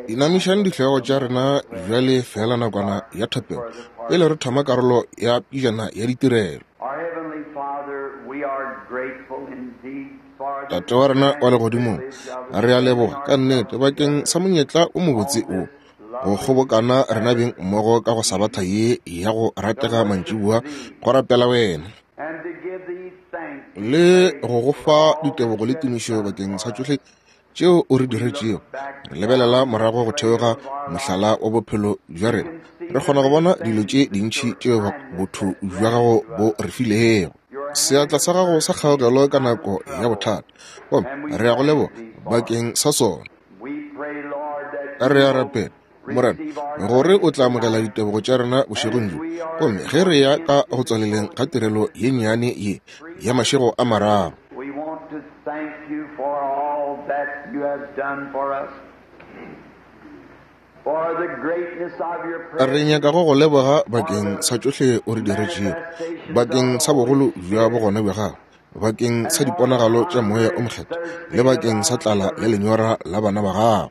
Inamišang dihlogo tša rena bjale feela nakwana ya thapelo pele re thoma karolo ya pejana ya ditirelo. Tate wa rena wa legodimong, re a leboga ka nnete bakeng sa monyetla o mobotse o go kgobokana rena beng mmogo ka go sabatha ye ya go ratega mantšiboa go rapela wena le go go fa ditebogo le tumišo bakeng sa tšohle tšeo o re diretšego. Re lebelela morago go theoga mohlala wa bophelo bja rena, re kgona go bona dilo tše dintši tšeo botho bja gago bo re filego. Seatla sa gago sa kgaogelo ka nako ya bothata, gomme re a go leboga bakeng sa sona. Re a rapela, Morena, gore o tla amogela ditebogo tša rena bošegong bjo. Gomme ge re ya ka go tswaleleng ga tirelo ye nnyane ye ya mašego a mararo, re nyaka go go leboga bakeng sa tšohle o re diretšego, bakeng sa bogolo bja bogona bja gago, bakeng sa diponagalo tša Moya o Mokgethwa, le bakeng sa tlala le lenyora la bana ba gago.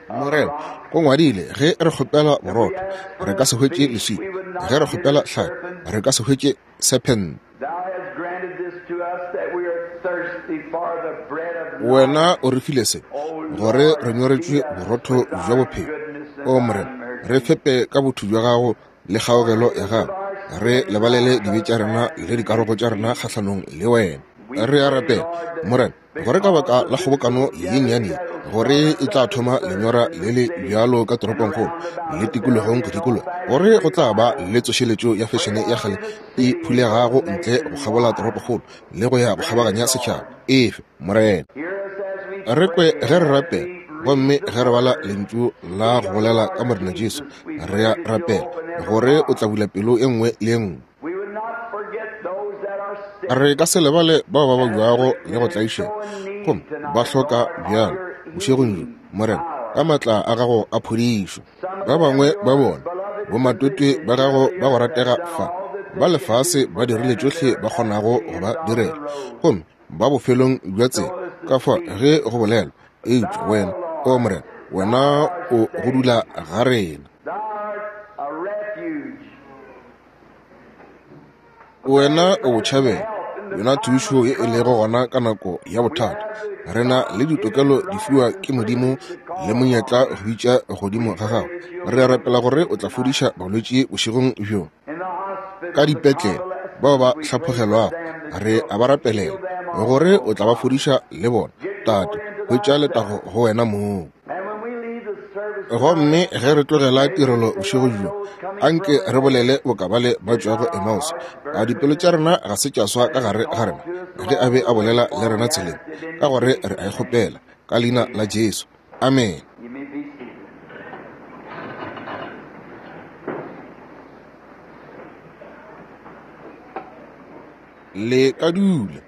Morena, go ngwadile, ge re kgopela borotho, re ka se hwetše leswika, ge re kgopela hlapi, re ka se hwetše sephente. Wena o re file se, gore re nyoretšwe borotho bja bophelo. O Morena, re fepe ka botho bja gago le kgaogelo ya gago, re lebalele dibe tša rena le dikarogo tša rena kgahlanong le wena. Re a rapela, Morena, gore ka baka la kgobokano ye nnyane ye, gore e tla thoma lenyora le le bjalo ka toropongkgolo le tikologong go dikologa, gore go tla ba le tsošeletšo ya fešene ya kgale e phulegago ntle go kgabola toropokgolo le go ya go kgabaganya setšhaba. Efe, Morena. Re kwe ge re rapela, gomme ge re bala lentšu la go bolela ka Morena Jesu, re a rapela gore o tla bula pelo e nngwe le e nngwe. Re ka se lebale bao ba babjago le go tlaišega, gomme ba hloka bjalo bošegong bjo, Morena, ka maatla a gago a phodišo. Ba bangwe ba bona, bomatwetwe ba gago ba go ratega fa, ba lefase ba dirile tšohle ba kgonago go ba direla, gomme ba bofelong bja tsela, ka fa ge go bolelwa, eupša wena, o Morena, wena o go dula ga rena. Wena o botšhabelo, yona thušo ye e lego gona ka nako ya bothata. Re na le ditokelo di fiwa ke Modimo le monyetla go bitša godimo ga gago. Re a rapela gore o tla fodiša balwetši bošegong bjo. Ka dipetlele, bao ba hlaphogelwago, re a ba rapelela gore o tla ba fodiša le bona. Tate, hwetša letago go wena mong. Gomme ge re tlogela tirelo bošego bjo, anke re bolele boka bale ba tšwago Emmaus. A dipelo tša rena ga se tša swa ka gare ga rena ge a be a bolela le rena tseleng? Ka gore re a e kgopela ka leina la Jesu. Amene. Le ka dula.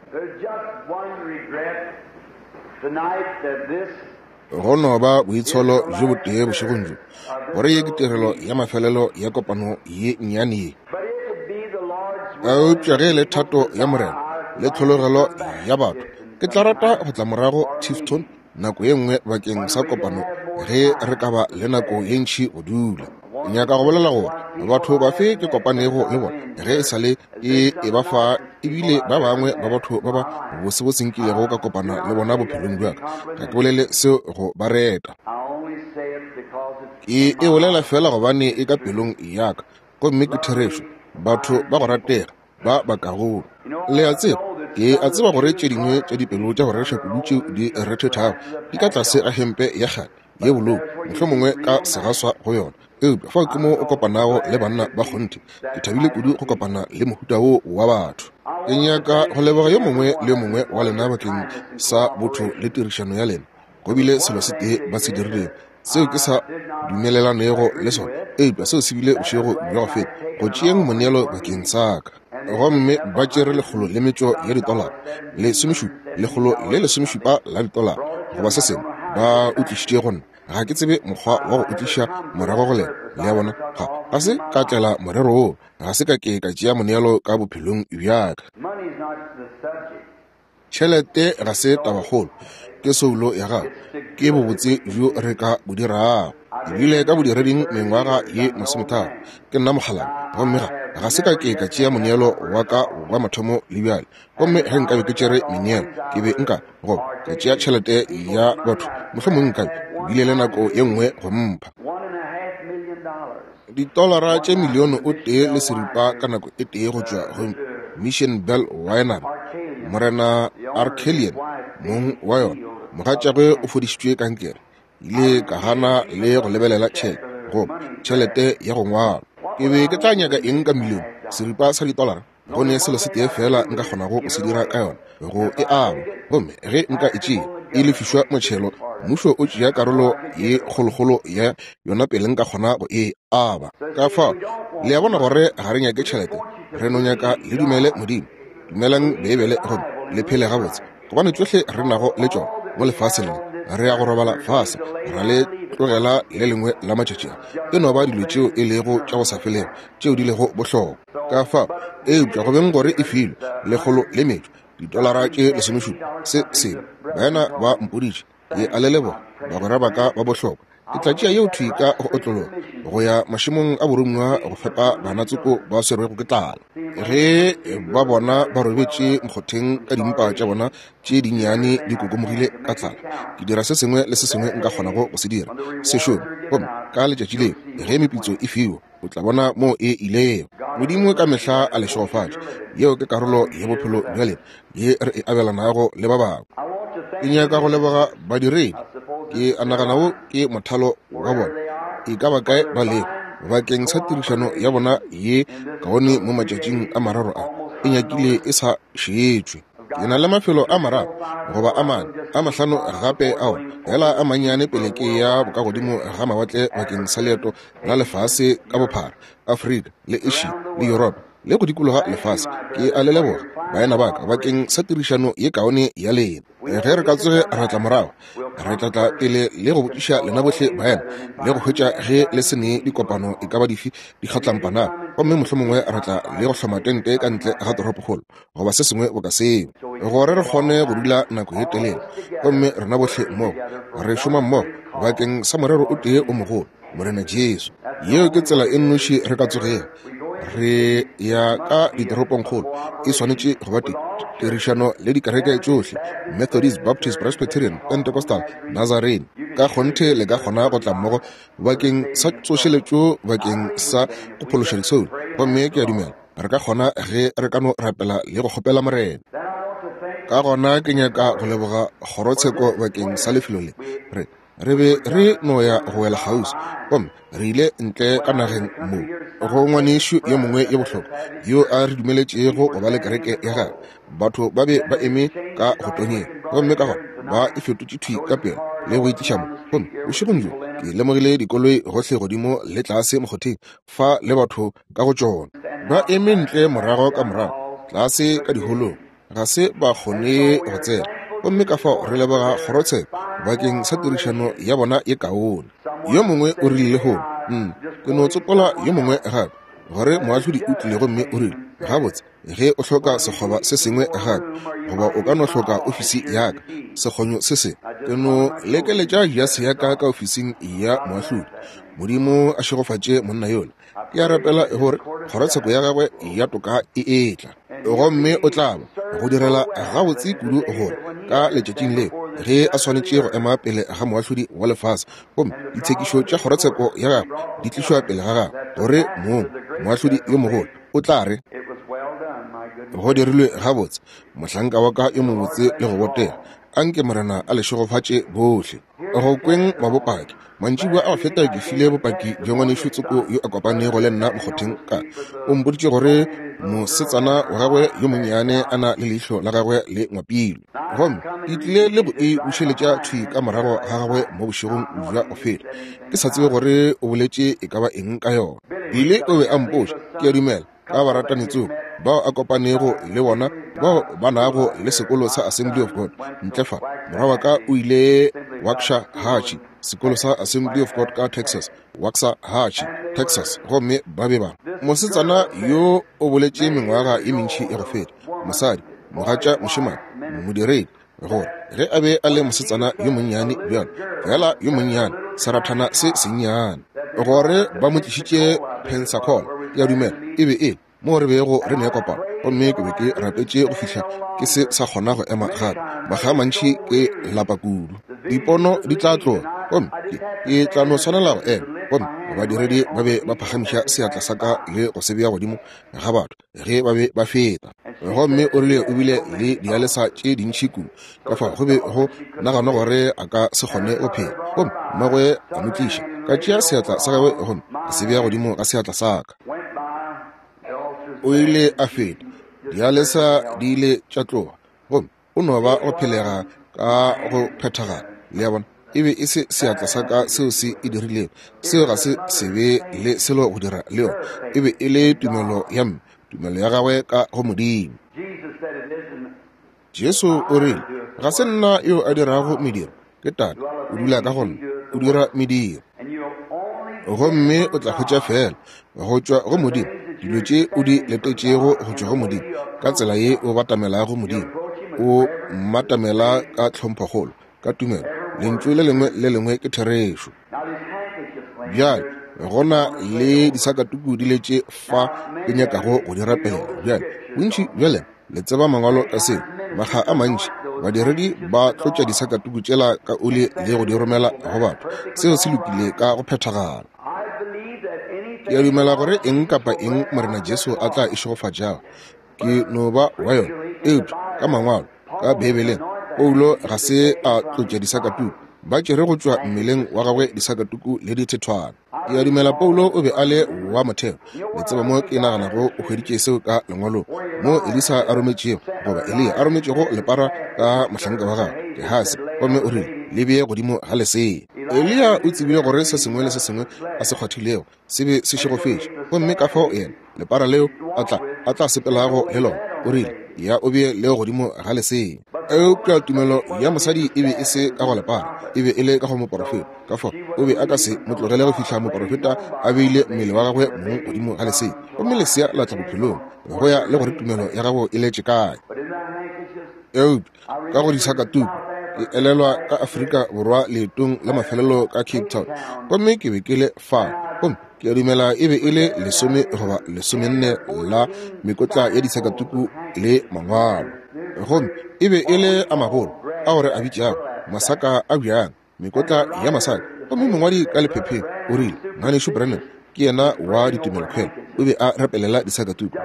Go no ba boitsholo bjo botee bošegong bjo, gore ye ke tirelo ya mafelelo ya kopano ye nnyane ye. Eupša ge e le thato ya Morena le tlhologelo ya batho, ke tla rata go tla morago Tifton nako ye nngwe bakeng sa kopano ge re ka ba le nako ye ntši go dula. Ke nyaka go bolela gore batho bafe ke kopanego le bona ge e sa le e e ba fa, ebile ba bangwe ba batho ba ba bosebose nkilego ka kopana le bona bophelong bja ka. Ga ke bolele seo go ba reta. Ke e bolela feela gobane e ka pelong ya ka, gomme ke therešo. Batho ba go ratega ba bakago. Le a tseba, ke a tseba gore tše dingwe tša dipelo tša go rereša kudu tšeo di rethethago di ka tlase ga hempe ya kgale ye bolou, mohlomongwe ka segaswa go yona. Eupša fao ke mo o kopanago le banna ba kgonthe. Ke thabile kudu go kopana le mohuta wo wa batho. Ke nyaka go leboga yo mongwe le yo mongwe wa lena bakeng sa botho le tirišano ya lena. Go bile selo se tee ba se dirilego seo ke sa dumelelanego le sona, eupša seo se bile bošego bja go feta, go tšeeng moneelo bakeng sa ka. Gomme ba tšere 100 le metšo ya ditolara, lesomešupa, 117 la ditolara, goba se sengwe, ba o tlišitše go nna. Ga ke tsebe mokgwa wa go o tliša morago go lena. Le a bona? Ga, ga se ka tlela morero woo. Ga se ka ke ka tšea moneelo ka bophelong bja ka. Tšhelete ga se tabakgolo, ke soulo ya gago, ke bobotse bjo re ka bo dirago. Ke bile ka bodireding mengwaga ye 30, ke nna mokgalabje, gomme ga se ka ke ka tšea moneelo wa ka wa mathomo le bjale. Gomme ge nkabe ke tšere meneelo, ke be nka goba ka tšea tšhelete ya batho, mohlomongwe nkabe ke bile le nako ye nngwe go mpha ditolara tše 1.5 milione ka nako e tee go tšwa go Mission Bell Winery. Morena Arkelian, mong wa yona, mogatšagwe o fodišitšwe kankere. Ile ka gana le go lebelela tšheke goba tšhelete ya go ngwalwa. Ke be ke tla nyaka eng ka 1.5 milione sa ditolara? Go ne selo se tee fela nka kgonago go se dira ka yona, go e aba. Gomme ge nka e tšea e lefišwa motšhelo, mmušo o tšea karolo ye kgolokgolo ya yona pele nka kgona go e aba. Ka fao le a bona gore ga re nyake tšhelete, re no nyaka le dumele Modimo. Dumelang Beibele gomme le phele gabotse, gobane tšohle re nago le tšona mo lefaseng le, re ya go robala fase ra le tlogela le lengwe la matšatši a. E no ba dilo tšeo e lego tša go sa felego tšeo di lego bohlokwa. Ka fao, eupša go beng gore e filwe lekgolo le metšo ditolara tše 17 se sengwe, baena ba mpoditše, ke a le leboga bagwera ba ka ba bohlokwa. Ke tla tšea yeo thwi ka go otlologa go ya mašemong a borongwa go fepa bana tsoko ba swerwego ke tlala. Ge ba bona ba robetše mokgotheng ka dimpa tša bona tše dinnyane di kokomogile ka tlala, ke dira se sengwe le se sengwe nka kgonago go se dira, se šome. Gomme ka letšatši leo ge meputso e fiwa, o tla bona moo e ilego. Modimo ka mehla a le šegofatše. Yeo ke karolo ya bophelo bja lena ye re e abelanago le ba bangwe. Ke nyaka go leboga badiredi. Ke a nagana wo ke mothalo wa bona, e ka ba kae ba lego, bakeng sa tirišano ya bona ye kaone mo matšatšing a mararo a, e nyakile e sa šetšwe. Ke na le mafelo a 3 goba a 4 a 5 gape ao fela a mannyane pele ke ya bokagodimo ga mawatle bakeng sa leeto la lefase ka bophara, Afrika le Asia le Yuropa le go dikologa lefase. Ke a le leboga baena ba ka bakeng sa tirišano ye kaone ya lena. Ge re ka tsoge ra tla morago, re tla tla pele le go botšiša lena bohle baena le go hwetša ge le se ne dikopano e ka ba dife di kgatlampanago, gomme mohlomongwe ra tla le go hloma tente ka ntle ga toropokgolo goba se sengwe boka seo, gore re kgone go dula nako ye telele, gomme rena bohle mmogo re šoma mmogo bakeng sa morero o tee o mogolo, Morena Jesu. Yeo ke tsela e nnoši re ka tsogego re ya ka ditoropongkgolo. E swanetše go ba tirišano le dikereke tšohle, Methodist, Baptist, Presbyterian, Pentecostal, Nazarene. Ka kgonthe le ka kgona go tla mmogo bakeng sa tsošeletšo, bakeng sa go phološa disoulo. Gomme ke a dumela re ka kgona ge re ka no rapela le go kgopela Morena. Ka gona ke nyaka go leboga kgorotsheko bakeng sa lefelo le. Re be re no ya go wela kgauswi, gomme re ile ntle ka nageng mo go ngwanešu yo mongwe yo bohlokwa yo a re dumeletšego go ba le kereke ya gagwe. Batho ba be ba eme ka go tonyeng, gomme ka gona ba e fetotše thwi ka pela le go itliša mo. Gomme bošegong bjo ke lemogile dikoloi gohle godimo le tlase mokgotheng fa le batho ka go tšona ba eme ntle morago ka morago tlase ka diholong, ga se ba kgone go tsena. Gomme ka fao re leboga kgorotsheko bakeng sa tirišano ya bona ye kaone. Yo mongwe o rile lehono, ke no tsopola yo mongwe gape, gore moahlodi o tlile gomme o rile, gabotse, ge o hloka sekgoba se sengwe gape, goba o ka no hloka ofisi ya ka, sekgonyo se sengwe, ke no lekeletša jase ya ka ka ofising ya moahlodi. Modimo a šegofatše monna yola. Ke a rapela gore kgorotsheko ya gagwe ya toka e etla, gomme o tla ba go direla gabotse kudu gore ka letšatšing leo ge a swanetše go ema pele ga moahlodi wa lefase, gomme ditshekišo tša kgorotsheko ya gagwe di tlišwa pele ga gagwe, gore mong moahlodi yo mogolo o tla re, go dirilwe gabotse, mohlanka wa ka yo mobotse le go botega. Anke Morena a le šegofatše bohle. Go kweng mabopaki, mantšiboa a go feta ke file bopaki bja ngwanešu tsoko yo a kopanego le nna mokgotheng ka. O mpoditše gore mosetsana wa gagwe yo monnyane a na le leihlo la gagwe le ngwapilwe, gomme ke tlile le go e bušeletša thwi ka morago ga gagwe mo bošegong bja go feta. Ke sa tsebe gore o boletše e ka ba eng ka yona. Bile o be a mpotša, ke a dumela, ka baratani tsoko bao a kopanego le bona bao ba nago le sekolo sa Assembly of God ntle fa. Morwa wa ka o ile Waxahachie, sekolo sa Assembly of God ka Texas, Waxahachie, Texas, gomme ba be ba. Mosetsana yo o boletše mengwaga ye mentši ya go feta, mosadi. mogatša mošemane, modiredi, gore ge a be a le mosetsana yo monnyane bjalo, feela yo monnyane, serathana se sennyane, gore ba mo tlišitše Pensacola, ke a dumela e be e moo re bego re ne kopano, gomme ke be ke rapetše go fihla ke se sa kgona go ema gape. Makga a mantši ke lapa kudu, dipono di tla tloga, gomme ke, ke tla no swanela go ema. Gomme badiredi ba be ba phagamiša seatla sa ka le go se bea godimo ga batho ge ba be ba feta. Gomme o rile o bile le dialesa tše dintši kudu, ka fao go be go naganwa gore a ka se kgone go phela. Gomme mmagwe a mo tliša, ka tšea seatla sa gagwe gomme ka se bea godimo ga seatla sa ka. O ile a feta, dialesa di ile tša tloga, gomme o no ba go phelega ka go phethagala. Le a bona, e be e se seatla sa ka seo se e dirilego, seo ga se se be le selo go dira le yona. E be e le tumelo ya mme, tumelo ya gagwe ka go Modimo. Jesu o rile, Ga se nna yo a dirago mediro, ke Tate, o dula ka go nna, o dira mediro. Gomme o tla hwetša feela go tšwa go Modimo dilo tše o di letetšego go tšwa go Modimo, ka tsela ye o batamelago Modimo, o mmatamela ka tlhomphokgolo, ka tumelo. Lentšu le lengwe le lengwe ke therešo. Bjale go na le disakatuku di letše fa ke nyakago go di rapela. Bjale bontši bja lena le tseba mangwalo ka seo. Makga a mantši badiredi ba tlotša disakatuku tšela ka oli le go di romela go batho. Seo se lokile ka go phethagala. Ke a dumela gore eng kapa eng Morena Jesu a tla e šegofatšago, ke no ba wa yona. Eupša ka mangwalo, ka Beibeleng, Paulo ga se a tlotša disakatuku, ba tšere go tšwa mmeleng wa gagwe disakatuku le dithethwana. Ke a dumela Paulo o be a le wa motheo. Le tseba mo ke naganago o hweditše seo ka lengwalong, mo Elisa a rometšego, goba Eliya a rometšego lepara ka mohlanka wa gagwe Gehasi, gomme o rile, Le bee godimo ga lesea. Eliya o tsebile gore se sengwe le se sengwe a se kgwathilego se be se šegofetše, gomme ka fao yena, lepara leo a tla, a tla sepelago le lona, o rile, Ya o bee leo godimo ga lesea. Eupša tumelo ya mosadi e be e se ka go lepara, e be e le ka go moporofeta. Ka fao o be a ka se mo tlogele go fihla moporofeta a beile mmele wa gagwe mong godimo ga lesea, gomme lesea la tla bophelong, go ya le gore tumelo ya gago e letše kae. Eupša ka go disakatuku, ke elelwa ka Afrika Borwa leetong la mafelelo ka Cape Town, gomme ke be ke le fao, gomme ke a dumela e be e le 10 goba 14 la mekotla ya disakatuku le mangwalo, gomme e be e le a magolo ao re a bitšago masaka a bjang, mekotla ya masaka. Gomme mongwadi ka lephepheng o rile, Ngwanešu Branham ke yena wa ditumelokhwelo, o be a rapelela disakatuku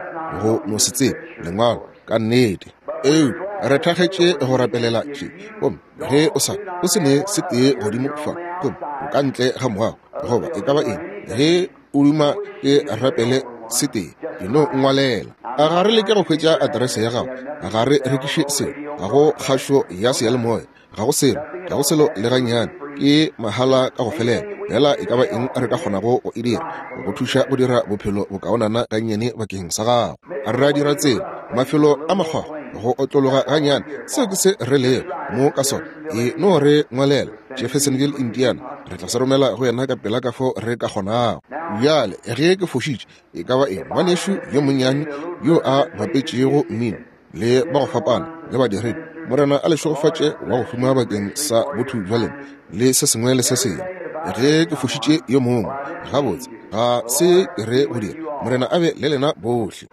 go no se tsebe lengwalo ka nnete. Eupša re thakgetše go rapelela tše, gomme ge o sa o se ne se tee godimo fa, gomme o ka ntle ga moago goba e ka ba eng, ge o duma ke rapele se tee, e no ngwalela. A ga re leke go hwetša aterese ya gago, ga re rekiše selo, ga go kgašo ya seyalemoya, ga go selo, ga go selo le gannyane, ke mahala ka go felela. Fela e ka ba eng re ka kgonago go e dira go thuša go dira bophelo bokaonana gannyane bakeng sa gago. Re a dira tsela, mafelo a makgwakgwa, go otlologa gannyane, seo ke se re lego mo ka sona. E no re ngwalela Jeffersonville, Indiana, re tla se romela go yena ka pela ka fao re ka kgonago. Bjale, ge ke fošitše e ka ba eng, ngwanešu yo monnyane yo a bapetšego mmino le ba go fapana le badiredi, Morena a le šegofatše wa go huma bakeng sa botho bja lena le se sengwe le se sengwe. Ge ke fošitše yo mongwe, gabotse, ga se ke re go dira. Morena a be le lena bohle.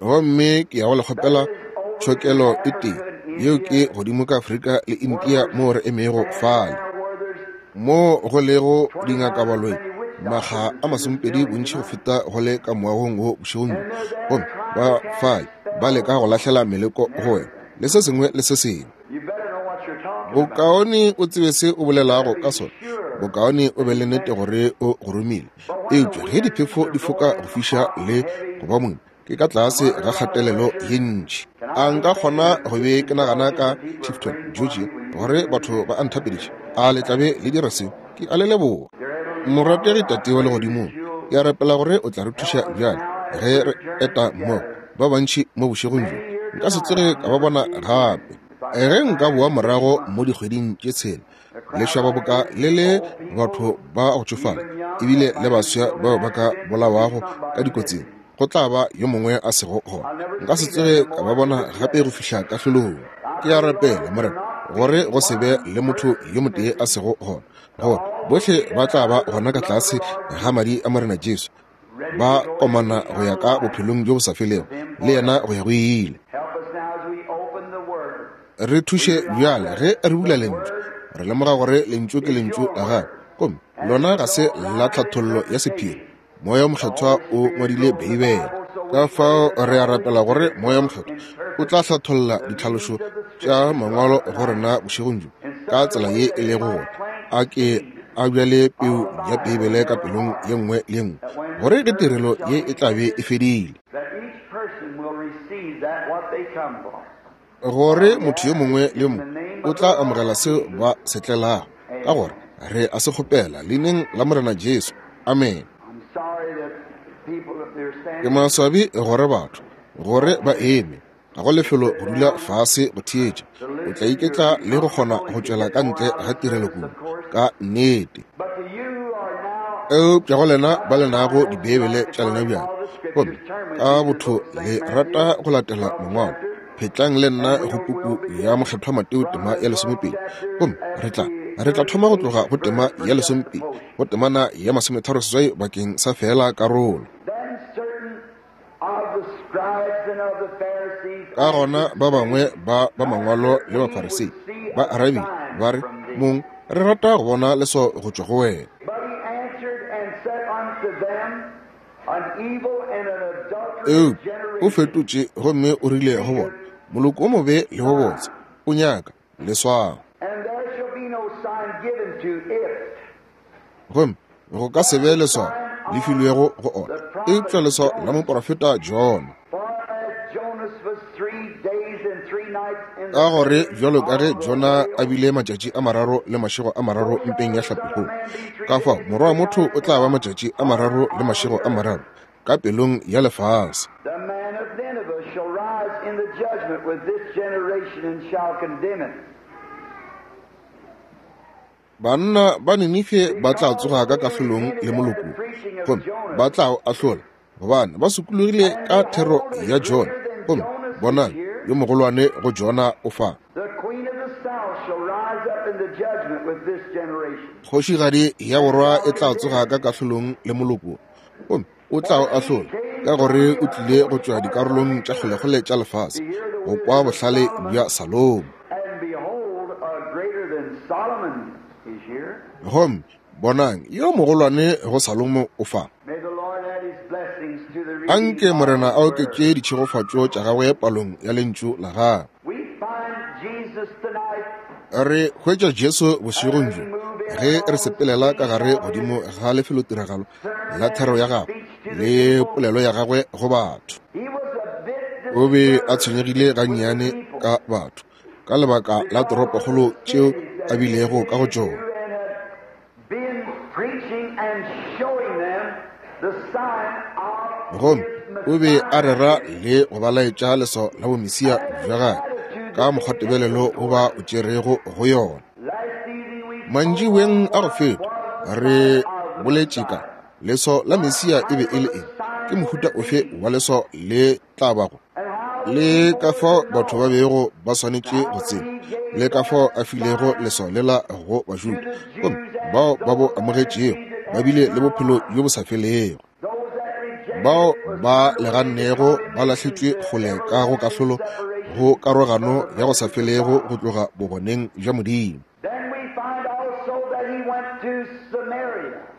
Gomme ke ya go le kgopela tšhokelo e tee, yeo ke godimo ka Afrika le India moo re emego fale, moo go lego dingakabaloi makga a 20 bontši go feta go le ka moagong wo bošegong bjo, gomme ba fale ba leka go lahlela meleko go wena le se sengwe le se sengwe. Bokaone o tsebe se o bolelago ka sona, bokaone o be le nnete gore o go romile. Eupša ge diphefo di foka go fiša le go ba moima, ke ka tlase ga kgatelelo ye ntši. A nka kgona go be ke nagana ka Tifton, Georgia, gore batho ba a nthapediša? A le tla be le dira seo? Ke a le leboga. Morategi Tate wa Legodimong, ke a rapela gore o tla re thuša bjale ge re eta mmogo ba bantši mo bošegong bjo. Nka se tsoge ka ba bona gape. Ge nka boa morago mo dikgweding tše tshela, lešaba boka le le batho ba go tšofala ebile le baswa bao ba ka bolawago ka dikotsing. Go tla ba yo mongwe a sego gona. Nka se tsoge ka ba bona gape go fihla kahlolong. Ke a rapela, Morena, gore go se be le motho yo motee a sego gona, gore bohle ba tla ba gona ka tlase ga madi a Morena Jesu, ba komana go ya ka bophelong bjo bo sa felego le yena go ya go ile. Re thuše bjale ge re bula Lentšu. Re lemoga gore Lentšu ke Lentšu la Gago, gomme lona ga se la tlhathollo ya sephiri. Moya wo Mokgethwa o ngwadile Beibele. Ka fao re a rapela gore Moya wo Mokgethwa o tla hlatholla ditlhalošo tša Mangwalo go rena bošegong bjo ka tsela ye e lego gore a ke a bjale peu ya Beibele ka pelong ye nngwe le ye nngwe, gore ge tirelo ye e tla be e fedile, gore motho yo mongwe le yo mongwe o tla amogela seo ba se tlelago, ka gore re a se kgopela leineng la Morena Jesu. Amene. Ke maswabi gore batho gore ba eme, ga go lefelo go dula fase go theetša. O tla iketla le go kgona go tšwela ka ntle ga tirelo kudu, ka nnete. Eupša go lena ba le nago Dibeibele tša lena bjale, gomme ka botho le rata go latela Mangwalo, phetlang le nna go puku ya Mokgethwa Mateo tema ya 12, gomme re tla re tla thoma go tloga go tema ya 12 go temana ya 38 bakeng sa feela karolo. Ka gona ba bangwe ba ba mangwalo le Bafarisei ba arabile ba re, Mong, re rata go bona leswao go tšwa go wena. Eupša o fetotše gomme o rile go bona, Moloko o mobe le wo botse o nyaka leswao. Gomme go ka se be leswao le filwego go ona, eupša leswao la moprofeta Jona. Ka gore bjalo ka ge Jona a bile matšatši a mararo le mašego a mararo mpeng ya hlapikgolo, ka fao Morwa wa motho o tla ba matšatši a mararo le mašego a mararo ka pelong ya lefase. Banna ba Ninife ba tla tsoga ka kahlolong le moloko, gomme ba tla o ahlola, gobane ba sokologile ka thero ya Jona, gomme bonang, yo mogolwane go Jona o fa. Kgošigadi ya borwa e tla tsoga ka kahlolong le moloko, gomme o tla o ahlola, ka gore o tlile go tšwa dikarolong tša kgolekgole tša lefase go kwa bohlale bja Salomo. Gomme bonang, yo mogolwane go Salomo o fa. Anke Morena a oketše ditšhegofatšo tša gagwe palong ya lentšu la gagwe. Re hwetša Jesu bošegong bjo ge re sepelela ka gare godimo ga lefelotiragalo la thero ya gagwe le polelo ya gagwe go batho. O be a tshwenyegile gannyane ka batho ka lebaka la toropokgolo tšeo a bilego ka go tšona. Gomme o be a rera le go ba laetša leswao la bomesia bja gagwe ka mokgwatebelelo o ba o tšerego go yona. Mantšiboeng a go feta re boletše ka leswao la Mesia e be e le eng, ke mohuta ofe wa leswao le tla bago, le ka fao batho ba bego ba swanetše go tseba, le ka fao a filego leswao lela go Bajuda, gomme bao ba bo amogetšego ba bile le bophelo bjo bo sa felego. Bao ba le gannego ba lahletšwe kgole ka go kahlolo, go karogano ya go sa felego go tloga bogoneng bja Modimo.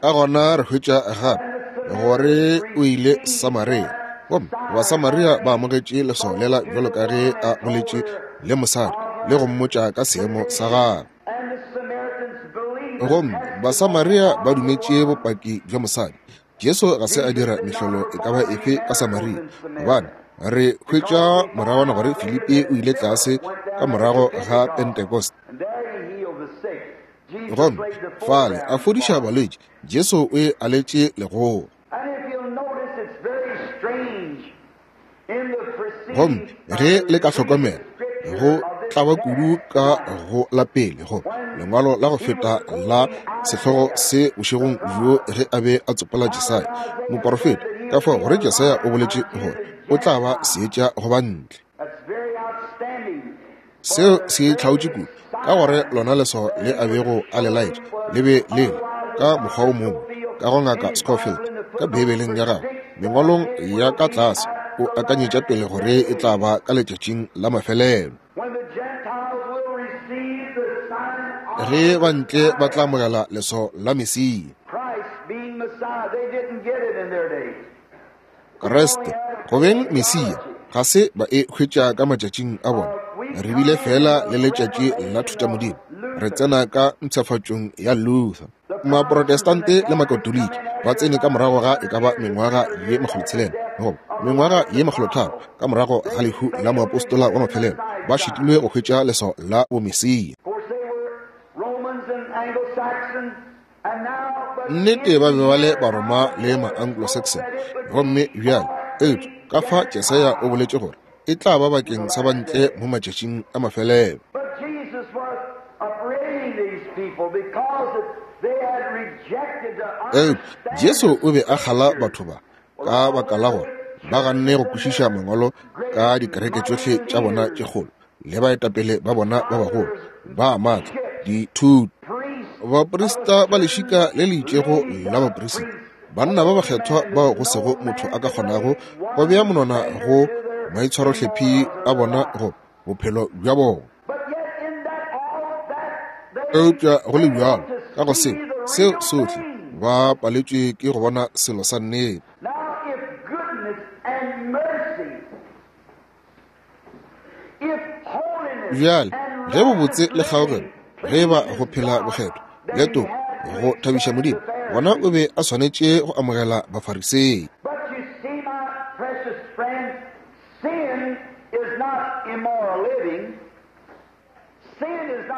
Ka gona re hwetša gape gore o ile Samaria, gomme Basamaria ba amogetše leswao lela bjalo ka ge a boletše le mosadi le go mmotša ka seemo sa gagwe. Gomme Basamaria ba dumetše bopaki bja mosadi. Jesu ga se a dira mehlolo e ka ba efe ka Samaria, gobane re hwetša moragwana gore Filipi o ile tlase ka morago ga Pentekoste, gomme fale a fodiša balwetši. Jesu o e aletše legogo. Gomme ge le ka hlokomela, go tlaba kudu ka go la pele go lengwalo la go feta la sehlogo se bošegong bjo ge a be a tsopola Jesaya moporofeta. Ka fao gore Jesaya o boletše gore o tla ba seetša go ba ntle. Seo se itlhaotše kudu, ka gore lona leswao le a bego a le laetša le be le le ka mokgwa o mongwe ka go Ngaka Scofield ka Beibeleng ya gagwe, mengwalong ya ka tlase, o akanyetša pele gore e tla ba ka letšatšing la mafelelo. Ge ba ntle ba tla amogela leswao la Mesia. Kriste, go beng Mesia, ga se ba e hwetša ka matšatšing a bona. Re bile fela le letšatši la thutamodimo. Re tsena ka mpshafatšong ya Luther. Maprotestante le Makatoliki ba tsene ka morago ga e ka ba mengwaga ye 600 goba mengwaga ye 300 ka morago ga lehu la moapostola wa mafelelo, ba šitilwe go hwetša leswao la bomesia. Nnete ba be ba le Baroma le ma-Anglo-Saxon, gomme bjale, eupša ka fa Jesaya o boletše gore e tla ba bakeng sa bantle mo matšatšing a mafelelo. Eupša Jesu o be a kgala batho ba ka baka la gore ba ganne go kwešiša mangwalo ka dikereke tšohle tša bona tše kgolo le baetapele ba bona ba bagolo ba maatla, dithuto, baprista ba lešika le le itšego la baprista, banna ba bakgethwa bao go sego motho a ka kgonago go bea monwana go maitshwarohlephi a bona go bophelo bja bona. Eupša go le bjalo, ka go seo, seo sohle, ba paletšwe ke go bona selo sa nnete. Bjale, ge bobotse le kgaogelo, ge e ba go phela bokgethwa le toko go thabiša Modimo, gona o be a swanetše go amogela Bafarisei.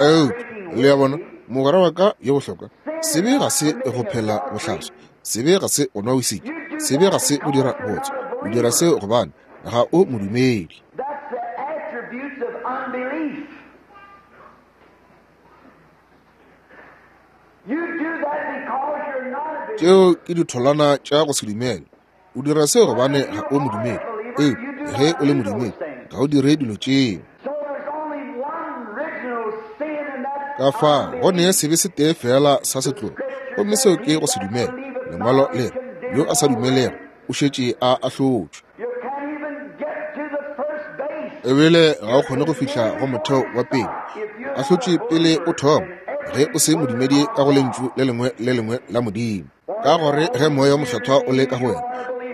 Eupša, le a bona, mogwera wa ka yo bohlokwa, sebe ga se go phela bohlaswa, sebe ga se go nwa wisiki, sebe ga se go dira bootswa. O dira seo gobane ga o modumedi. Tšeo ke ditholwana tša go se dumele. O dira seo gobane ga o modumedi. Eupša ge o le modumedi, ga o dire dilo tšeo. Ka fao go ne sebe se tee feela sa setlogo, gomme seo ke go se dumele. Lengwalo le re, Yo a sa dumelego o šetše a ahlotšwe. Ebile ga o kgone go fihla go motheo wa pele, o ahlotšwe pele o thoma, ge o se modumedi ka go Lentšu le lengwe le lengwe la Modimo. Ka gore ge Moya o Mokgethwa o le ka go wena,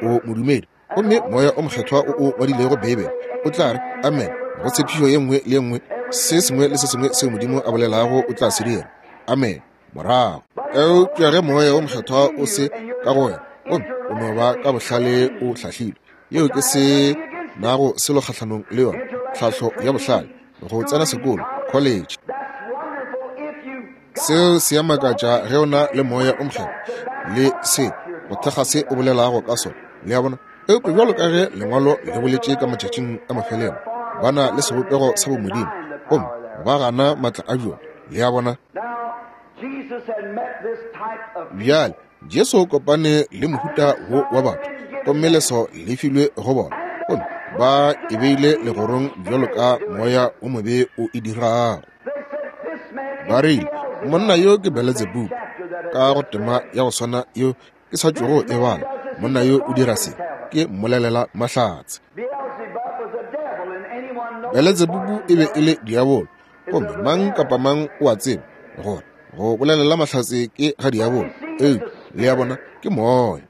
o modumedi, gomme Moya o Mokgethwa o o ngwadilego Beibele o tla re amen go tshepišo ye nngwe le ye nngwe, se sengwe le se sengwe seo Modimo a bolelago o tla se dira. Amen. Morago. Eupša ge Moya o Mokgethwa o se ka go wena, gomme o no ba ka bohlale o hlahlilwe, yeo ke se nago selo kgahlanong le yona, tlhahlo ya bohlale, go tsena sekolo, college. Seo se a makatša ge o na le Moya o Mokgethwa le se go thekga se o bolelago ka sona. Le a bona? Eupša bjalo ka ge Lengwalo le boletše ka matšatšing a mafelelo, ba na le sebopego sa bomodimo, gomme ba gana maatla a bjona. Le a bona? Bjale, Jesu o kopane le mohuta wo wa batho, gomme leswao le filwe go bona, gomme ba e beile legorong bjalo ka moya o mobe o e dirago. Ba rile, Monna yo ke Beletsebubu, ka go tema ya go swana yo ke sa tšwago e bala. Monna yo o dira se, ke mmolelela mahlatse. Beletsebubu e be e le diabolo, gomme mang kapa mang o a tseba gore go bolelela mahlatse ke ga diabolo. Eupša, le a bona, ke moya.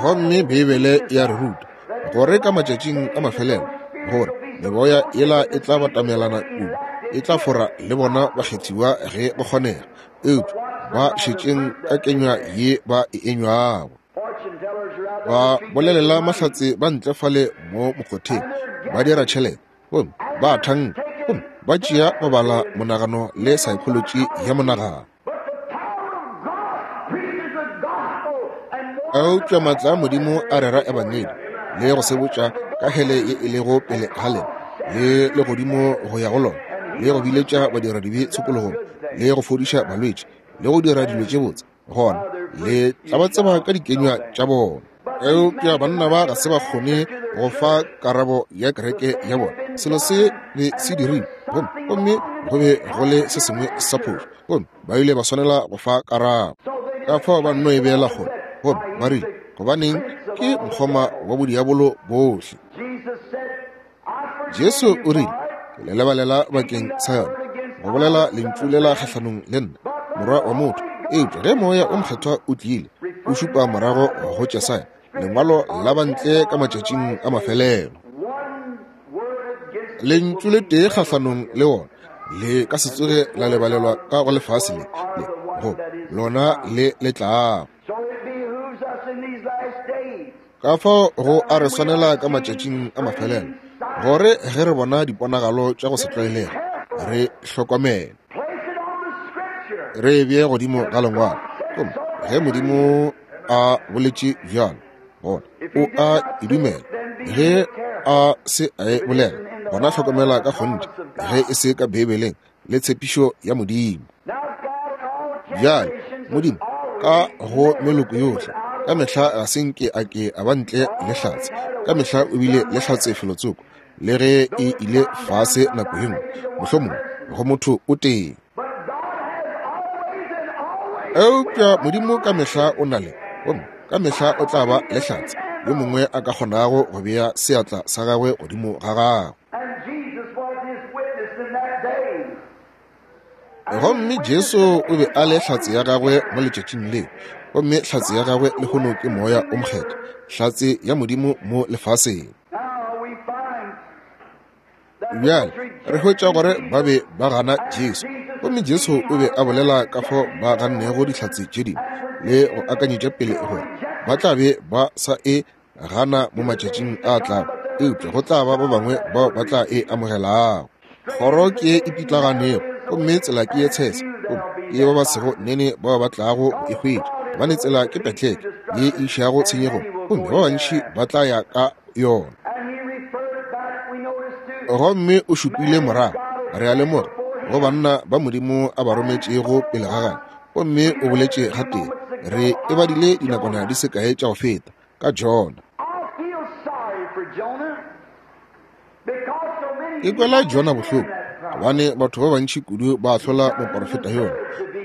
Gomme Beibele ya re ruta gore ka matšatšing a mafelelo gore meboya yela e tla batamelana kudu, e tla fora le bona bakgethiwa ge go kgonega, eupša ba šetšeng ka kenywa ye ba e enywago. Ba bolelela mahlatse ba ntle fale mo mokgotheng, ba dira tšhelete, gomme ba thanka, gomme ba tšea go bala monagano le saekholotši ya monagano. Eupša maatla a Modimo a rera Ebangedi le go sebotša ka hele ye e lego pele ga lena le legodimo go ya go lona, le go biletša badiradibe tshokologong, le go fodiša balwetši, le go dira dilo tše botse, gona le tla ba tseba ka dikenywa tša bona. Eupša banna ba ga se ba kgone go fa karabo ya kereke ya bona. Selo se be se dirilwe, gomme, gomme go be go le se sengwe sa phošo, gomme ba ile ba swanela go fa karabo. Ka fao ba nno e beela kgole, gomme ba rile, Gobaneng, ke mokgoma wa bodiabolo bohle. Jesu o rile, Ke le lebalela bakeng sa yona, go bolela lentšu lela kgahlanong le nna, Morwa wa motho. Eupša ge Moya o Mokgethwa o tlile, o šupa morago go Jesaya, lengwalo la bantle ka matšatšing a mafelelo. Lentšu le tee kgahlanong le wona le ka se tsoge la lebalelwa ka go lefase le, le go lona le le tlago. Ka fao go a re swanela ka matšatšing a mafelelo gore ge re bona diponagalo tša go se tlwaelege re hlokomele, re e bee godimo ga lengwalo. Gomme ge Modimo a boletše bjalo, gona o a e dumela. Ge a se a e bolela, gona hlokomela ka kgonthe ge e se ka Beibeleng le tshepišo ya Modimo. Bjale, Modimo ka go meloko yohle ka mehla ga se nke a ke a ba ntle le hlatse. Ka mehla o bile le hlatse felotsoko, le ge e ile fase nako ye nngwe, mohlomongwe go motho o tee. Eupša Modimo ka mehla o na le, gomme ka mehla o tla ba le hlatse yo mongwe a ka kgonago go bea seatla sa gagwe godimo ga gagwe. Gomme Jesu o be a le hlatse ya gagwe mo letšatšing leo, gomme hlatse ya gagwe lehono ke Moya o Mokgethwa, hlatse ya Modimo mo lefaseng. Bjale re hwetša gore ba be ba gana Jesu, gomme Jesu o be a bolela ka fao ba gannego dihlatse tše dingwe le go akanyetša pele gore ba tla be ba sa e gana mo matšatšing a tlago, eupša go tla ba ba bangwe bao ba tla e amogelago. Kgoro ke ye e pitlaganego, gomme tsela ke ye tshese, gomme ke ba ba sego nene bao ba tlago go e hwetša, gobane tsela ke petleke ye e išago tshenyegong, gomme ba bantši ba tla ya ka yona. Gomme o šupile morago, re a lemoga, go banna ba Modimo a ba rometšego pele ga gagwe, gomme o boletše gatee, re e badile dinakwana di se kae tša go feta, ka Jona. Ke kwela Jona bohloko gobane batho ba bantši kudu ba ahlola moporofeta yona.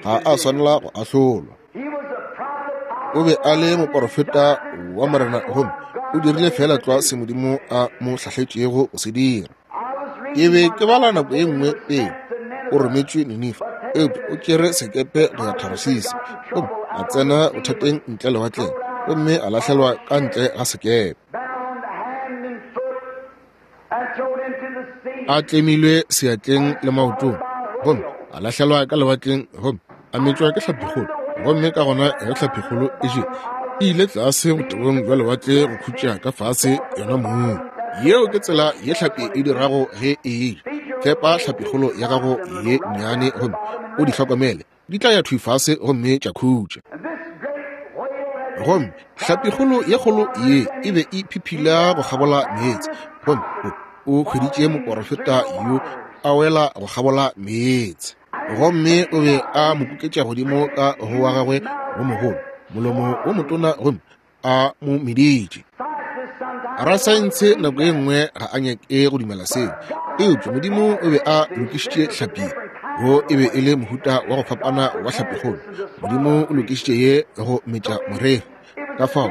Ga a swanela go ahlolwa. O be a le moporofeta wa Morena gomme o dirile feela tlwa se Modimo a mo hlahletšego go se dira. Ke be ke bala nako ye nngwe pele o rometšwe Ninife, eupša o tšere sekepe go ya Tarasisi gomme a tsena bothateng ntle lewatleng gomme a lahlelwa ka ntle ga sekepe. A tlemilwe seatleng le maotong gomme a lahlelwa ka lewatleng gomme a metšwa ke hlapikgolo, gomme ka gona ge hlapikgolo e jele e ile tlase botebong bja lewatle go khutša ka fase yona mong. Yeo ke tsela ye hlapi e dirago ge e eja. Fepa hlapikgolo ya gago ye nnyane gomme o di hlokomele, di tla ya thwi fase gomme tša khutša. Gomme hlapikgolo ye kgolo ye e be e phiphila go kgabola meetse, gomme o hweditše moporofeta yo a wela go kgabola meetse. Gomme o be a mo kuketša godimo ka go wa gagwe wo mogolo, molomo wo motona, gomme a mo meditše. Rasaentshe nako ye nngwe ga a nyake go dumela seo, eupša Modimo o be a lokišitše hlapi. Wo e be e le mohuta wa go fapana wa hlapikgolo. Modimo o lokišitše ye go metša moreri. Ka fao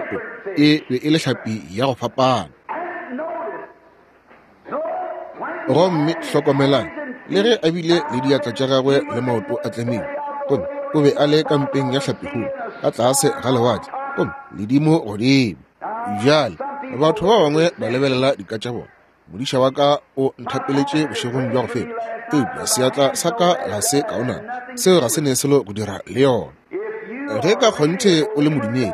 e be e le hlapi ya go fapana. Gomme hlokomelang, le ge a bile le diatla tša gagwe le maoto a tlemilwe, gomme o be a le ka mpeng ya hlapikgolo ka tlase ga lewatle, gomme ledimo godimo. Bjale, batho ba bangwe ba lebelela dika tša bona. Modiša wa ka o nthapeletše bošegong bja go feta, eupša seatla sa ka ga se kaonana. Seo ga se ne selo go dira le yona. Ge ka kgonthe o le modumedi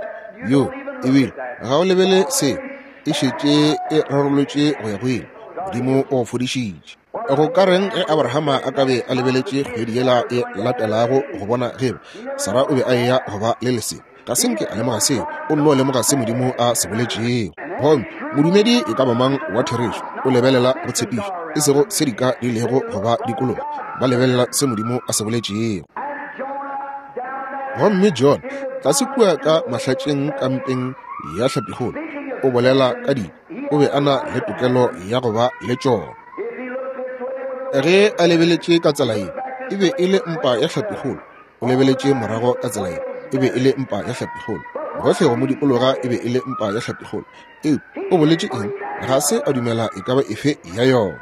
yo, ebile ga o lebele seo, e šetše e rarolotše go ya go ile. Modimo o go fodišitše. Go ka reng ge Abrahama a ka be a lebeletše kgwedi yela e latelago go bona ge eba Sara o be a eya go ba le lesea? Ga se nke a lemoga seo. O nno lemoga se Modimo a se boletšego. Gomme modumedi e ka ba mang wa therešo o lebelela go tshepišo, e sego se dika di lego go ba dikologa. Ba lebelela se Modimo a se boletšego. Gomme John, tlase kua ka mahlatšeng kampeng ya hlapikgolo, o bolela ka dika, o be a na le tokelo ya go ba le tšona. Ge a lebeletše ka tsela ye, e be e le mpa ya hlapikgolo. O lebeletše morago ka tsela ye, e be e le mpa ya hlapikgolo. Gohle go mo dikologa e be e le mpa ya hlapikgolo. Eupša o boletše eng? Ga se a dumela e ka ba efe ya yona.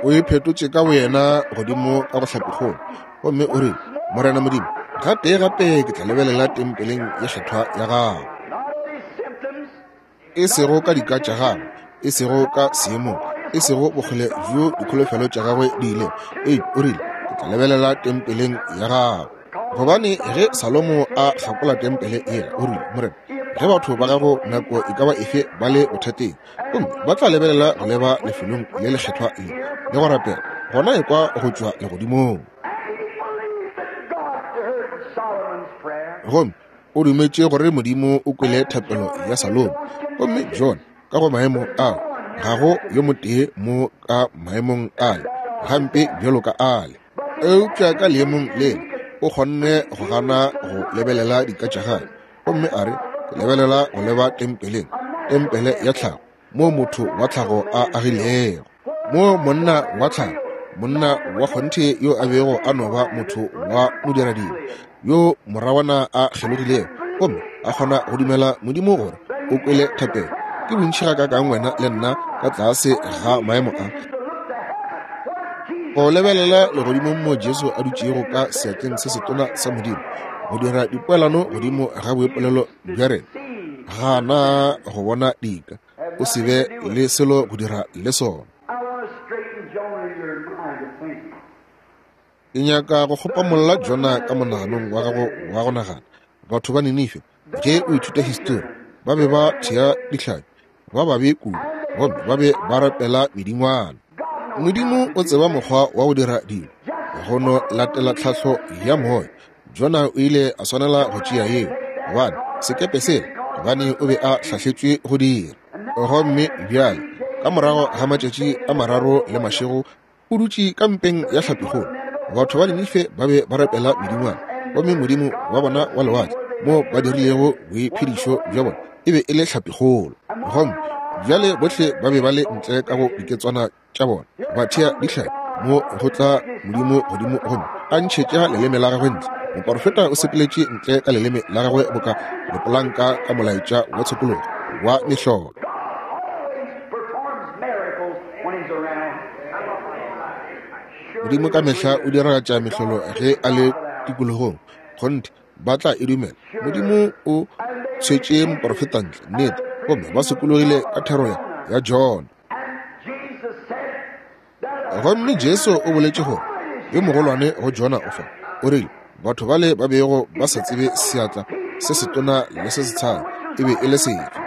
O iphetotše ka boyena godimo ka go hlapikgolo, gomme o rile, Morena Modimo, gatee gape ke tla lebelela tempeleng ye kgethwa ya gago. E sego ka dika tša gagwe, e sego ka seemong, e sego bokgole bjo dikholofelo tša gagwe di ilego, eupša o rile, Ke tla lebelela tempeleng ya gago. Gobane ge Salomo a hlakola tempele yela, o rile, Morena, ge batho ba gago nako e ka ba efe ba le bothateng, gomme ba tla lebelela go leba lefelong le lekgethwa le le go rapela, gona ekwa go tšwa legodimong. Gomme o dumetše gore Modimo o kwele thapelo ya Salomo. Gomme John, ka go maemo ao, ga go yo motee mo ka maemong ale, gampe bjalo ka ale. Eupša ka leemong lela, o kgonne go gana go lebelela dika tša gagwe, gomme a re, Ke lebelela go leba tempeleng, tempele ya tlhago, moo motho wa tlhago a agilego, moo monna wa tlhago, monna wa kgonthe yo a bego a no ba motho wa modiradilo, yo moragwana a kgelogilego gomme a kgona go dumela Modimo gore o kwele thapelo. Ke bontši gakaakang wena le nna ka tlase ga maemo a, go lebelela legodimong moo Jesu a dutšego ka seatleng se setona sa Modimo, go dira dipoelano godimo ga boipolelo bja rena. Gana go bona dika, o se be le selo go dira le sona. Ke nyaka go kgopamolla Jona ka monaganong wa gago wa go nagana. Batho ba Ninife, ge o ithuta histori, ba be ba thea dihlapi, ba babe kudu, gomme ba be ba rapela medingwana. Modimo o tseba mokgwa wa go dira dilo, go no latela tlhahlo ya moya. Jona o ile a swanela go tšea yeo, gobane sekepe sela, gobane o be a hlahletšwe go dira. Gomme bjale, ka morago ga matšatši a mararo le mašego, o dutše ka mpeng ya hlapikgolo. Batho ba Ninife ba be ba rapela medingwana, gomme modimo wa bona wa lewatle, moo ba dirilego boiphedišo bja bona, e be e le hlapikgolo. Gomme bjale bohle ba be ba le ntle ka go diketswana tša bona, ba thea dihlapi, mo go tla Modimo godimo gomme a ntšhetša leleme la gagwe ntle. Moporofeta o sepeletše ntle ka leleme la gagwe boka lepolanka ka molaetša wa tshokologo wa mehlolo. Modimo ka mehla o diragatša mehlolo ge a le tikologong. Kgonthe, ba tla e dumela. Modimo o tshwetše moporofeta ntle, nnete, gomme ba sokologile ka thero ya Jona. Gomme Jesu o boletše gore yo mogolwane go Jona o fa. O rile, batho bale ba bego ba sa tsebe seatla se setona le se setshadi e be e le sefe,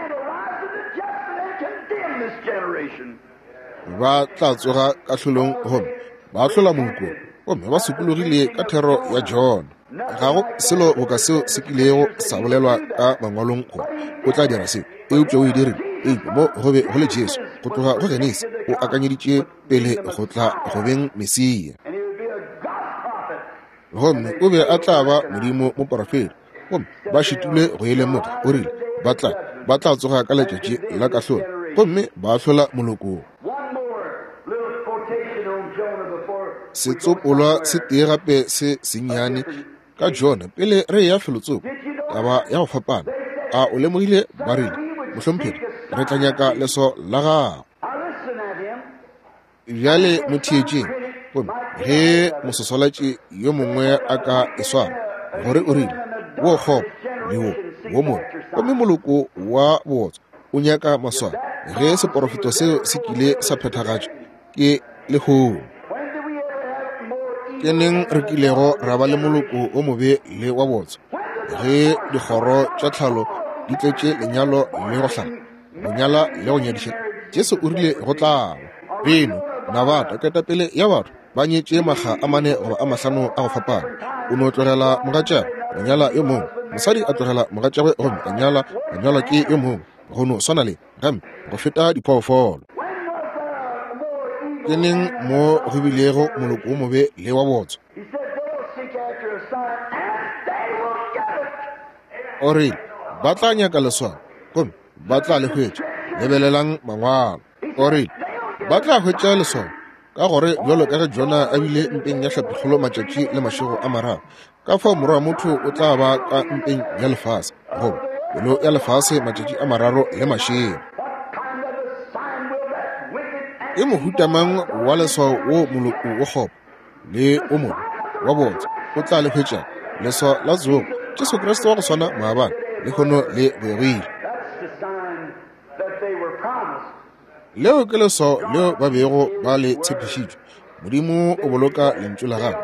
ba tla tsoga kahlolong gomme ba ahlola moloko gomme ba sokologile ka thero ya Jona. Ga go selo boka seo se kilego sa bolelwa ka mangwalong gore o tla dira seo, eupša o e dirile. Eupša mo go be go le Jesu, go tloga go Genesi, o akanyeditše pele go tla go beng Mesia. Gomme o be a tla ba Modimo moporofeta, gomme ba šitilwe go e lemoga. O rile ba tla, ba tla tsoga ka letšatši la kahlolo gomme ba ahlola molokong. Setsopolwa se tee gape se sennyane ka Jona pele re eya felotsoko, taba ya go fapana. A o lemogile? Ba rile, Mohlomphegi, re tla nyaka leso la gago. Bjale mo theetšeng, gomme ge moswaswalatši yo mongwe a ka e swara, gore o rile, Wo kgopo le wo, wo mobe, gomme moloko wa bootswa o nyaka maswao, ge seporofeto seo se kile sa phethagatšwa ke lehono. Ke neng re kilego ra ba le moloko o mobe le wa bootswa, ge dikgoro tša tlhalo di tletše lenyalo le go hlala, go nyala le go nyadiša? Jesu o rile go tla ba. Beno, Nabata, ketapele ya batho, ba nyetše makga a mane goba a mahlano a go fapana. O no tlogela mogatšagwe go nyala yo mongwe, mosadi a tlogela mogatšagwe gomme a nyala, a nyalwa ke yo mongwe, go no swana le gampe go feta diphoofolo. Ke neng mo go bilego moloko wo mobe le wa botswa? O rile, Ba tla nyaka leswao, gomme ba tla le hwetša. Lebelelang Mangwalo. O rile, Ba tla hwetša leswao, ka gore bjalo ka ge Jona a bile mpeng ya hlapikgolo matšatši le mašego a mararo, ka fao Morwa wa motho o tla ba ka mpeng ya lefase, goba pelo ya lefase, matšatši a mararo le mašego. Ke mohuta mang wa leswao wo moloko wo kgopo le o mobe wa botse o tla le hwetšago? Leswao la tsogo, Jesu Kriste wa go swana maabane, lehono le go ya go ile. Leo ke leswao leo ba bego ba le tshepišitšwe. Modimo o boloka Lentšu la Gagwe.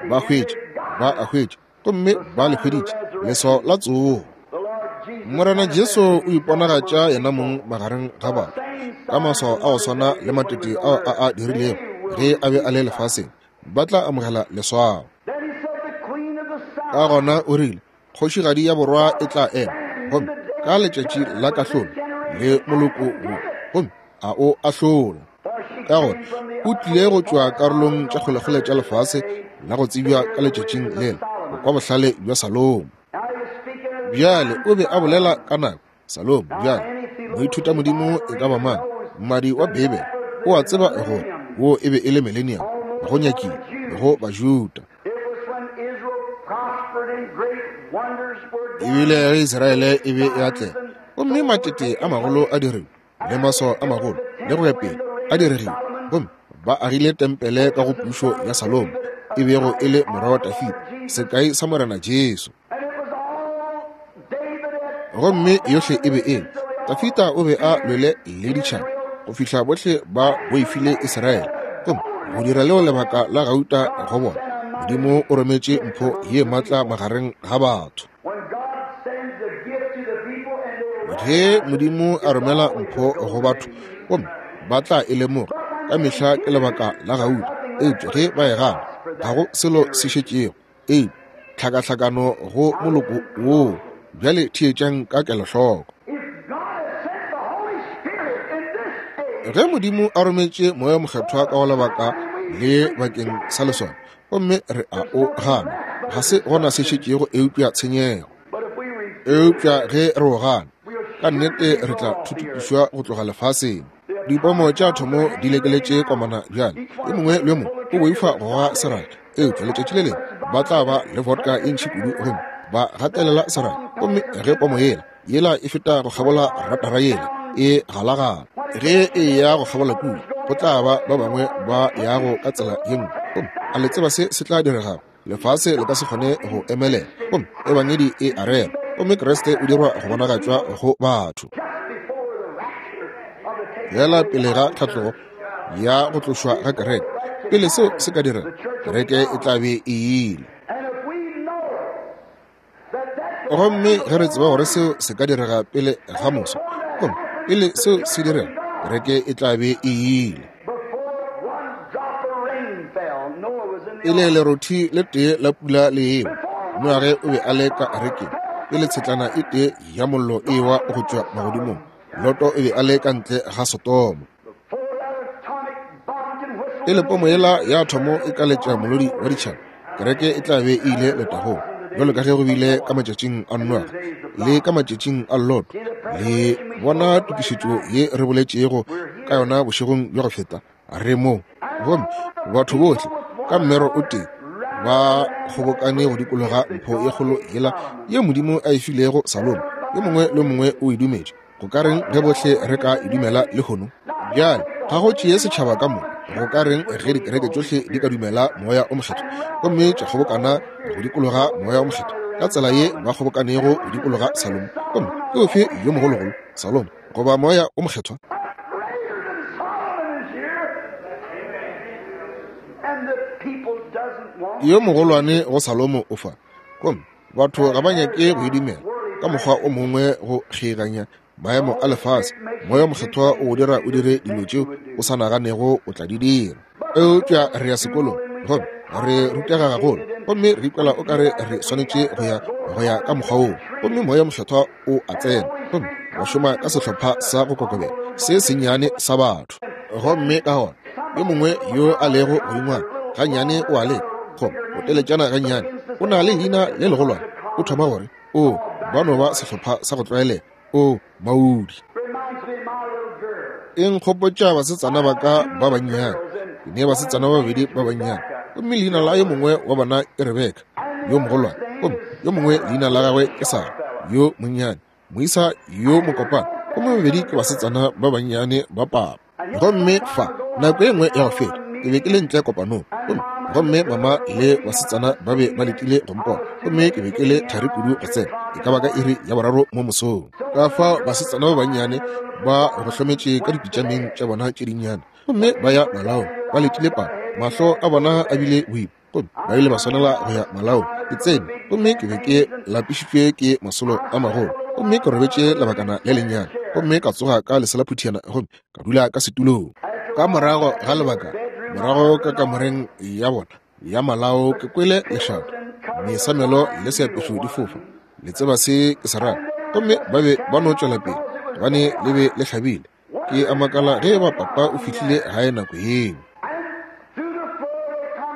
Ba hwetše, ba a hwetša, gomme ba le hweditše, leswao la tsogo. Morena Jesu o iponagatša Yenamong magareng ga batho, ka maswao a go swana le matete ao a a dirilego ge a be a le lefaseng. Ba tla amogela leswao. Ka gona o rile, Kgošigadi ya Borwa e tla ema, gomme ka letšatši la kahlolo le moloko wo, gomme a o ahlola, ka gore o tlile go tšwa karolong tša kgolekgole tša lefase la go tsebja ka letšatšing lela, go kwa bohlale bja Salomo. Bjale o be a bolela ka nako Salomo. Bjale moithutamodimo e ka ba mang, mmadi wa Beibele, o a tseba gore wo e be e le millennium go nyakile go Bajuda. Ebile ge Israele e be e atlega, gomme matete a magolo a dirilwe, le maswao a magolo, le go ya pele, a diregile, gomme ba agile tempele ka go pušo ya Salomo, e bego e le morwa wa Dafida, sekai sa Morena Jesu. Gomme yohle e be e le, Dafida o be a lwele le ditšhaba go fihla bohle ba boifile Israele, gomme go dira leo lebaka la gauta go bona. Modimo o rometše mpho ye matla magareng ga batho. Ge Modimo a romela mpho go batho, gomme ba tla e lemoga, ka mehla ke lebaka la gauta, eupša ge ba e gana, ga go selo se šetšego eupša tlhakahlakano go moloko woo. Bjale theetšang ka kelohloko. Ge Modimo a rometše Moya Mokgethwa ka go lebaka le bakeng sa leswao, gomme re a o gana, ga se gona se šetšego eupša tshenyego. Eupša ge re o gana, ka nnete re tla thuthupišwa go tloga lefaseng. Dipomo tša athomo di lekeletše komana bjale. Yo mongwe le yo mongwe o boifa go goga seraka, eupša letšatši le lengwe ba tla ba le vodka ye ntši kudu gomme ba gatelela seraka, gomme ge pomo yela yela e feta go kgabola ratara yela e galagala, ge e ya go kgabola kua, go tla ba ba bangwe ba yago ka tsela ye nngwe. Gomme a le tseba se se tla diregago? Lefase le ka se kgone go emelela, gomme Ebangedi e a rera, gomme Kriste o dirwa go bonagatšwa go batho. Feela pele ga tlhatlogo ya go tlošwa ga kereke, pele seo se ka direga, kereke e tla be e ile. Gomme ge re tseba gore seo se ka direga pele ga moso, gomme pele seo se direga, kereke e tla be e ile. Pele lerothi le tee la pula le ewa, Noage o be a le ka arekeng. Pele tshetlana e tee ya mollo e ewa go tšwa magodimong, Loto o be a le ka ntle ga Sodoma. Pele pomo yela ya athomo e ka letša molodi wa ditšhaba, kereke e tla be e ile letagong, bjalo ka ge go bile ka matšatšing a Noage le ka matšatšing a Loto. Le bona tokišetšo ye re boletšego ka yona bošegong bja go feta? Re mo. Gomme batho bohle ka mmero o tee ba kgobokane go dikologa mpho ye kgolo yela ye Modimo a e filego Salomo. Yo mongwe le yo mongwe o e dumetše. Go ka reng ge bohle re ka e dumela lehono? Bjale, ga go tšee setšhaba ka moka. Go ka reng ge dikereke tšohle di ka dumela Moya o Mokgethwa gomme tša kgobokana go dikologa Moya o Mokgethwa ka tsela ye ba kgobokanego go dikologa Salomo? Gomme ke ofe yo mogologolo, Salomo goba Moya o Mokgethwa? Yo mogolwane go Salomo o fa, gomme Batho ga ba nyake go e dumela ka mokgwa o mongwe go kgeiganya maemo a lefase. Moya o Mokgethwa o go dira o dire dilo tšeo o sa naganego o tla di dira. Eupša re ya sekolong gomme re rutega gagolo, gomme re ikwela o ka re re swanetše go ya go ya ka mokgwa woo. Gomme Moya o Mokgethwa o a tsena gomme wa šoma ka sehlopha sa go kokobela se sennyane sa batho. Gomme ka gona yo mongwe yo a lego godingwana gannyane o a leka. thoma go teletšana gannyane, o na le leina le legolwane, o thoma gore, O, ba no ba sehlopha sa go tlwaelega. O, maudi. E nkgopotša basetsana ba ka ba bannyane. Ke ne basetsana ba babedi ba bannyane, gomme leina la yo mongwe wa bona ke Rebeka, yo mogolwane, gomme yo mongwe leina la gagwe ke Sara, yo monnyane, moisa yo mokopana, gomme babedi ke basetsana ba bannyane ba papa. Gomme fa, nako e nngwe ya go feta, ke be ke le ntle kopanong, gomme, gomme mama le basetsana ba be ba letile go mpona, gomme ke be ke le thari kudu go tsena, e ka ba ka iri ya boraro mo mosong. Ka fao basetsana ba bannyane ba go hlometše ka dipitšameng tša bona tše dinnyane, gomme ba ya malaong, ba letile papa, mahlo a bona a bile boima, gomme ba ile ba swanela go ya malaong. Ke tsene, gomme ke be ke lapišitšwe ke masolo a magolo, gomme ke robetše lebakana le lennyane, gomme ka tsoga ka leselaphuthiana gomme ka dula ka setulong. Ka morago ga lebaka, morago ka kamoreng ya bona ya malao, ke kwele lešata, mesamelo le seapešo di fofa, le tseba se ke se rago, gomme ba be ba no tšwela pele, gobane le be le hlabile. Ke a makala ge eba papa o fihlile gae nako yeo.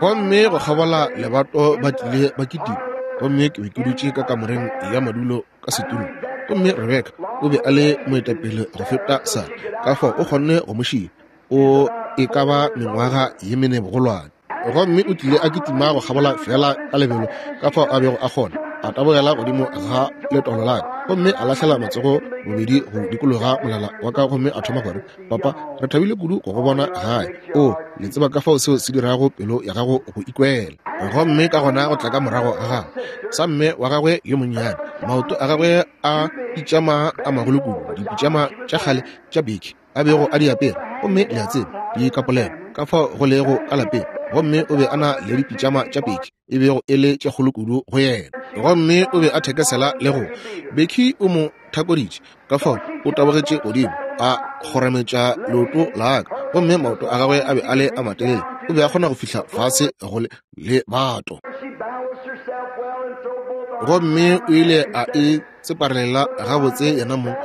Gomme go kgabola lebato ba tlile ba kitima, gomme ke be ke dutše ka kamoreng ya madulo ka setulong, gomme Rebeka o be a le moetapele go feta Sara, ka fao o kgonne go mo šia, o e ka ba mengwaga ye mene bogolwane. Gomme o tlile a kitima go kgabola feela ka lebelo ka fao a bego a kgona, a tabogela godimo ga letolo la ka, gomme a lahlela matsogo bobedi go dikologa molala wa ka, gomme a thoma gore, Papa, re thabile kudu go go bona gae. O, le tseba ka fao seo se dirago pelo ya gago go ikwela. Gomme ka gona go tla ka morago ga gagwe sa mme wa gagwe yo monnyane, maoto a gagwe a pitšama a magolo kudu, dipitšama tša kgale tša biki a bego a di apere, gomme le a tseba, di kapolelo ka fao go lego ka lapeng, gomme o be a na le dipitšama tša peki e bego e le tše kgolo kudu go yena, gomme o be a thekesela le go Becky o mo thakoditše, ka fao o tabogetše godimo a kgorametša leoto la ka, gomme maoto a gagwe a be a le a matelele, o be a kgona go fihla fase go le bato, gomme o ile a e tseparelela gabotse yena mong,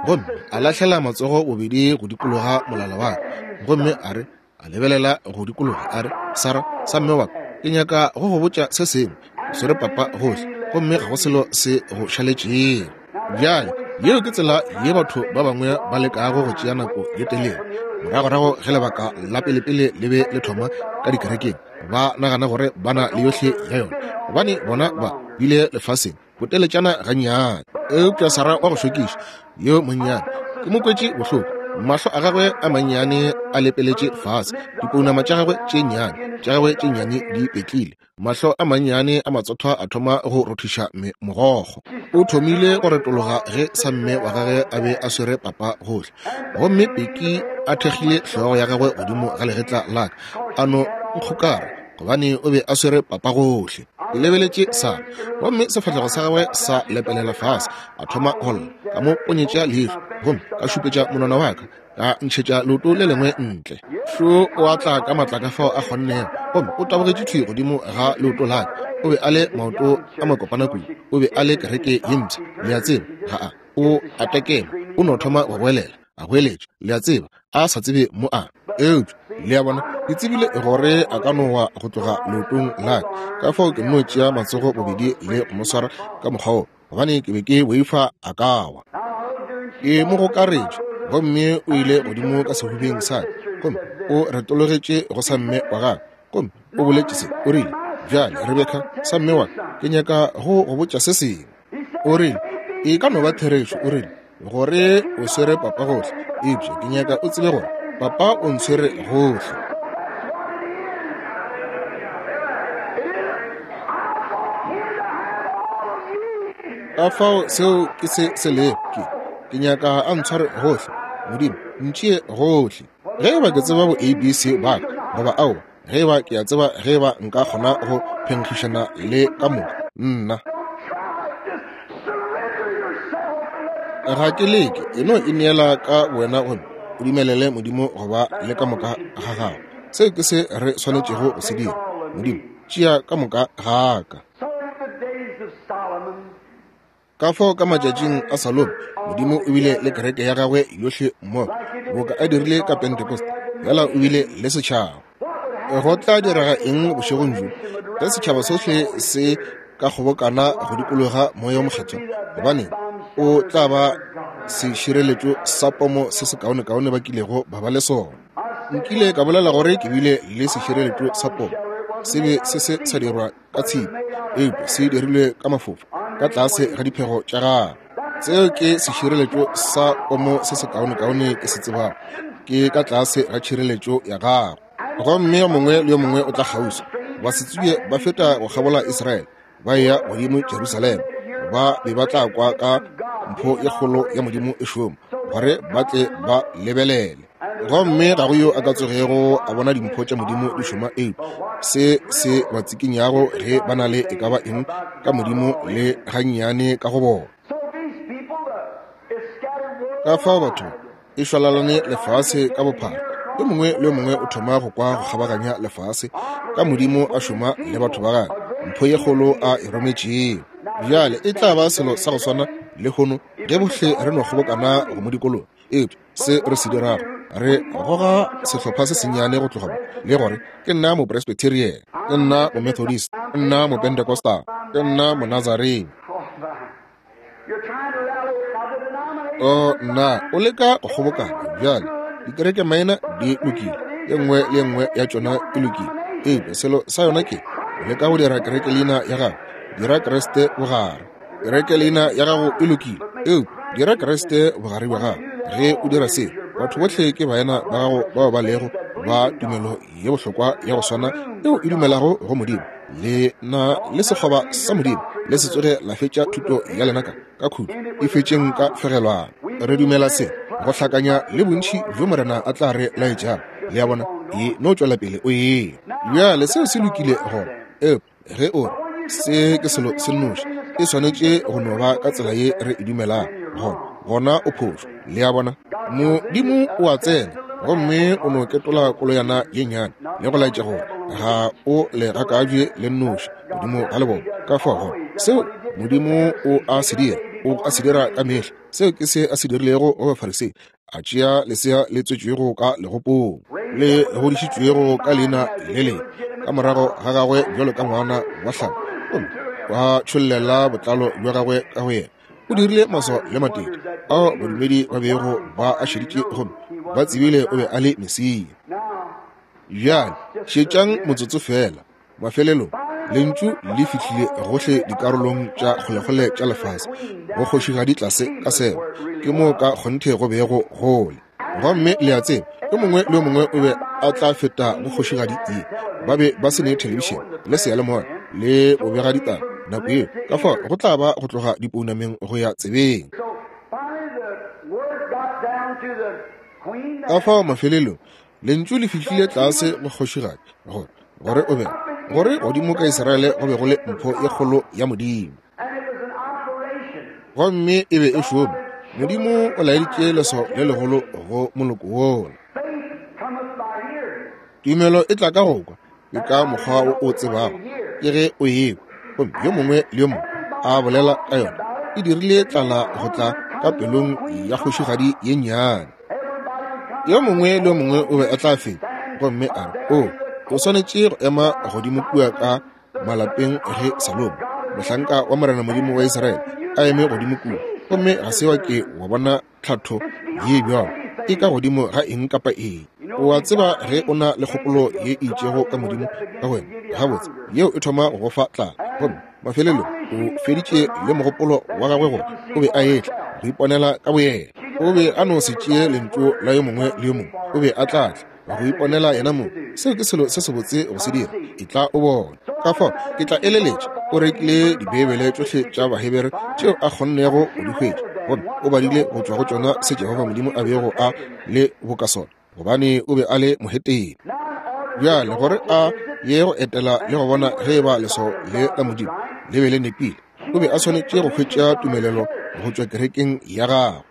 gomme a lahlela matsogo bobedi go dikologa molala wa ka, gomme a re, a lebelela go dikologa, a re, Sara, sa mme wa ka, ke nyaka go go botša se sengwe. O swere papa gohle, gomme ga go selo se go šaletšego. Bjale, yeo ke tsela ye batho ba bangwe ba lekago go tšea nako ye telele. Moragorago ge lebaka la pelepele le be le thoma ka dikerekeng, ba nagana gore ba na le yohle ya yona, gobane bona ba bile lefaseng boteletšana gannyane. Eupša Sara wa go šokiša yo monnyane, ke mo kwetše bohloko, mahlo a gagwe a mannyane a lepeletše fase, dipounama tša gagwe tše nnyane, tša gagwe tše nnyane di petlile, mahlo a mannyane a matsothwa a thoma go rothiša mogokgo. O thomile go retologa ge samme wa gagwe a be a swere papa gohle, gomme Peki a thekgile hlogo ya gagwe godimo ga legetla la ka, a no nkgokara, gobane o be a swere papa gohle. Ke lebeletše Sara, gomme sefahlego sa gagwe sa lepelela fase, a thoma go lla. Ka mo ponyetša leihlo, gomme ka šupetša monwana wa ka, ka ntšhetša leoto le lengwe ntle. Šo o a tla ka matla ka fao a kgonnego, gomme o tabogetše thwi godimo ga leoto la ka. O be a le maoto a makopana kudu, o be a le kereke ye mpsha, le a tseba, ga a, o a tekema, o no thoma go goelela, a goeletša, le a tseba, a sa tsebe mo a. Eupša, le a bona, ke tsebile gore a ka no wa go tloga leotong la ka, ka fao ke nno tšea matsogo bobedi le go mo swara ka mokgwa wo, gobane ke be ke boifa a ka wa. Ke mo gokaretše, gomme o ile godimo ka sehubeng sa ka, gomme o retologetše go sa mme wa gagwe, gomme o boletše se, o rile, Bjale, Rebeka, sa mme wa ka, ke nyaka go go botša se sengwe. O rile, E ka no ba therešo, o rile, gore o swere papa gohle, eupša ke nyaka o tsebe gore papa o ntshwere gohle. Ka fao seo ke se se lego, ke, ke nyaka a ntshware gohle. Modimo, ntšee gohle. Ge eba ke tseba bo ABC ba ka, goba aowa, ge eba ke a tseba ge eba nka kgona go phenkgišana le ka moka, nna. Ga ke leke, e no ineela ka wena gomme o dumelele Modimo go ba le ka moka ga gago. Seo ke se re swanetšego go se dira. Modimo, tšea ka moka ga ka. Ka fao ka matšatšing a Salomo, Modimo o bile le kereke ya gagwe yohle mmogo, boka a dirile ka Pentecost, fela o bile le setšhaba. Go tla direga eng bošegong bjo? Ge setšhaba sohle se ka kgobokana go dikologa Moya wo Mokgethwa, gobaneng, o tla ba sešireletšo sa pomo se sekaonekaone ba kilego ba ba le sona. Nkile ka bolela gore ke bile le sešireletšo sa pomo. Se be se se sa dirwa ka tshipi, eupša se dirilwe ka mafofa ka tlase ga diphego tša gagwe. Seo ke sešireletšo sa pomo se sekaonekaone ke se tsebago, ke ka tlase ga tšhireletšo ya gagwe. Gomme yo mongwe le yo mongwe o tla kgauswi. Basetsebje ba feta go kgabola Israele, ba eya godimo Jerusalema. Ba be ba tla kwa ka mpho ye kgolo ya Modimo e šoma, gore ba tle ba lebelele. Gomme ga go yo a ka tsogego a bona dimpho tša Modimo di šoma, eupša se se ba tsikinyago ge ba na le e ka ba eng ka Modimo le gannyane ka go bona. Ka fao batho e šwalalane lefase ka bophara. Yo mongwe le yo mongwe o thoma go kwa go kgabaganya lefase ka Modimo a šoma le batho ba gagwe, mpho ye kgolo a e rometšego. Bjale e tla ba selo sa go swana lehono ge bohle re no kgobokana go mo dikologa. Eupša se re se dirago, re goga sehlopha se sennyane go tloga mo le gore ke nna Mopresbyterian, ke nna Momethodist, ke nna Mopentecostal, ke nna Monazarene. O nna o leka go kgobokana bjale. Dikerekemaina di lokile, ye nngwe le ye nngwe ya tšona e lokile, eupša selo sa yona ke o leka go dira kerekeleina ya gago. Dira Kriste bogare. Kerekeleina ya gago e lokile, eupša dira Kriste bogare bja gago. Ge o dira seo, batho bohle ke baena ba gago bao ba lego ba tumelo ye bohlokwa ya go swana yeo e dumelago go Modimo. Le na le sekgoba sa Modimo. Le se tsoge la fetša thuto ya lena ka ka khutšo, e fetšeng ka fegelwana. Re dumela se go hlakanya le bontši bjo Morena a tla re laetšago. Le a bona? E no tšwela pele o eya. Bjale seo se lokile gona. Eupša ge o re se ke selo se nnoši, e swanetše go no ba ka tsela ye re e dumelago, gona, gona o phošo. Le a bona? Modimo o a tsena gomme o no ketola koloyana ye nnyane le go laetša gore ga o le gakabje le nnoši godimo ga lebone. Ka fao gona seo Modimo o a se dira, o a se dira ka mehla. Seo ke se a se dirilego go Bafarisei, a tšea lesea le tswetšwego ka legopong le godišitšwego ka leina le lengwe ka morago ga gagwe bjalo ka ngwana wa hlabo, gomme wa tšhollela botlalo bja gagwe ka go yena. O dirile maswao le matete ao badumedi ba bego ba a šeditše gomme ba tsebile o be a le Mesia. Bjale šetšang motsotso feela. Mafelelong, Lentšu le fihlile gohle dikarolong tša kgolekgole tša lefase, go kgošigadi tlase ka Seba. Ke moo ka kgonthe go bego go le. Gomme le a tseba, yo mongwe le yo mongwe o be a tla feta go kgošigadi ye. Ba be ba se ne thelebišene le seyalemoya le bobegaditaba nako yeo, ka fao go tla ba go tloga dipounameng go ya tsebeng. Ka fao mafelelong Lentšu le fihlile tlase go kgošigadi gore, gore o be, gore godimo ka Israele go be go le mpho ye kgolo ya Modimo. Gomme e be e šoma. Modimo o laeditše leswao le legolo go moloko wola. Tumelo e tla ka go kwa, ke ka mokgwa wo o tsebago, ke ge o ekwa. Gomme yo mongwe le yo mongwe a bolela ka yona, e dirile tlala go tla ka pelong ya kgošigadi ye nnyane. Yo mongwe le yo mongwe o be a tla feta gomme a re, O, o swanetše go ema godimo kua ka malapeng ge Salomo, mohlanka wa Morena Modimo wa Israele, a eme godimo kua, gomme ga se wa ke wa bona tlhatho ye bjalo e ka godimo ga eng kapa eng. O a tseba ge o na le kgopolo ye e itšego ka Modimo ka wena, gabotse yeo e thoma go go fa tlala, gomme mafelelong o feditše le mogopolo wa gagwe gore o be a etla go iponela ka boyena. O be a no se tšee lentšu la yo mongwe le yo mongwe, o be a tla tla go iponela yena mong. Seo ke selo se sebotse go se dira, etla o bone. Ka fao ke tla eleletša o rekile Dibeibele tšohle tša Bahebere tšeo a kgonnego go di hwetša, gomme o badile go tšwa go tšona se Jehofa Modimo a bego a le boka sona, gobane o be a le mohetene. Bjale gore a ye go etela le go bona ge e ba leswao le la Modimo le be le nepile, o be a swanetše go hwetša tumelelo go tšwa kerekeng ya gagwe.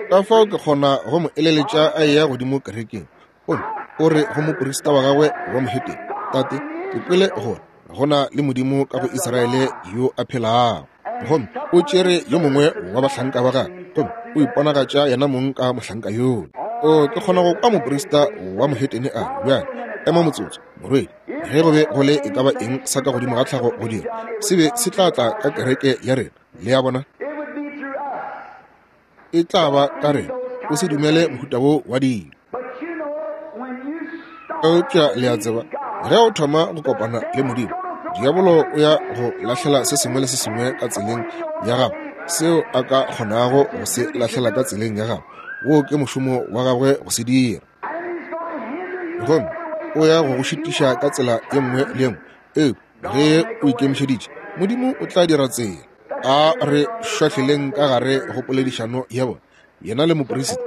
Ka fao ke kgona go mo eleletša a eya godimo kerekeng, gomme o re go moprista wa gagwe wa mohetene, Tate, ke kwele gore go na le Modimo ka go Israele yo a phelago. Gomme o tšere yo mongwe wa bahlanka ba gagwe, gomme o iponagatša yena mong ka mohlanka yola. O, ke kgona go kwa moprista wa mohetene a re, Bjale, ema motsotso, morwedi. Ge go be go le e ka ba eng sa ka godimo ga tlhago go dira, se be se tla tla ka kereke ya rena. Le a bona? E tla ba ka rena. O se dumele mohuta wo wa dilo. Eupša le a tseba, ge o thoma go kopana le Modimo, diabolo o ya go lahlela se sengwe le se sengwe ka tseleng ya gago seo a ka kgonago go se lahlela ka tseleng ya gago. Woo ke mošomo wa gagwe go se dira. Gomme o ya go go šitiša ka tsela ye nngwe le ye nngwe. Eupša ge o ikemišeditše, Modimo o tla dira tsela. A re šwahleleng ka gare go poledišano ya bona. Yena le moperisita,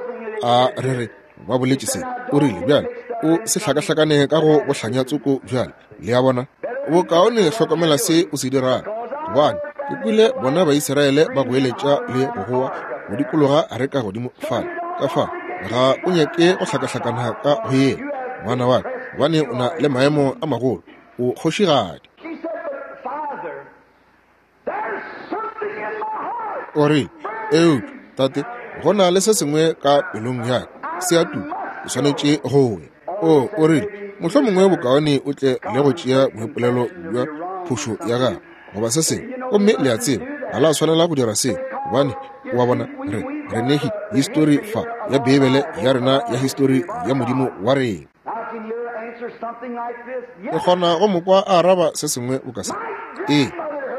a re re ba boletše se. O rile, Bjale, o se hlakahlakane ka go bohlanya tsoko bjale. Le a bona? Bokaone hlokomela se o se dirago, gobane ke kwele bona Baisraele ba goeletša le go goa go dikologa areka godimo fale. Ka fao ga o nyake go hlakahlakana ka go yena, ngwana wa ka, gobane o na le maemo a magolo. O kgošigadi. O re, Eupša, tate, go na le se sengwe ka pelong ya ka, se a tuka, ke swanetše go ya. O, o rile, mohlomongwe bokaone o tle le go tšea boipolelo bja phošo ya gago, goba se sengwe. Gomme le a tseba, ga la swanela go dira seo, gobane, wa bona, re, re ne histori fa ya Beibele ya rena ya histori ya Modimo wa rena. Ke kgona go mo kwa a araba se sengwe boka se. Ee,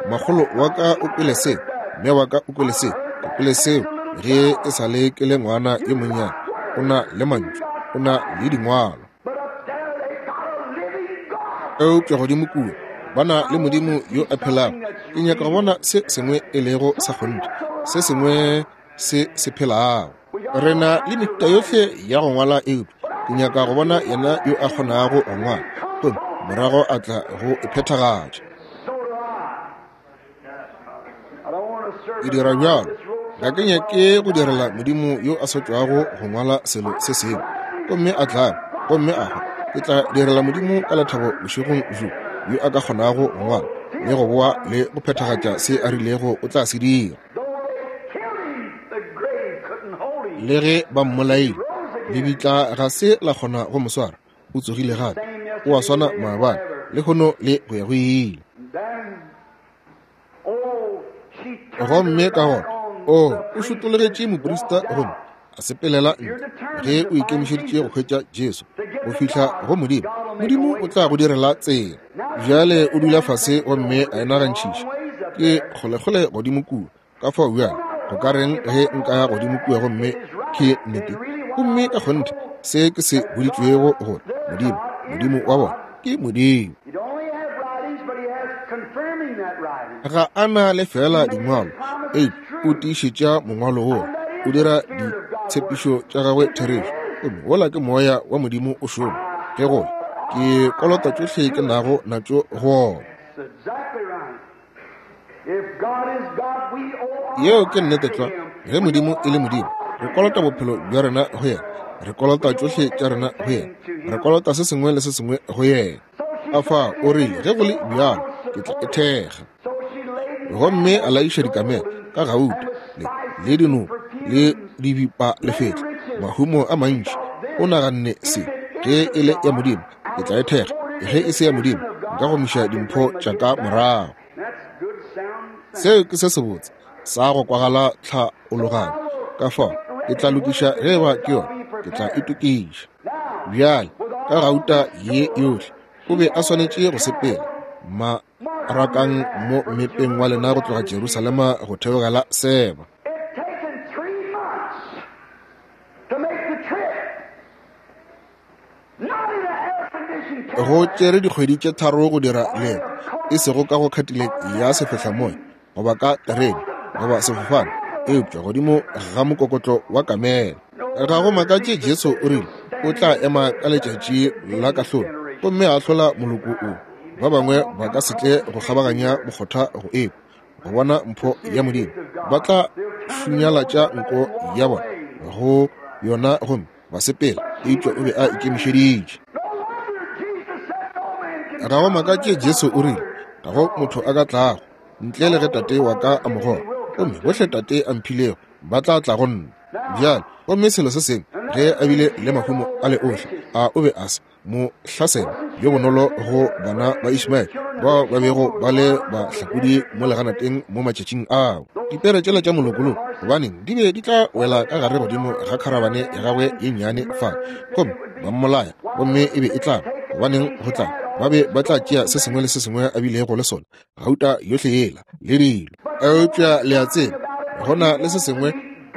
makgolo wa ka o kwele seo, mme wa ka o kwele seo, ke kwele seo ge e sa le ke le ngwana yo monnyane. O na le mantšu, o na le dingwalo. Eupša godimo kua ba na le Modimo yo a phelago. Ke nyaka go bona se sengwe e lego sa kgonthe, se sengwe se se phelago. Re na le mehuta yohle ya go ngwala, eupša ke nyaka go bona yena yo a kgonago go ngwala gomme morago a tla go e phethagatša. Ke dira bjalo. Ga ke nyake go direla Modimo yo a sa tšwago go ngwala selo se sengwe gomme a tla gomme a hwa. Ke tla direla Modimo ka lethabo bošegong bjo yo a ka kgonago go ngwala le go boa le go phethagatša se a rilego o tla se dira. Le ge ba mmolaile, lebitla ga se la kgona go mo swara. O tsogile gape. O a swana maabane, lehono le go ya go ile. Gomme ka gona, o, o šutologetše moprista gomme a sepelela ntle. Ge o ikemišeditše go hwetša Jesu, go fihla go Modimo, Modimo o tla go direla tsela. Bjale o dula fase gomme a e nagantšhiša. Ke kgolekgole godimo kua. Ka fao bjale, go ka reng ge nka ya godimo kua gomme ke nnete, gomme ka kgonthe se ke se boditšwego gore Modimo, Modimo wa bona, ke Modimo. Ga a na le feela dingwalo, eupša o tiišetša mongwalo woo, o dira ditshepišo tša gagwe therešo. Gomme wola ke Moya wa Modimo o šoma. Ke gore ke kolota tšohle ke nago natšo go wona. Yeo ke nnete tlwa. Ge Modimo e le Modimo, re kolota bophelo bja rena go yena. Re kolota tšohle tša rena go yena. Re kolota se sengwe le se sengwe go yena. Afa o rile, ge go le bjalo, ke tla e thekga. Gomme a laiša dikamela ka gauta le, le dinoko le dibipa lefetla, mahumo a mantši. O naganne se, ge e le ya Modimo, ke tla e thekga. Ge e se ya Modimo, nka gomiša dimpho tša ka morago. Seo ke se sebotse sa go kwagala tlhaologanyo. Ka fao ke tla lokiša ge eba ke yona, ke tla itokiša. Bjale, ka gauta ye yohle, o be a swanetše go sepela marakang mo mmepeng wa lena go tloga Jerusalema go theogela Seba. Go tšere dikgwedi tše tharo go dira leeto, e sego ka go Cadillac ya sefehlamoya goba ka terene goba sefofane, eupša godimo ga mokokotlo wa kamela. Ga go makatše Jesu o rile o tla ema ka letšatši la kahlolo gomme a ahlola moloko o. Ba bangwe ba ka se tle go kgabaganya mokgotha go ekwa go bona mpho ya Modimo. Ba tla šunyalatša nko ya bona go yona gomme ba sepela, eupša o be a ikemišeditše. Ga go makatše Jesu o rile, Ga go motho a ka tlago, ntle le ge Tate wa ka a mo goga, gomme bohle Tate a mphilego ba tla tla go nna. Bjale, gomme selo se sengwe, ge a bile le mahumo a le ohle, a o be a se mo hlasela yo bonolo go bana ba Ishmaele bao ba bego ba le bahlakodi mo leganateng mo matšatšing ao. Dipere tšela tša molokoloko, gobaneng, di be di tla wela ka gare godimo ga kharabane ya gagwe ye nnyane fa, gomme ba mmolaya, gomme e be e tla ba, gobaneng, go tla, ba be ba tla tšea se sengwe le se sengwe a bilego le sona, gauta yohle yela le dilo. Eupša le a tseba, go na le se sengwe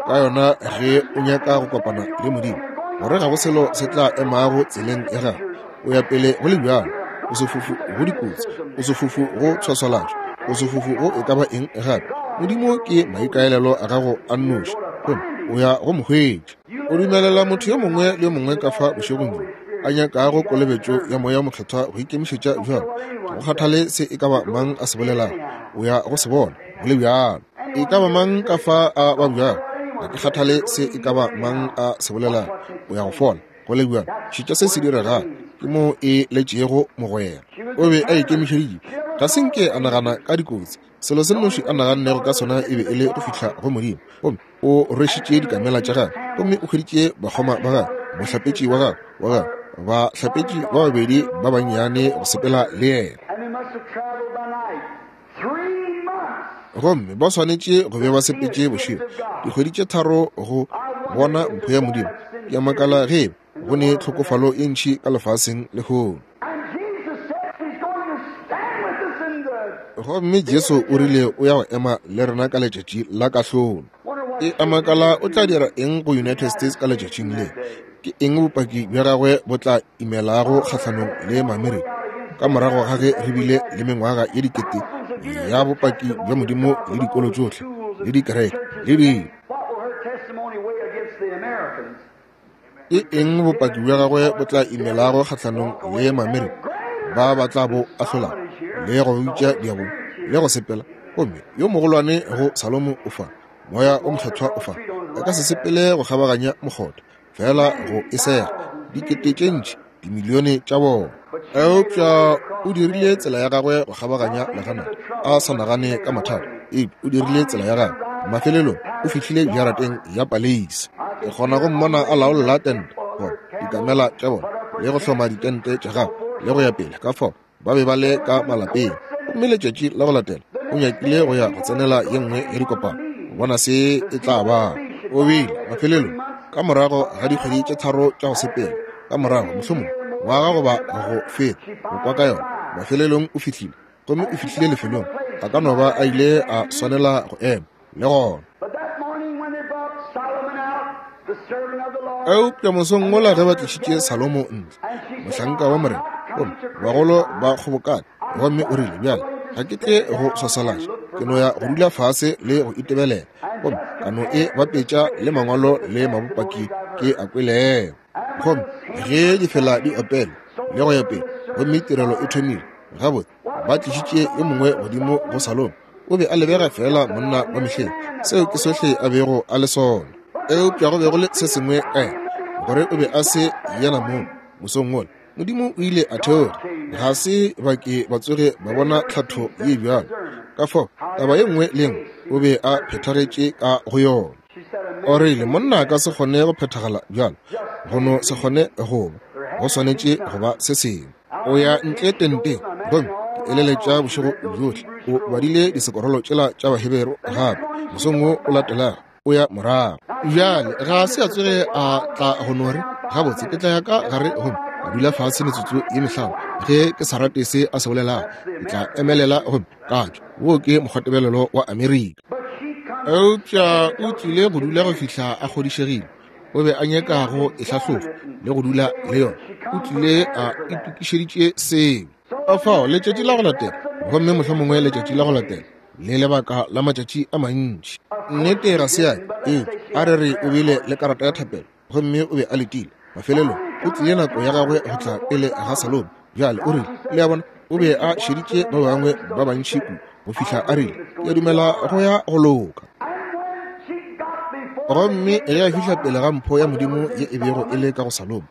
ka yona ge o nyaka go kopana le Modimo, gore ga go selo se tla emago tseleng ya gago. O ya pele go le bjalo, o sefofu go dikotsi, o sefofu go tshwaswalatšo, o sefofu go e ka ba eng gape. Modimo ke maikaelelo a gago a nnoši, gomme o ya go mo hwetša. O dumelela motho yo mongwe le yo mongwe ka fa bošegong bjo a nyakago kolobetšo ya Moya wo Mokgethwa go ikemišetša bjalo, ga go kgathale se e ka ba mang a se bolelago, o ya go se bona go le bjalo. E ka ba mang ka fa a babjago, ga ke kgathale se e ka ba mang a se bolelago, o ya go fola go le bjalo. Šetša se se diregago, ke moo e letšego mogwera. O be a ikemišeditše, ga se nke a nagana ka dikotsi. Selo se nnoši a nagannego ka sona e be e le go fihla go Modimo. Gomme o rwešitše dikamela tša gagwe, gomme o hweditše bakgoma ba gagwe, mohlapetši wa gagwe, wa gagwe, bahlapetši ba babedi ba bannyane go sepela le yena. Gomme ba swanetše go be ba sepetše bošego dikgwedi tše tharo go bona mpho ya Modimo. Ke a makala ge go ne tlhokofalo ye ntši ka lefaseng lehono. Gomme Jesu o rile o ya go ema le rena ka letšatši la kahlolo. E a makala o tla dira eng go United States ka letšatšing le? Ke eng bopaki bja gagwe bo tla imelago kgahlanong le Maamerika ka morago ga ge re bile le mengwaga ye dikete ya bopaki bja Modimo le dikolo tšohle le dikereke le dilo? Ke eng bopaki bja gagwe bo tla imelago kgahlanong le Maamerika ba ba tla bo ahlolago le go bitša diabolo le go sepela? Gomme yo mogolwane go Salomo o fa, Moya o Mokgethwa o fa, a ka se sepele go kgabaganya mokgotha, fela go e sega dikete tše ntši, dimilione tša bona. Eupša o dirile tsela ya gagwe go kgabaganya leganata, a sa nagane ka mathata, eupša o dirile tsela ya gagwe. Mafelelong o fihlile jarateng ya paleisi. Ke kgona go mmona a laolla tente, goba dikamela tša bona, le go hloma ditente tša gagwe, le go ya pele. Ka fao ba be ba le ka malapeng. Gomme letšatši la go latela o nyakile go ya go tsenela ye nngwe ya dikopano go bona se e tla ba. O bile mafelelong ka morago ga dikgwedi tše tharo tša go sepela, ka morago mohlomongwe ngwaga goba go feta go kwa ka yona, mafelelong o fihlile, gomme o fihlile lefelong a ka no ba a ile a swanela go ema le gona. Eupša mosong wola ge ba tlišitše Salomo ntle, mohlanka wa Morena, gomme bagolo ba kgobokane, gomme o rile, Bjale, ga ke tle go swaswalatša, ke no ya go dula fase le go itebelela, gomme ka no e bapetša le mangwalo le mabopaki ke a kwelego. Gomme ge difela di opela le go ya pele, gomme tirelo e thomile, gabotse, ba tlišitše yo mongwe godimo go Salomo. O be a lebega feela monna wa mehleng, seo ke sohle a bego a le sona. Eupša go be go le se sengwe ka yena, gore o be a se yena mong. Mosong wola, Modimo o ile a theoga. Ga se ba ke ba tsoge ba bona tlhatho ye bjalo. Ka fao, taba ye nngwe le ye nngwe, o be a phethagetše ka go yona. O rile, Monna a ka se kgone go phethagala bjalo. Go no se kgone go ba. Go swanetše go ba se sengwe. O ya ntle tenteng, gomme ke eleletša bošego bjohle o badile disekorolo tšela tša Baheberu gape. Mosong wo o latelago o ya morago. Bjale ga se a tsoge a tla go no re, Gabotse, ke tla ya ka gare gomme ka dula fase metsotso ye mehlano. Ge ke sa rate se a se bolelago, ke tla emelela gomme ka tšwa. Wo ke mokgwatebelelo wa Amerika. Eupša o tlile go dula go fihla a kgodišegile. O be a nyaka go e hlahlofa le go dula le yona. O tlile a itokišeditše seo. Ka fao letšatši la go latela, gomme mohlomongwe letšatši la go latela, le lebaka la matšatši a mantši. Nnete ga se ya ke, eupša a re re o bile le karata ya thapelo gomme o be a letile. Mafelelong o tlile nako ya gagwe go tla pele ga Salomo. Bjale o rile, le a bona, o be a šeditše ba bangwe ba bantši kudu go fihla a rile, Ke a dumela go ya go loka. Gomme ge a fihla pele ga mpho ya Modimo ye e bego e le ka go Salomo,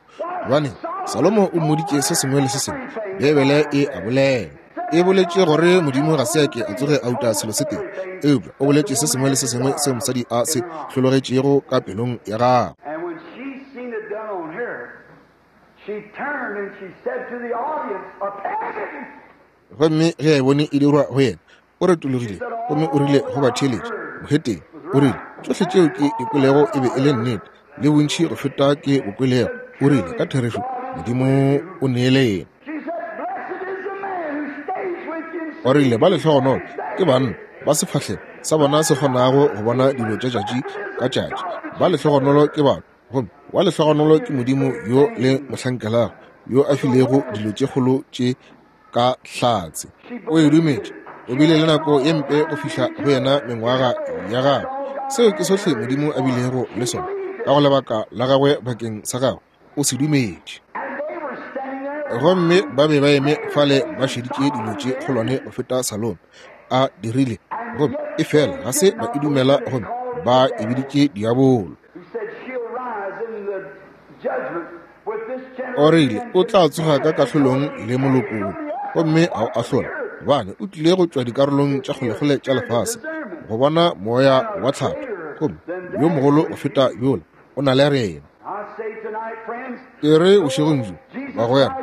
gobane Salomo o mmoditše se sengwe le se sengwe, Beibele e a bolela. E boletše gore Modimo ga se a ke a tsoge a uta selo se tee, eupša o boletše se sengwe le se sengwe seo mosadi a se hlologetšego ka pelong ya gagwe. Gomme ge a e bone e dirwa go yena, o retologile gomme o rile go batheeletši, Moheteng, o rile, tšohle tšeo ke di kwelego e be e le nnete, le bontši go feta ke bo kwelego. O rile, ka therešo, Modimo o neele yena. O rile, ba lehlogonolo ke banna ba sefahlego sa bona se kgonago go bona dilo tša tšatši ka tšatši. Ba lehlogonolo ke batho, gomme wa lehlogonolo ke Modimo yo le mo hlankelago, yo a filego dilo tše kgolo tše ka hlatse. O e dumetše. O bile le nako ye mpe go fihla go yena mengwaga ya gagwe. Seo ke sohle Modimo a bilego le sona ka go lebaka la gagwe bakeng sa gagwe. O se dumetše. Gomme ba be ba eme fale ba šeditše dilo tše kgolwane go feta Salome a dirile, gomme efela ga se ba e dumela, gomme ba e biditše diabolo. O rile o tla tsoga ka kahlolong le moloko wo gomme a o ahlola, gobane o tlile go tšwa dikarolong tša kgolekgole tša lefase go bona moya wa tlhatho, gomme yo mogolo go feta yola o na le rena. Ke re bošegong bjo, bagwera,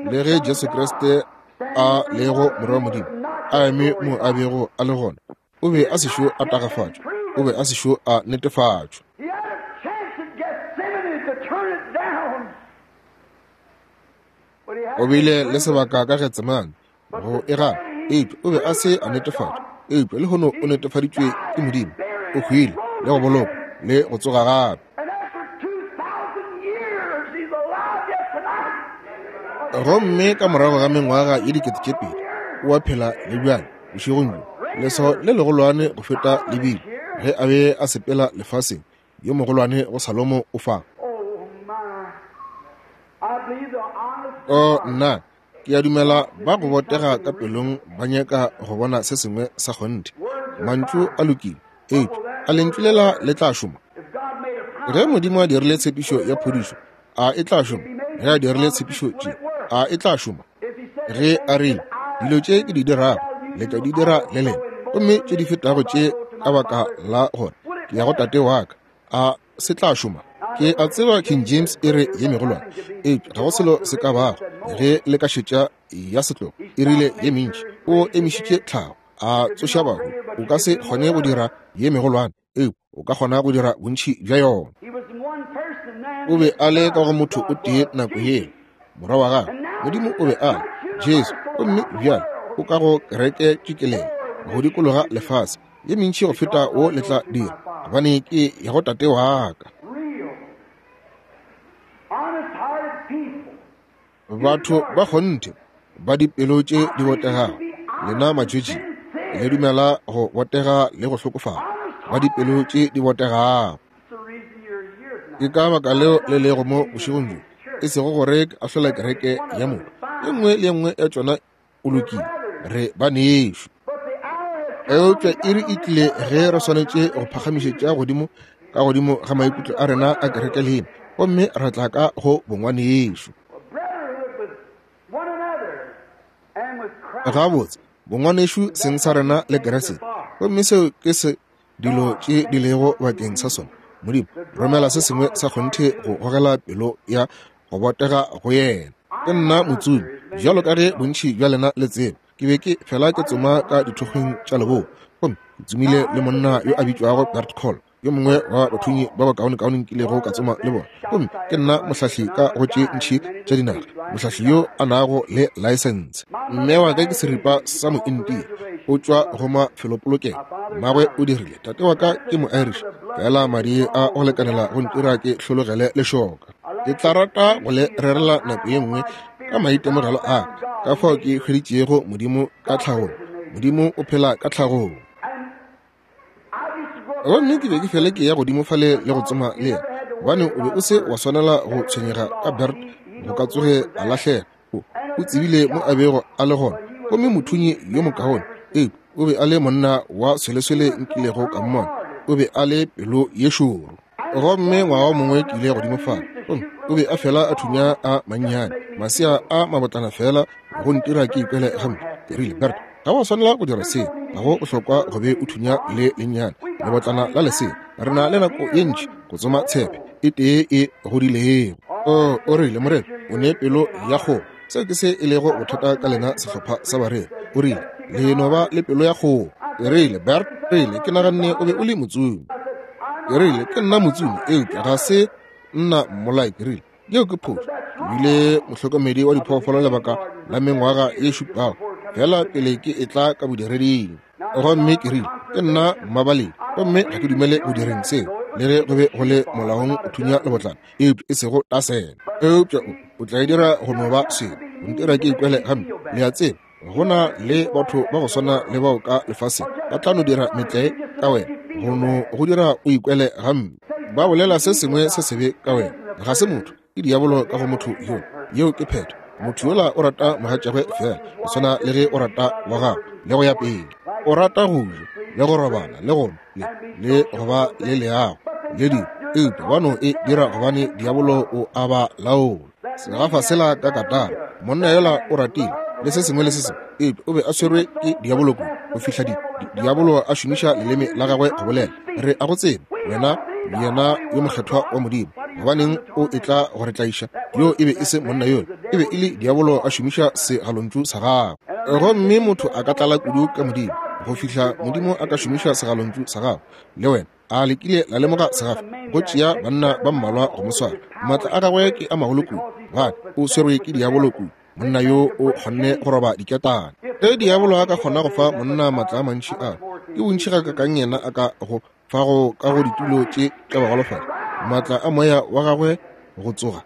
le ge Jesu Kriste a lego Morwa wa Modimo, a eme mo a bego a le gona, o be a sešo a tagafatšwa, o be a sešo a netefatšwa. O bile le sebaka ka Getsemane go e gana, eupša o be a se a netefatšwa. Eupša lehono o netefaditšwe ke Modimo, o hwile le go bolokwa le go tsoga gape. Gomme ka morago ga mengwaga ye 2000 o a phela le bjale. Bošegong bjo, leswao le legolwane go feta le bile ge a be a sepela lefaseng, yo mogolwane go Salomo o fa. O nna, ke a dumela ba go botega ka pelong ba nyaka go bona se sengwe sa kgonthe. Mantšu a lokile, eupša a lentšu lela le tla šoma? Ge Modimo a dirile tshepišo ya phodišo, a e tla šoma? Ge a dirile tshepišo tše, a e tla šoma? Ge a rile, dilo tše ke di dirago, le tla di dira le lena, gomme tše di fetago tše ka baka la gore ke ya go Tate wa ka, a se tla šoma? Ke a tseba King James e re ye megolwane, eupša ga go selo se ka bago ge le ka šetša ya setlogo e rile ye mentši. O emišitše tlhago, a tsoša bahu. O ka se kgone go dira ye megolwane, eupša o ka kgona go dira bontši bja yona. O be a le ka go motho o tee nako yeo, morwa wa gagwe. Modimo o be a le Jesu, gomme bjale o ka go kereke tšikelelo go dikologa lefase, ye mentši go feta wo le tla dira, gobane ke ya go Tate wa ka. Batho ba kgonthe ba dipelo tše di botegago, lena matšwetši le dumela go botega le go hlokofala, ba dipelo tše di botegago. Ke ka baka leo le lego mo bošegong bjo, e sego gore ke ahlola kereke ya motho. E nngwe le e nngwe ya tšona o lokile, re banešu. Eupša iri e tlile ge re swanetše go phagamišetša godimo ka godimo ga maikutlo a rena a kereke lena, gomme ra tla ka go bongwanešu. Gabotse, bongwanešu seng sa rena le Keresete, gomme seo ke se dilo tše di lego bakeng sa sona. Modimo, romela se sengwe sa kgonthe go gogela pelo ya go botega go yena. Ke nna motsomi, bjalo ka ge bontši bja lena le tseba. Ke be ke fela ke tsoma ka dithokgweng tša leboa, gomme ke tsomile le monna yo a bitšwago Bert Call, yo mongwe wa bathunyi ba bakaonekaone nkilego ka tsoma le bona. Gomme ke nna mohlahli ka go tše ntši tša dinaga, mohlahli yo a nago le laesense. Mme wa ka ke seripa sa Moindia, o tšwa go mafelopolokelo. Mmagwe o dirile. Tate wa ka ke Moirish, fela madi a go lekanela go ntira ke hlologele lešoka. Ke tla rata go le rerela nako ye nngwe ka maitemogelo a ka fao ke hweditšego Modimo ka tlhagong. Modimo o phela ka tlhagong. Gomme ke be ke fele ke ya godimo fale le go tsoma le yena, gobane o be o se wa swanela go tshwenyega ka Bert go ka tsoge a lahlega. O tsebile mo a bego a le gona, gomme mothunyi yo mokaone, eupša o be a le monna wa sweleswele nkilego ka mmona. O be a le pelo ye šoro. Gomme ngwaga o mongwe ke ile godimo fale, gomme o be a fela a thunya a mannyane, masea a mabotlana fela go ntira ke ikwele gampe. Ke rile, Bert, ga wa swanela go dira seo. Ga go bohlokwa go be o thunya le lennyane lebotlana la lesea. Re na le nako ye ntši go tsoma tshepe e tee e godilego. O, o rile, Morena, o ne pelo ya kgomo. Seo ke se e lego bothata ka lena sehlopha sa bareri. O rile, Le no ba le pelo ya kgomo. Ke rile, Bert, rile, ke naganne o be o le motsomi. Ke rile, Ke nna motsomi, eupša ga se nna mmolai. Ke rile, Yeo ke phošo. Ke bile mohlokomedi wa diphoofolo lebaka la mengwaga ye šupago, fela pele ke etla ka bodireding. Gomme ke rile, Ke nna mmabaledi, gomme ga ke dumele go direng seo, le ge go be go le molaong go thunya lebotlana, eupša e sego tasela. Eupša o, o tla e dira go no ba selo, go ntira ke ikwele gampe. Le a tseba, go na le batho ba go swana le bao ka lefaseng, ba tla no dira metlae ka wena, go no go dira o ikwele gampe. Ba bolela se sengwe se sebe ka wena. Ga se motho, ke diabolo ka go motho yola. Yeo ke phetho. Motho yola o rata mogatšagwe feela go swana le ge o rata wa gago, le go ya pele. O rata go ja le go robala le go nwa le, le go ba le leago le dilo, eupša ba no e dira gobane diabolo o a ba laola. Segafa sela ka katara, monna yola o ratile le se sengwe le se sengwe, eupša o be a swerwe ke diabolo kudu go fihla di, di, diabolo a šomiša leleme la gagwe go bolela, Re a go tseba, wena yena yo mokgethwa wa Modimo. Gobaneng o etla go re tlaiša? Yo e be e se monna yola, e be e le diabolo a šomiša segalontšu sa gagwe. Gomme motho a ka tlala kudu ka Modimo go fihla Modimo a ka šomiša segalontšu sa gagwe le wena. A le kile la lemoga segafa? Go tšea banna ba mmalwa go mo swara. Maatla a gagwe ke a magolo kudu, gobane o swerwe ke diabolo kudu. Monna yo o kgonne go roba diketane. Ge diabolo a ka kgona go fa monna maatla a mantši a, ke bontši gakakang yena a ka go fago ka go ditulo tše tša bagolofadi, maatla a moya wa gagwe go tsoga.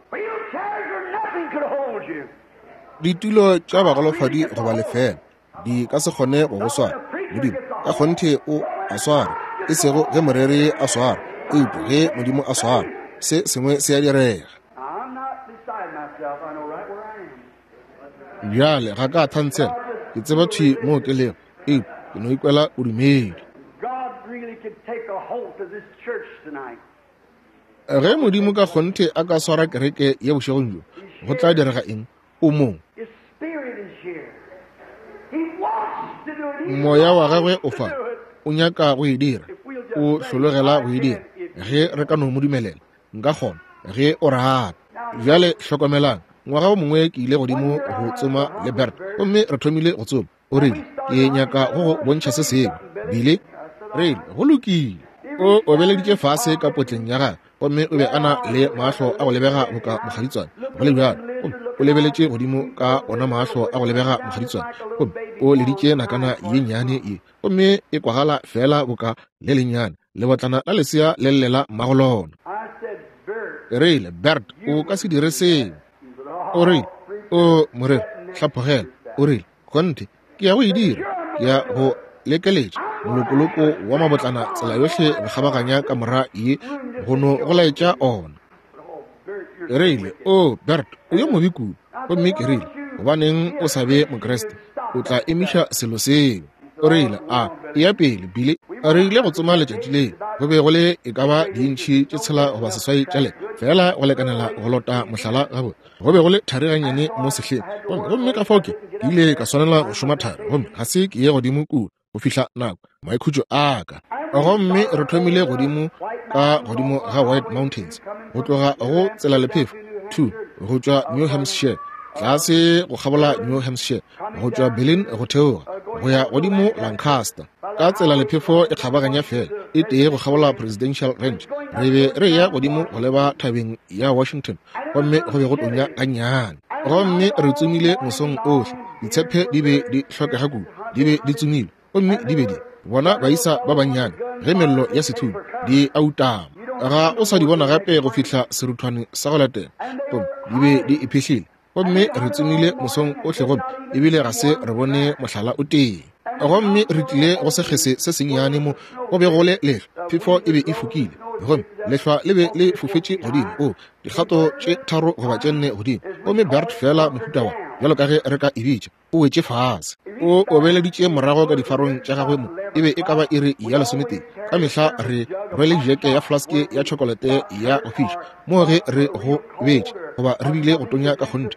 Ditulo tša bagolofadi goba lefeela di ka se kgone go go swara. Modimo ka kgonthe o a swara, e sego ge moreri a swara, eupša ge Modimo a swara, se sengwe se a direga. Bjale ga ka thantshela, ke tseba thwi moo ke lego, eupša ke no ikwela bodumedi. Ge Modimo ka kgonthe a ka swara kereke ye bošegong bjo, go tla direga eng? O mo. Moya wa gagwe o fa. O nyaka go e dira. O hlologela go e dira. Ge re ka no mo dumelela, nka kgona, ge o rata. Bjale hlokomelang, ngwaga o mongwe ke ile godimo go tsoma le Bert, gomme re thomile go tsoma. O rile, Ke nyaka go go bontšha se sengwe, Billy. Rile, Go lokile. O obeleditše fase ka potleng ya gagwe, gomme o be a na le mahlo a go lebega boka mokgaditswane, go le bjalo. Gomme o lebeletše godimo ka ona mahlo a go lebega mokgaditswane, gomme o leditše nakana ye nnyane ye, gomme e kwagala feela boka le lennyane lebotlana la lesea le llela mmago lona. Ke rile, Bert, o ka se dire seo. O rile, O moreri, hlaphogela. O rile, Kgonthe, ke ya go e dira. Ke ya go lekeletša molokoloko wa mabotlana tsela yohle go kgabaganya kamora ye, go no go laetša ona. Ke rile, O, Bert, o yo mobe kudu. Gomme ke rile, Gobaneng o sa be Mokriste? O tla emiša selo seo. O rile, A eya pele, Billy. Re ile go tsoma letšatši leo. Go be go le e ka ba diintšhi tše 6 goba 8 tša le, feela go lekanela go lota mohlala gabotse. Go be go le thari gannyane mo sehleng, gomme, gomme ka fao ke, ke ile ka swanela go šoma thari, gomme ga se ke ye godimo kua go fihla nako maikhutšo a ka. Gomme re thomile godimo ka godimo ga White Mountains, go tloga go tselalephefo 2 go tšwa New Hampshire, tlase go kgabola New Hampshire, go tšwa Berlin go theoga go ya godimo Lancaster, ka tselalephefo e kgabaganya feela e tee go kgabola Presidential Range. Re be re eya godimo go leba thabeng ya Washington, gomme go be go tonya gannyane. Gomme re tsomile mosong ohle, ditshephe di be di hlokega kudu, di be di tsomilwe, gomme di be di bona baisa ba bannyane ge mello ya sethunya di a utama. Ga o sa di bona gape go fihla seruthwane sa go latela. Gomme di be di iphihlile, gomme re tsomile mosong ohle, gomme ebile ga se re bone mohlala o tee. Gomme re tlile go sekgese se sennyane mo go be go le lehlwa, phefo e be e fokile, gomme lehlwa le be le fofetše godimo, o dikgato tše 3 goba tše 4 godimo, gomme Bert feela mohuta wa, bjalo ka ge re ka e bitša, o wetše fase. O obeleditše morago ka difarong tša gagwe mo, e be e ka ba iri ya 11. Ka mehla re rwele jeke ya flaske ya tšhokolete ya go fiša moo ge re go betše goba re bile go tonya ka kgonthe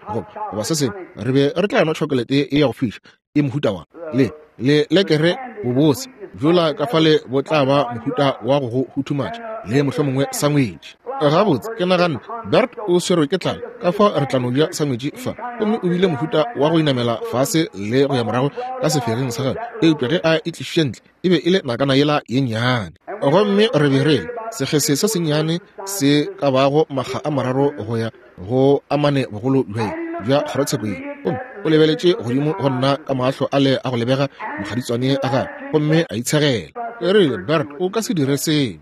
goba se sengwe, re be re tla nwa tšhokolete ye ya go fiša. e mohuta wa le le lekere bobose bjola ka fale bo tla ba mohuta wa go go huthumatša le mohlomongwe sangwetši. Gabotse, ke naganne, Bert o swerwe ke tlala, ka fao re tla no ja sangwetši fa. Gomme o bile mohuta wa go inamela fase le go ya morago ka sefegeng sa gagwe, eupša ge a e tlišitše ntle, e be e le nakana yela ye nnyane. Gomme re be re le sekgese se sennyane se ka bago makga a mararo go ya go a mane bogolo bja bja kgorotsheko ye. Gomme o lebeletše godimo go nna ka mahlo ale a go lebega mokgaditswane a gagwe, gomme a itshegela. Ke rile, Bert, o ka se dire seo.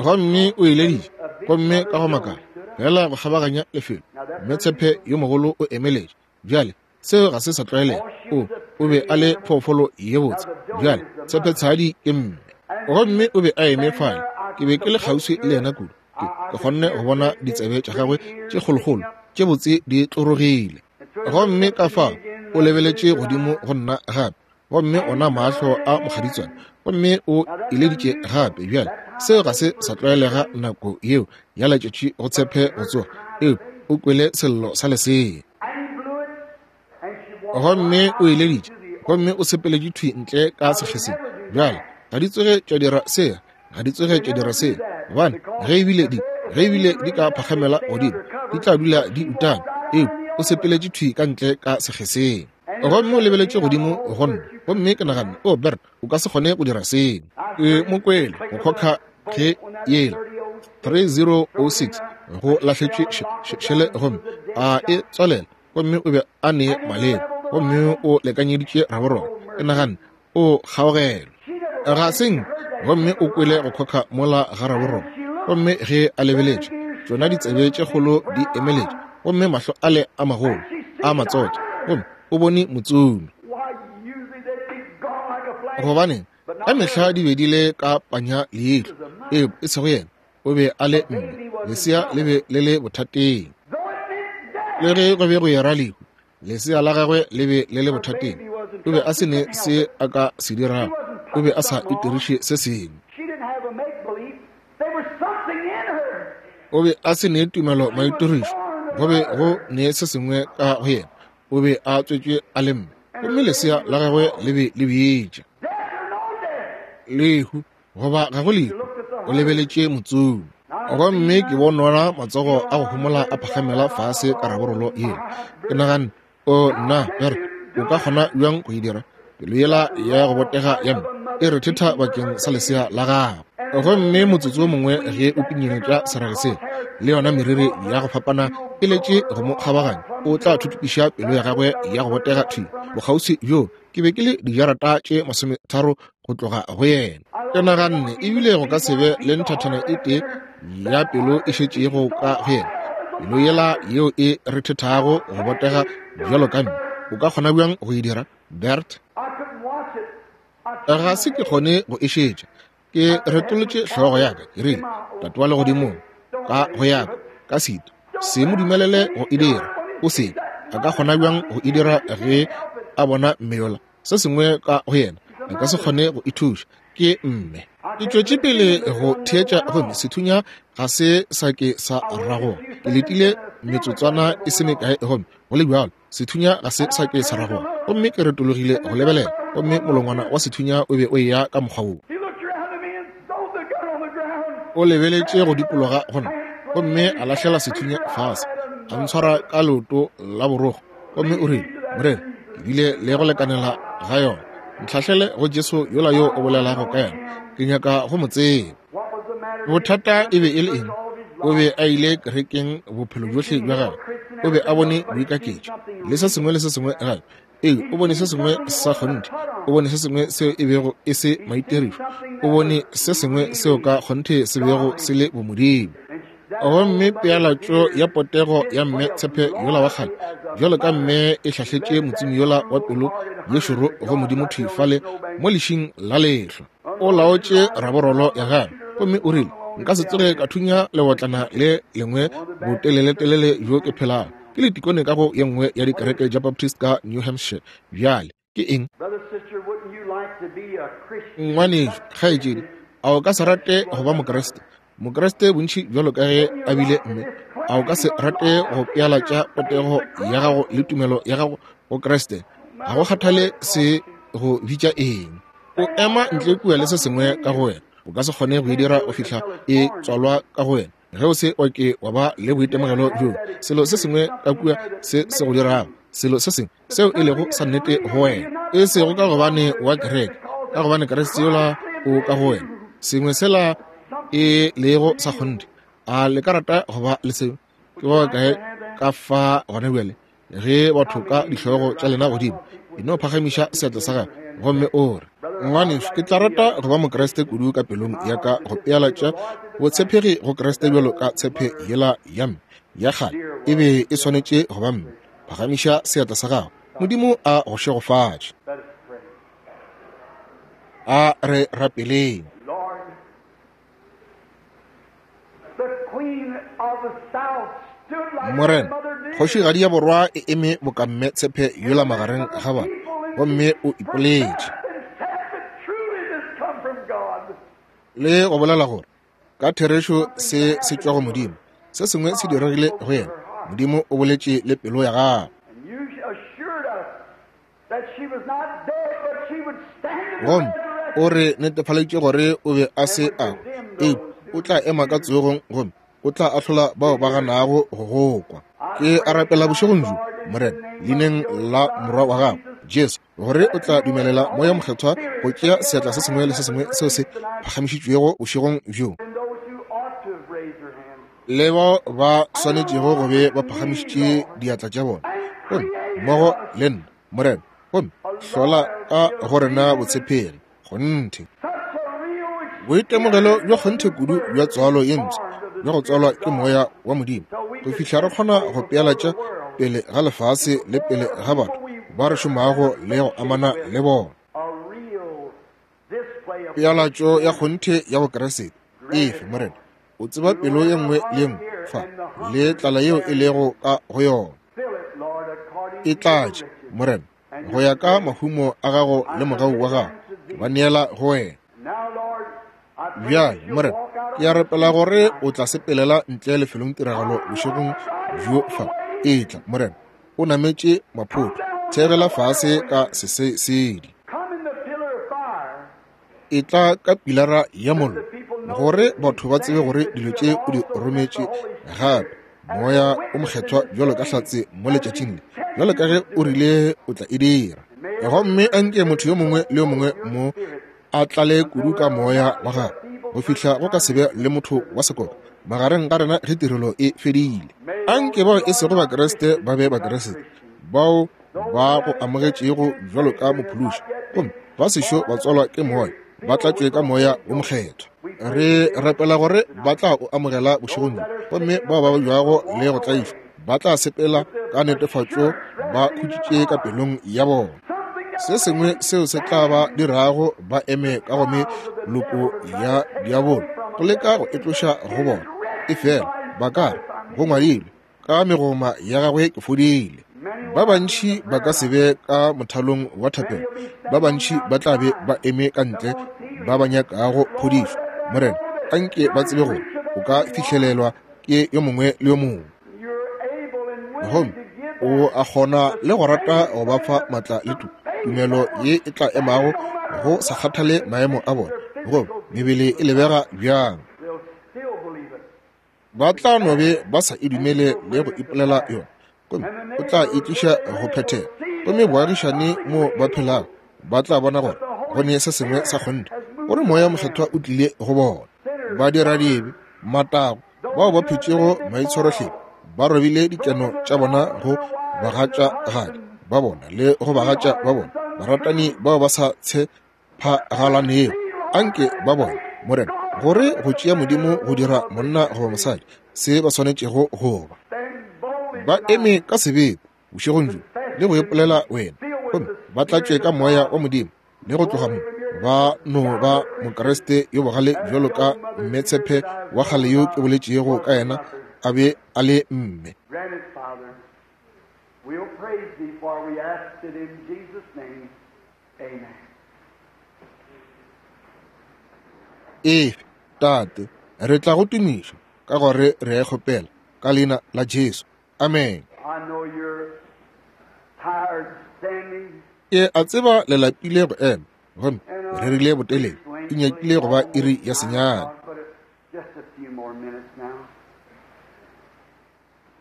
Gomme o eleditše, gomme ka go makala, feela go kgabaganya lefelo, mme tshepe yo mogolo o emeletše. Bjale, seo ga se sa tlwaelega. O, o be a le phoofolo ye botse. Bjale, tshepetshadi ke mme. Gomme o be a eme fale. Ke be ke le kgauswi le yena kudu. Ke, ke kgonne go bona ditsebe tša gagwe tše kgolokgolo tše botse di tlorogile. Gomme ka fao o lebeletše godimo go nna gape, gomme ona mahlo a mokgaditswane, gomme o ileditše gape. Bjale, seo ga se sa tlwaelega nako yeo ya letšatši go tshepe go tsoga, eupša o kwele sello sa lesea. Gomme o eleditše, gomme o sepeletše thwi ntle ka sekgeseng. Bjale, ga di tsoge tša dira se, ga di tsoge tša dira se, gobane ge ebile di, ge ebile di ka phakgamela godimo, di tla dula di utame. Eupša o sepeletše thwi ka ntle ka sekgeseng. Gomme o lebeletše godimo go nna, gomme ke naganne, O Bert, o ka se kgone go dira seo. Ke mo kwele go khokha ge yela 3006 go lahletšwe šele, gomme a e tswalela, gomme o be a ne maleba, gomme o lekanyeditše raborolo. Ke naganne, O kgaogelo ga seng. Gomme o kwele go khokha mola ga raborolo, gomme ge a lebeletše, tšona ditsebe tše kgolo di emeletše, gomme mahlo ale a magolo a matsotho, gomme o bone motsomi. Gobaneng, ka mehla di be di le ka panya leihlo, eupša e sego yena. O be a le mme, lesea le be le le bothateng. Le ge go be go era lehu, lesea la gagwe le be le le bothateng. O be a se ne se a ka se dirago, o be a sa itiriše se sengwe. O be a se ne tumelo maitirišo, go be go ne se sengwe ka go yena. O be a tswetšwe a le mme, gomme lesea la gagwe le be le bitša lehu goba ga go lehu. O lebeletše motsomi, gomme ke bonona matsogo a go homola a phagamela fase ka raborolo yela. Ke naganne, O nna, Bert, o ka kgona bjang go e dira? Pelo yela ya go botega ya mme e rethetha bakeng sa lesea la gagwe. Gomme motsotso wo mongwe ge o pinyeletša serage sela, le yona meriri ya go fapana e letše go mo kgabaganya, o tla thuthupiša pelo ya gagwe ya go botega thwi bokgauswi bjoo. Ke be ke le dijarata tše 30 go tloga go yena. Ke naganne ebile go ka se be le nthathana e tee ya pelo e šetšego ka go yena, pelo yela yeo e rethethago go botega bjalo ka mme. O ka kgona bjang go e dira, Bert? Ga se ke kgone go e šetša. Ke retolotše hlogo ya ka, ke rile, Tate wa Legodimong, ka go ya ka, ka sito, se mo dumelele go e dira. O se a ka kgona bjang go e dira ge a bona mme yola? Se sengwe ka go yena, a ka se kgone go ithuša. Ke mme. Ke tšwetše pele go theetša, gomme sethunya ga se sa ke sa ragoga. Ke letile metsotswana e se mekae, gomme go le bjalo sethunya ga se sa ke sa ragoga. Gomme ke retologile go lebelela, gomme molongwana wa sethunya o be o eya ka mokgwa wo. O lebeletše go dikologa go nna, gomme a lahlela sethunya fase, a ntshwara ka leoto la borogo, gomme o rile, Morena, ke bile le go lekanela ga yona. Ntlhahlele go Jesu yola yo o bolelago ka yena. Ke nyaka go mo tseba. Bothata e be e le eng? O be a ile kerekeng bophelo bjohle bja gagwe. O be a bone boikaketšo le se sengwe le se sengwe gape. Ee, o bone se sengwe sa kgonthe. O bone se sengwe seo e bego e se maitirišo. O bone se sengwe seo ka kgonthe se bego se le bomodimo. Gomme pealatšo ya potego ya mme tshepe yola wa kgale, bjalo ka mme e hlahletše motsomi yola wa pelo ye šoro go Modimo thwi fale mo lešing la lehlwa. O laotše raborolo ya gagwe, gomme o rile, Nka se tsoge ka thunya leotlana le lengwe boteleletelele bjo ke phelago. Ke letikone ka go ye nngwe ya dikereke tša Baptist ka New Hampshire bjale. Ke eng? Ngwanešu, kgaetšedi, a o ka se rate go ba Mokriste? Mokriste bontši bjalo ka ge a bile mme, a o ka se rate go pealatša potego ya gago le tumelo ya gago go Kriste? Ga go kgathale se go bitša eng. O ema ntle kua le se sengwe ka go wena. O ka se kgone go e dira go fihla e tswalwa ka go wena. Ge o se wa ke wa ba le boitemogelo bjoo, selo se sengwe ka kua se se go dirago, selo se sengwe seo e lego sa nnete go wena, e sego ka gobane wa kereke, ka gobane Kriste yola o ka go wena, sengwe sela e lego sa kgonthe. A le ka rata go ba le seo? Ke ba bakae ka fa gona bjale, ge batho ka dihlogo tša lena godimo, e no phagamiša seatla sa gago gomme o re, Ngwanešu, ke tla rata go ba Mokriste kudu ka pelong ya ka go pealatša botshepegi go Kriste bjalo ka tshepe yela ya mme ya kgale e be e swanetše go ba mme. Phagamiša seatla sa gago. Modimo a go šegofatše. A re rapeleng. Morena, kgošigadi ya borwa e eme boka mme tshepe yola magareng ga bana, gomme o ipoletše le go bolela gore ka therešo se se tšwa go Modimo. Se sengwe se diregile go yena. Modimo o boletše le pelo ya gagwe. Gomme o re netefaleditše gore o be a se a hwa, eupša o tla ema ka tsogong gomme o tla ahlola bao ba ganago go go kwa. Ke a rapela bošegong bjo, Morena, leineng la Morwa wa Gago, Jesu, gore o tla dumelela Moya Mokgethwa go tšea seatla se sengwe le se sengwe seo se phagamišitšwego bošegong bjo, le bao ba swanetšego go be ba phagamišitše diatla tša bona, gomme mmogo le nna, Morena, gomme hlola ka go rena botshepegi. Kgonthe, boitemogelo bjo kgonthe kudu bja tswalo ye mpsha, bja go tswalwa ke Moya wa Modimo, go fihla re kgona go pealatša pele ga lefase le pele ga batho ba re šomago le go amana le bona. Pealatšo ya kgonthe ya Bokriste efe, Morena? O tseba pelo ye nngwe le ye nngwe fa le tlala yeo e lego ka go yona. E tlatše, Morena, go ya ka mahumo a gago le mogau wa gago, ke ba neela go wena. Bjale, Morena, ke a rapela gore o tla sepelela ntle lefelong tiragalo bošegong bjo fa. Etla, Morena, o nametše maphoto, theegela fase ka sesesedi. Etla ka pilara ya mollo, gore batho ba tsebe gore dilo tše o di rometše gape Moya o Mokgethwa bjalo ka hlatse mo letšatšing le, bjalo ka ge o rile o tla e dira. Gomme anke motho yo mongwe le yo mongwe mo a tlale kudu ka Moya wa Gagwe go fihla go ka se be le motho wa sekoka magareng ga rena ge tirelo e fedile. Anke bao e sego Bakriste ba be Bakriste, bao ba go amogetšego bjalo ka Mophološi, gomme ba sešo ba tswalwa ke Moya, ba tlatšwe ka Moya wo Mokgethwa. Re rapela gore ba tla o amogela bošegong bjo, gomme bao ba babjago le go tlaišwa ba tla sepela ka netefatšo ba khutšitše ka pelong ya bona. Se sengwe seo se tla ba dirago ba eme ka go meloko ya diabolo go leka go e tloša go bona, efela ba ka re, Go ngwadilwe, ka megoma ya gagwe ke fodile. Ba bantši ba ka se be ka mothalong wa thapelo, ba bantši ba tla be ba eme ka ntle ba ba nyakago phodišo. Morena, anke ba tsebe gore o ka fihlelelwa ke yo mongwe le yo mongwe, gomme o a kgona le go rata go ba fa matla le tumelo ye e tla emago go sa kgathale maemo a bona goba mebele e lebega bjang. Ba tla no be ba sa e dumele le go ipolela yona, gomme o tla e tliša go phethega. Gomme boagišane mo ba phelago ba tla bona gore go ne se sengwe sa kgonthe, gore Moya Mokgethwa o tlile go bona. Badiradibe, matago, bao ba phetšego maitshwarohlephi, ba robile dikeno tša bona go bagatšagadi ba bona le go bagatša ba bona, baratani bao ba sa tshephagalanego. Anke ba bone, Morena, gore go tšea Modimo go dira monna goba mosadi se ba swanetšego go ba. Ba eme ka sebete bošegong bjo le go ipolela wena, gomme ba tlatšwe ka Moya wa Modimo, le go tloga mo ba no ba Mokriste yo bogale bjalo ka mme tshepe wa kgale yo ke boletšego ka yena a be a le mme. Grant it, Father. We'll praise thee, for we ask it in Jesus' name. Amen. Efe, Tate. Re tla go tumiša, ka gore re a e kgopela, ka Leina la Jesu. Amen. Ke a tseba le lapile go ema, gomme re rile botelele, e nyakile go ba iri ya senyane.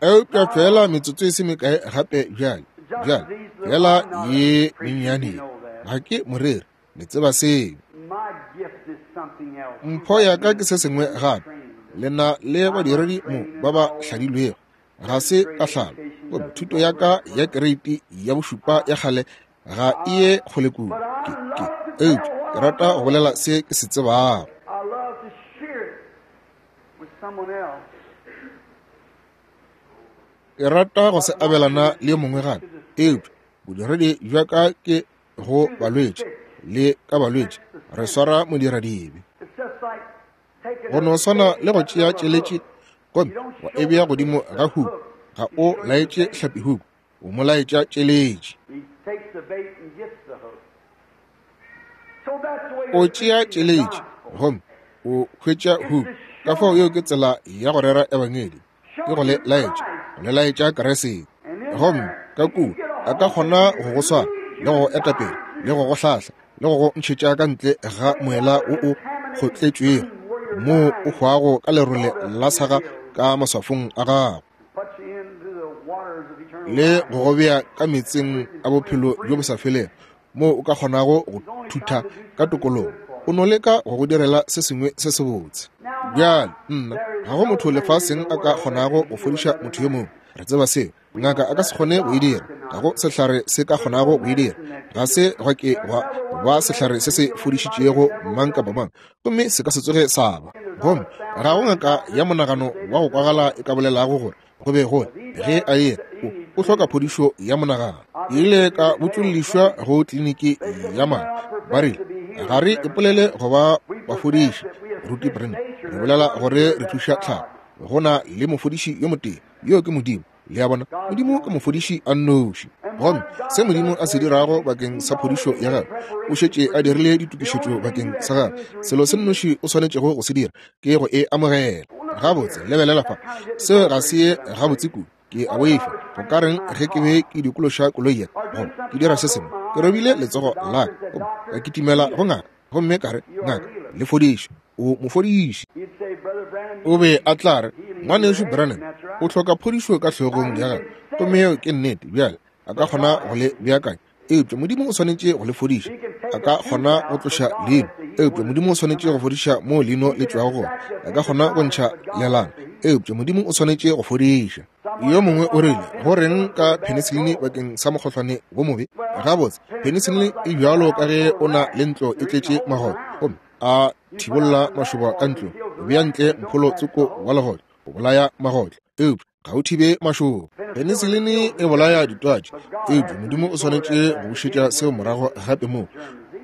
Eupša fela metsotso e se mekae gape bjale, bjale, fela ye mennyane. Ga ke moreri, le tseba seo. Mpho ya ka ke se sengwe gape. Le na le badiredi mo ba ba hladilwego. Ga se ka hlalo. Gomme thuto ya ka ya kereiti ya bošupa ya kgale ga e ye kgole kudu. Ke, ke, eupša ke rata go bolela se ke se tsebago. Ke rata go se abelana le yo mongwe gape. Eupša bodiredi bja ka ke go balwetši le ka balwetši, re swara modiradibe. Go no swana le go tšea tšeletši gomme wa e bea godimo ga huku, ga o laetše hlapi huku, o mo laetša tšeletši. O tšea tšeletši gomme o hwetša huku. Ka fao yeo ke tsela ya go rera ebangedi, ke go le laetša, go le laetša Kriste. Gomme ka kua a ka kgona go go swara le go go etapele le go go hlahla le go go ntšhetša ka ntle ga moela wo o kgotletšwego moo o hwago ka lerole la saga ka maswafong a gago, le go go bea ka meetseng a bophelo bjo bo sa felego moo o ka kgonago go thutha ka tokologo. O no leka go go direla se sengwe se sebotse. Bjale, nna, ga go motho lefaseng a ka kgonago go fodiša motho yo mongwe. Re tseba seo. Ngaka a ka se kgone go e dira. Ga go sehlare se ka kgonago go e dira. Ga se gwa ke gwa ba sehlare se se fodišitšego mang kapa mang, gomme se ka se tsoge sa ba. Gomme ga go ngaka ya monagano wa go kwagala e ka bolelago gore go be go ge a ye o hloka phodišo ya monagano. Ke ile ka botšollišwa go kliniki ya madi. Ba rile, ga re ipolele go ba bafodiši, Ruti Branham. Re bolela gore re thuša tlhago. Go na le mofodiši yo motee, yo ke Modimo. Le a bona, Modimo ke mofodiši a nnoši. Gomme se Modimo a se dirago bakeng sa phodišo ya gagwe, o šetše a dirile ditokišetšo bakeng sa gagwe. Selo se nnoši o swanetšego go se dira ke go e amogela. Gabotse, lebelela fa, seo ga se ye gabotse kudu. Ke a boifa, go ka reng ge ke be ke dikološa koloi ya goba ke dira se sengwe, ke robile letsogo la ka, gomme ka kitimela go ngaka, gomme ka re, Ngaka, le fodiše. O mofodiši. O be a tla re, Ngwanešu Branham, o hloka phodišo ka hlogong ya gago. Gomme yeo ke nnete. Bjale, a ka kgona go le beakanya, eupša Modimo o swanetše go le fodiša. A ka kgona go tloša leino, eupša Modimo o swanetše go fodiša moo leino le tšwago gona. A ka kgona go ntšha lelana, eupša Modimo o swanetše go fodiša. Yo mongwe o rile, Go reng ka penicillin bakeng sa mokgohlwane wo mobe? Gabotse, penicillin e bjalo ka ge o na le ntlo e tletše magotlo, gomme a thibolla mašoba ka ntlong, o bea ntle mpholo tsoko wa legotlo, o bolaya magotlo, eupša ga o thibe mašoba. Penicillin e bolaya ditwatši, eupša Modimo o swanetše go bušetša seo morago gape moo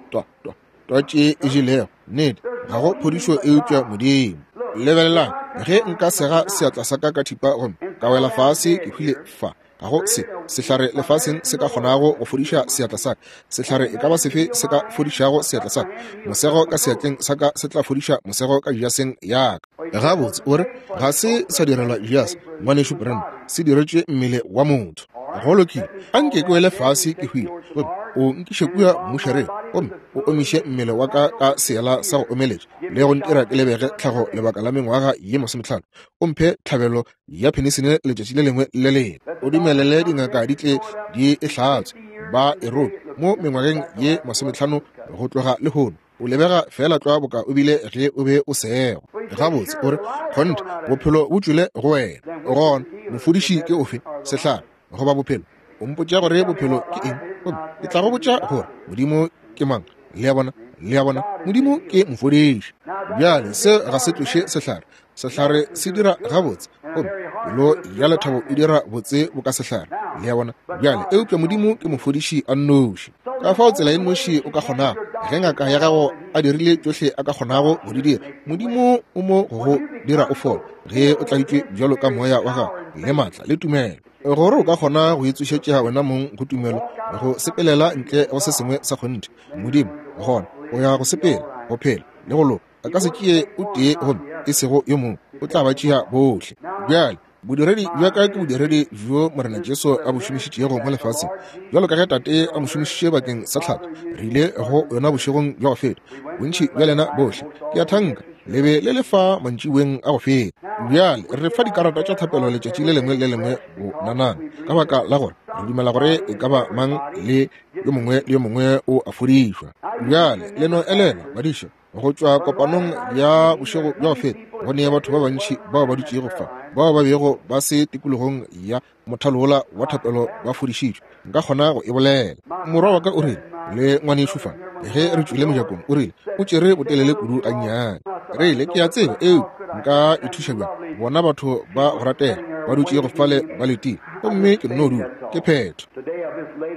twa, twa, twatši e jelego. Nnete, ga go phodišo eupša Modimo. Lebelelang, ge nka sega seatla sa ka ka thipa gomme ka wela fase ke hwile fa, ga go se sehlare lefaseng se ka kgonago go fodiša seatla sa ka. Sehlare e ka ba sefe se ka fodišago seatla sa ka? Mosego ka seatleng sa ka se tla fodiša mosego ka jaseng ya ka. Gabotse, o re, ga se sa direlwa jase, Ngwanešu Branham, se diretšwe mmele wa motho. Go lokile, a nke ke wele fase ke hwile, gomme o nkiše kua mmušareng, gomme o omiše mmele wa ka ka seela sa go omeletša, le go ntira ke lebege tlhago lebaka la mengwaga ye masometlhano, o mphe tlhabelo ya penicillin letšatši le lengwe le lengwe, o dumelele dingaka di tle di e hlatswe, ba e rope mo mengwageng ye masometlhano go tloga lehono. O lebega feela tlwa boka o bile ge o be o sego. Gabotse, o re, kgonthe, bophelo bo tšwele go wena. Gona, mofodiši ke ofe, sehlare goba bophelo? O mpotša gore bophelo ke eng, gomme ke tla go botša gore Modimo ke mang. Le a bona? Le a bona? Modimo ke mofodiši. Bjale, se ga se tloše sehlare. Sehlare se dira gabotse, gomme pelo ya lethabo e dira botse boka sehlare. Le a bona? Bjale, eupša Modimo ke mofodiši a nnoši. Ka fao tsela e nnoši o ka kgonago, ge ngaka ya gago a dirile tšohle a ka kgonago go di dira, Modimo o mo go go dira o fole, ge o tladitšwe bjalo ka moya wa gago le maatla le tumelo, gore o ka kgona go itsošetša wena mong go tumelo, go sepelela ntle go se sengwe sa kgonthe. Modimo, gona o ya go sepela, go phela le go loka. A ka se tšee o tee gomme e sego yo mongwe, o tla ba tšea bohle. Bjale, bodiredi bja ka ke bodiredi bjo Morena Jesu a bo šomišitšego mo lefaseng, bjalo ka ge Tate a mo šomišitše bakeng sa tlhatho. Re ile go yona bošegong bja go feta, bontši bja lena bohle, ke a thanka, le be le le fa mantšiboeng a go feta. Bjale re fa dikarata tša thapelo letšatši le lengwe le lengwe bonanana, ka baka la gore re dumela gore e ka ba mang le yo mongwe le yo mongwe o a fodišwa. Bjale le no elelwa, badiša, go tšwa kopanong ya bošego bja go feta, go ne batho ba bantši bao ba dutšego fa bao ba bego ba se tikologong ya mothalo wola wa thapelo ba fodišitšwe. Nka kgona go e bolela. Morwa wa ka o rile, le ngwanešu fa, ge re tšwile mojakong, o rile, o tšere botelele kudu gannyane. Re ile, ke a tseba, eupša nka ithuša bjang? Bona batho ba go ratega ba dutšego fale ba letile, gomme ke nno dula, ke phetho.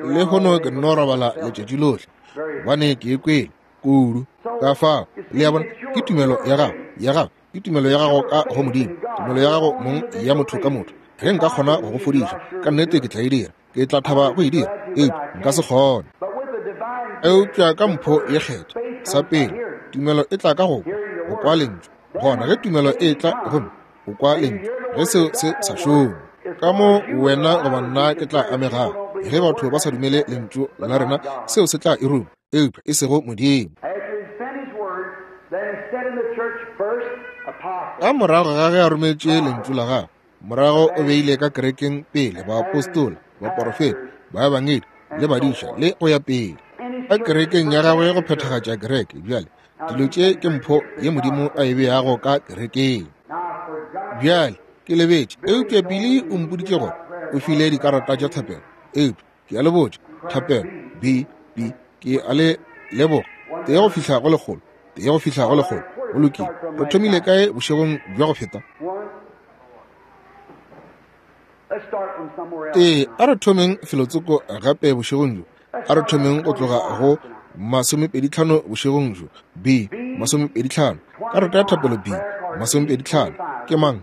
Lehono ke nno robala letšatši lohle, gobane ke e kwele kudu. Ka fao, le a bona, ke tumelo ya gago, ya gago, ke tumelo ya gago ka go Modimo, tumelo ya gago mong ya motho ka motho. Ge nka kgona go go fodiša, ka nnete ke tla e dira, ke tla thaba go e dira, eupša nka se kgone. Eupša ka mpho ye kgethwa, sa pele, tumelo e tla ka go kwa, go kwa Lentšu. Gona ge tumelo e tla gomme o kwa Lentšu, ge seo se sa šome, ka mo wena goba nna ke tla amegago. Ge batho ba sa dumele Lentšu la rena, seo se tla e ruma, eupša e sego Modimo. Ka morago ga ge a rometše Lentšu la gagwe, morago o beile ka kerekeng pele baapostola, baporofeta, baebangedi le badiša, le go ya pele ka kerekeng ya gagwe go phethagatša kereke. Bjale dilo tše ke mpho ye Modimo a e beago ka kerekeng. Bjale ke lebetše, eupša Billy o mpoditše gore o file dikarata tša thapelo, eupša ke a le botša, thapelo B, B, ke a le leboga, tee go fihla go lekgolo, tee go fihla go lekgolo. Go lokile. Re thomile kae bošegong bja go feta? Ee, a re thomeng felotsoko gape bošegong bjo. A re thomeng go tloga go 25 bošegong bjo. B, 25. Karata ya thapelo B, 25. Ke mang?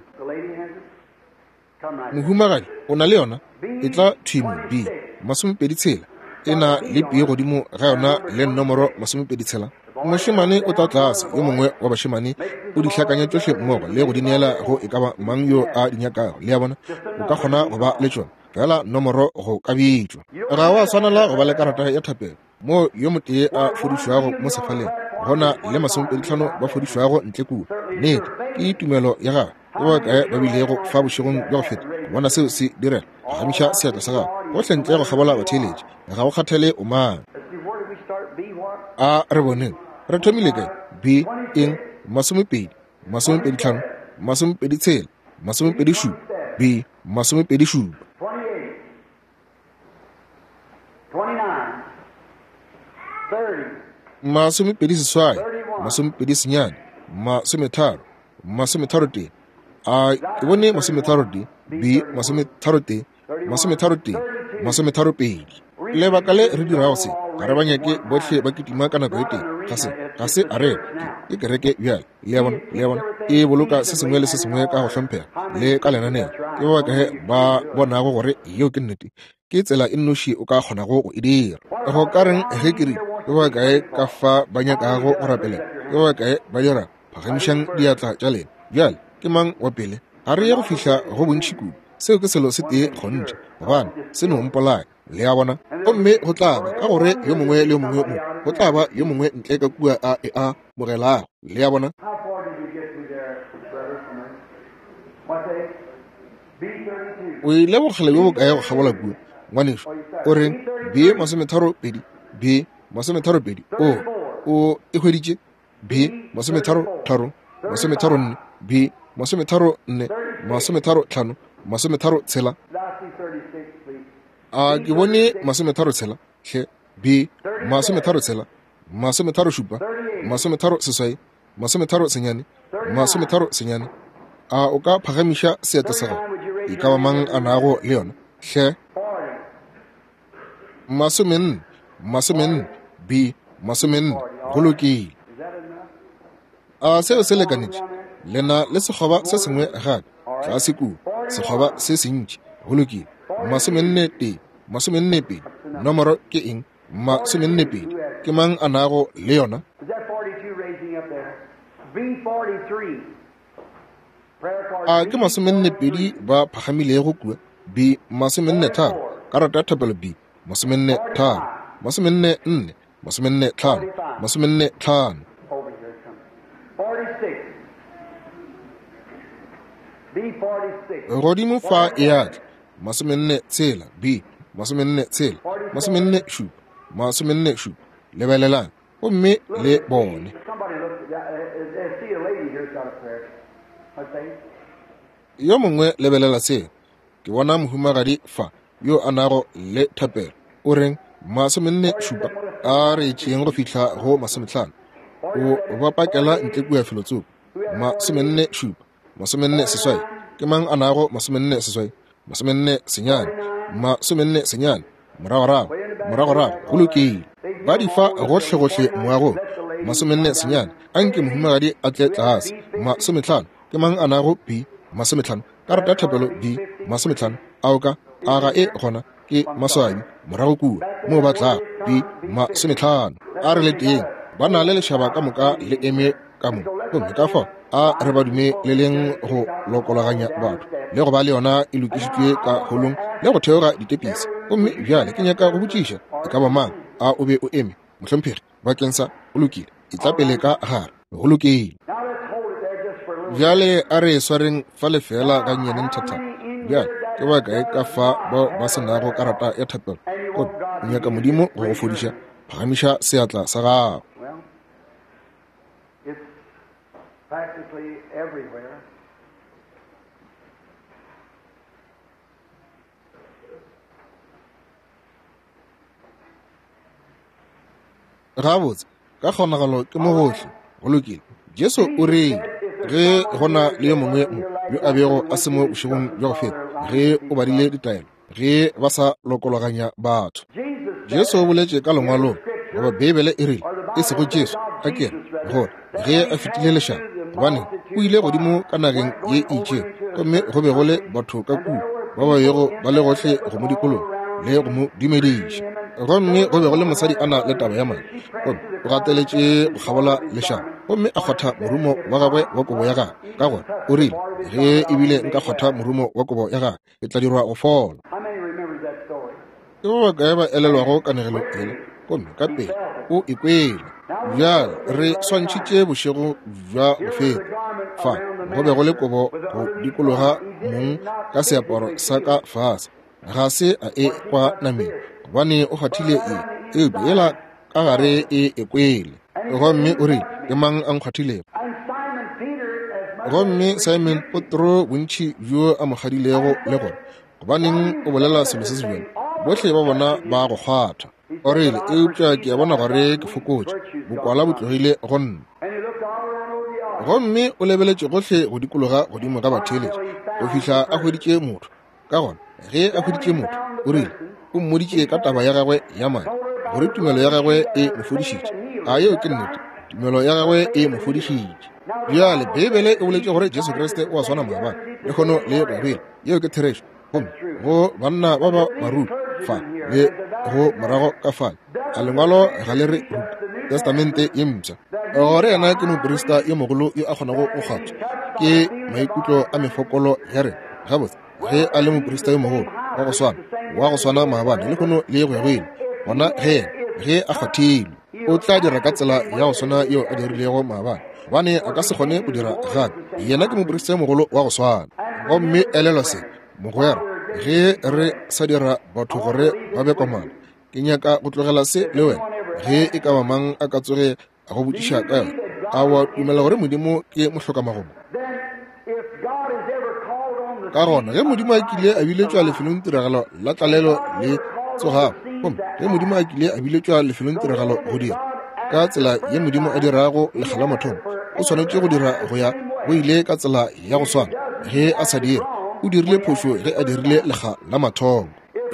Mohumagadi, o na le yona? E tla thwi mo, B, 26. E na le P godimo ga yona le nomoro 26. Mošemane o tla tlase, yo mongwe wa bašemane o di hlakanya tšohle mmogo le go di neela go e ka ba mang yo a di nyakago. Le a bona? O ka kgona go ba le tšona, fela nomoro go ka bitšwa. Ga wa swanela go ba le karata ya thapelo moo yo motee a fodišwago mo sefaleng, gona le 25 ba fodišwago ntle kua. Nnete, ke tumelo ya gago. Ke ba bakae ba bilego fa bošegong bja go feta go bona seo se direga? Phagamiša seatla sa gago gohle ntle go kgabola batheeletši, ga go kgathale o mang. A re boneng, re thomile kae? B, eng? 20, 25, 26, 27, B, 27. 28, 29, 30, 33. A ke bone 33, B, 33, 33, 32. Lebaka le re dirago se, ga re ba nyake bohle ba kitima ka nako e tee. Ga se, ga se arena, ke, ke kereke bjale. Le a bona, le a bona, e boloka se sengwe le se sengwe ka go hlomphega le ka lenaneo. Ke ba bakae ba bonago gore yeo ke nnete? Ke tsela e nnoši o ka kgonago go e dira. Go ka reng ge ke rile, ke ba bakae ka fa ba nyakago go rapelela? Ke ba bakae ba dirago? Phagamišang diatla tša lena. Bjale, ke mang wa pele? Ga re ye go fihla go bontši kudu. Seo ke selo se tee kgonthe, gobane se no mpolaya. Le a bona? Gomme go tla ba, ka gore yo mongwe le yo mongwe mo, go tla ba yo mongwe ntle ka kua a e a mogelago. Le a bona? O ile bokgale bjo bokae go kgabola kua, ngwanešu? O reng? B 32, B 32. O, o e hweditše? B 33, 34, B 34, 35, 36. A ke bone 36? Hle. B 36, 37, 38, 39, 39. A o ka phagamiša seatla sa gago? E ka ba mang a nago le yona? Hle. 40, 40, B 40. Go lokile. A seo se lekanetše? Le na le sekgoba se sengwe gape tlase kua, sekgoba se sentši. Go lokile. 41, 42. Nomoro ke eng? 42. Ke mang a nago le yona? Is that 42 raising up there? B43. Prayer card A ke 42 ba phagamilego kua? B 43. Karata ya thapelo B 43, 44, 45, 45. Over here it comes. 46. B46. Godimo fa e a tla. 46, B 46, 47, 47. Lebelelang gomme le bone. Somebody look, see a lady here's got a prayer. What's that? Yo mongwe lebelela seo. Ke bona mohumagadi fa yo a nago le thapelo. O reng? 47. A re tšeeng go fihla go 50. O ba pakela ntle kua felotsoko. 47, 48. Ke mang a nago 48? 49, 49. Moragorago, moragorago, go lokile. Ba di fa gohlegohle moagong. 49. Anke mohumagadi a tle tlase. 50. Ke mang a nago B 50? Karata ya thapelo B 50. A o ka? A ga e gona? Ke maswabi. Morago kua moo ba tlago. B 50. A re le teng. Ba na le lešaba ka moka le eme ka mo. Gomme ka fao a re ba dumeleleng go lokologanya batho le go ba le yona e lokišitšwe ka holong le go theoga ditepisi. Gomme bjale ke nyaka go botšiša e ka ba mang. A o be o eme, mohlomphegi, bakeng sa? O lokile, e tla pele ka gare. Go lokile. Now let's hold it there just for a little. Bjale a re swareng fa lefela ga nnyane nthathana. Bjale ke ba kae ka fa bao ba se nago karata ya thapelo gomme o nyaka Modimo go go fodiša? Phagamiša seatla sa gago. Well, it's practically everywhere. Gabotse, ka kgonagalo ke mo gohle. Go lokile. Jesu o rile ge go na le yo mongwe mo yo a bego a se mo bošegong bja go feta, ge o badile ditaelo, ge ba sa lokologanya batho. Jesus Jesu o boletše ka lengwalong, goba Beibele e rile, e sego Jesu, a ke re, gore ge a fetile lešaba, gobane o ile godimo ka nageng ye e itšego, gomme go be go le batho ka kua ba ba bego ba le gohle go mo dikologa le go mo dumediša. Gomme go be go le mosadi a na le taba ya madi, gomme o gateletše go kgabola lešaba, gomme a kgwatha morumo wa gagwe wa kobo ya gagwe, ka gore o rile, ge ebile nka kgwatha morumo wa kobo ya gagwe, ke tla dirwa go fola. How many remembers that story? Ke ba bakae ba elelwago kanegelo yela? Gomme ka pele o e kwele. Bjale re swantšhitše bošego bja go feta. Fa go be go le kobo go dikologa mong ka seaparo sa ka fase. Ga se a e kwa nameng, gobane o kgwathile e, eupša yela ka gare e e kwele. Gomme o rile, ke mang a nkgwathilego? And Simon Peter, as much Gomme Simon Petro bontši bjo a mo kgadilego le gore, gobaneng o bolela selo se se bjalo? Bohle ba bona ba go kgwatha. O rile, eupša ke a bona gore ke fokotše, bokwala bo tlogile go nna. and he looked all around over the audience. Gomme o lebeletše gohle go dikologa godimo ga batheeletši go fihla a hweditše motho. Ka gona ge a hweditše motho, o rile, o mmoditše ka taba ya gagwe ya madi, gore tumelo ya gagwe e mo fodišitše. A yeo ke nnete? Tumelo ya gagwe e mo fodišitše. Bjale Beibele e boletše gore Jesu Kriste o a swana maabane, lehono le go ya go ile. Yeo ke therešo. Gomme go banna ba ba baruti fa le go morago ka fale, a lengwalo ga le re ruta Testamente ye mpsha gore yena ke moprista yo mogolo yo a kgonago go kgwathwa ke maikutlo a mefokolo ya rena? Gabotse, ge a le moprista yo mogolo wa go swana, wa go swana maabane, lehono le go ya go ile, gona ge yena ge a kgwathilwe, o tla dira ka tsela ya go swana yeo a dirilego maabane, gobane a ka se kgone go dira gape. Yena ke moprista yo mogolo wa go swana. Gomme elelwa se, mogwera, ge re sa dira batho gore ba be komana, ke nyaka go tlogela se le wena. Ge e ka ba mang a ka tsoge a go botšiša ka yona, a wa dumela gore Modimo ke mohlokamagomo? Then, if God has ever called on the Ka gona ge Modimo a kile a biletšwa lefelong tiragalo la tlalelo le tsogago, gomme ge Modimo a kile a biletšwa lefelong tiragalo go dira ka tsela ye Modimo a dirago lekga la mathomo, o swanetše go dira go ya go ile ka tsela ya go swana. Ge a sa dire, o dirile phošo ge a dirile lekga la mathomo.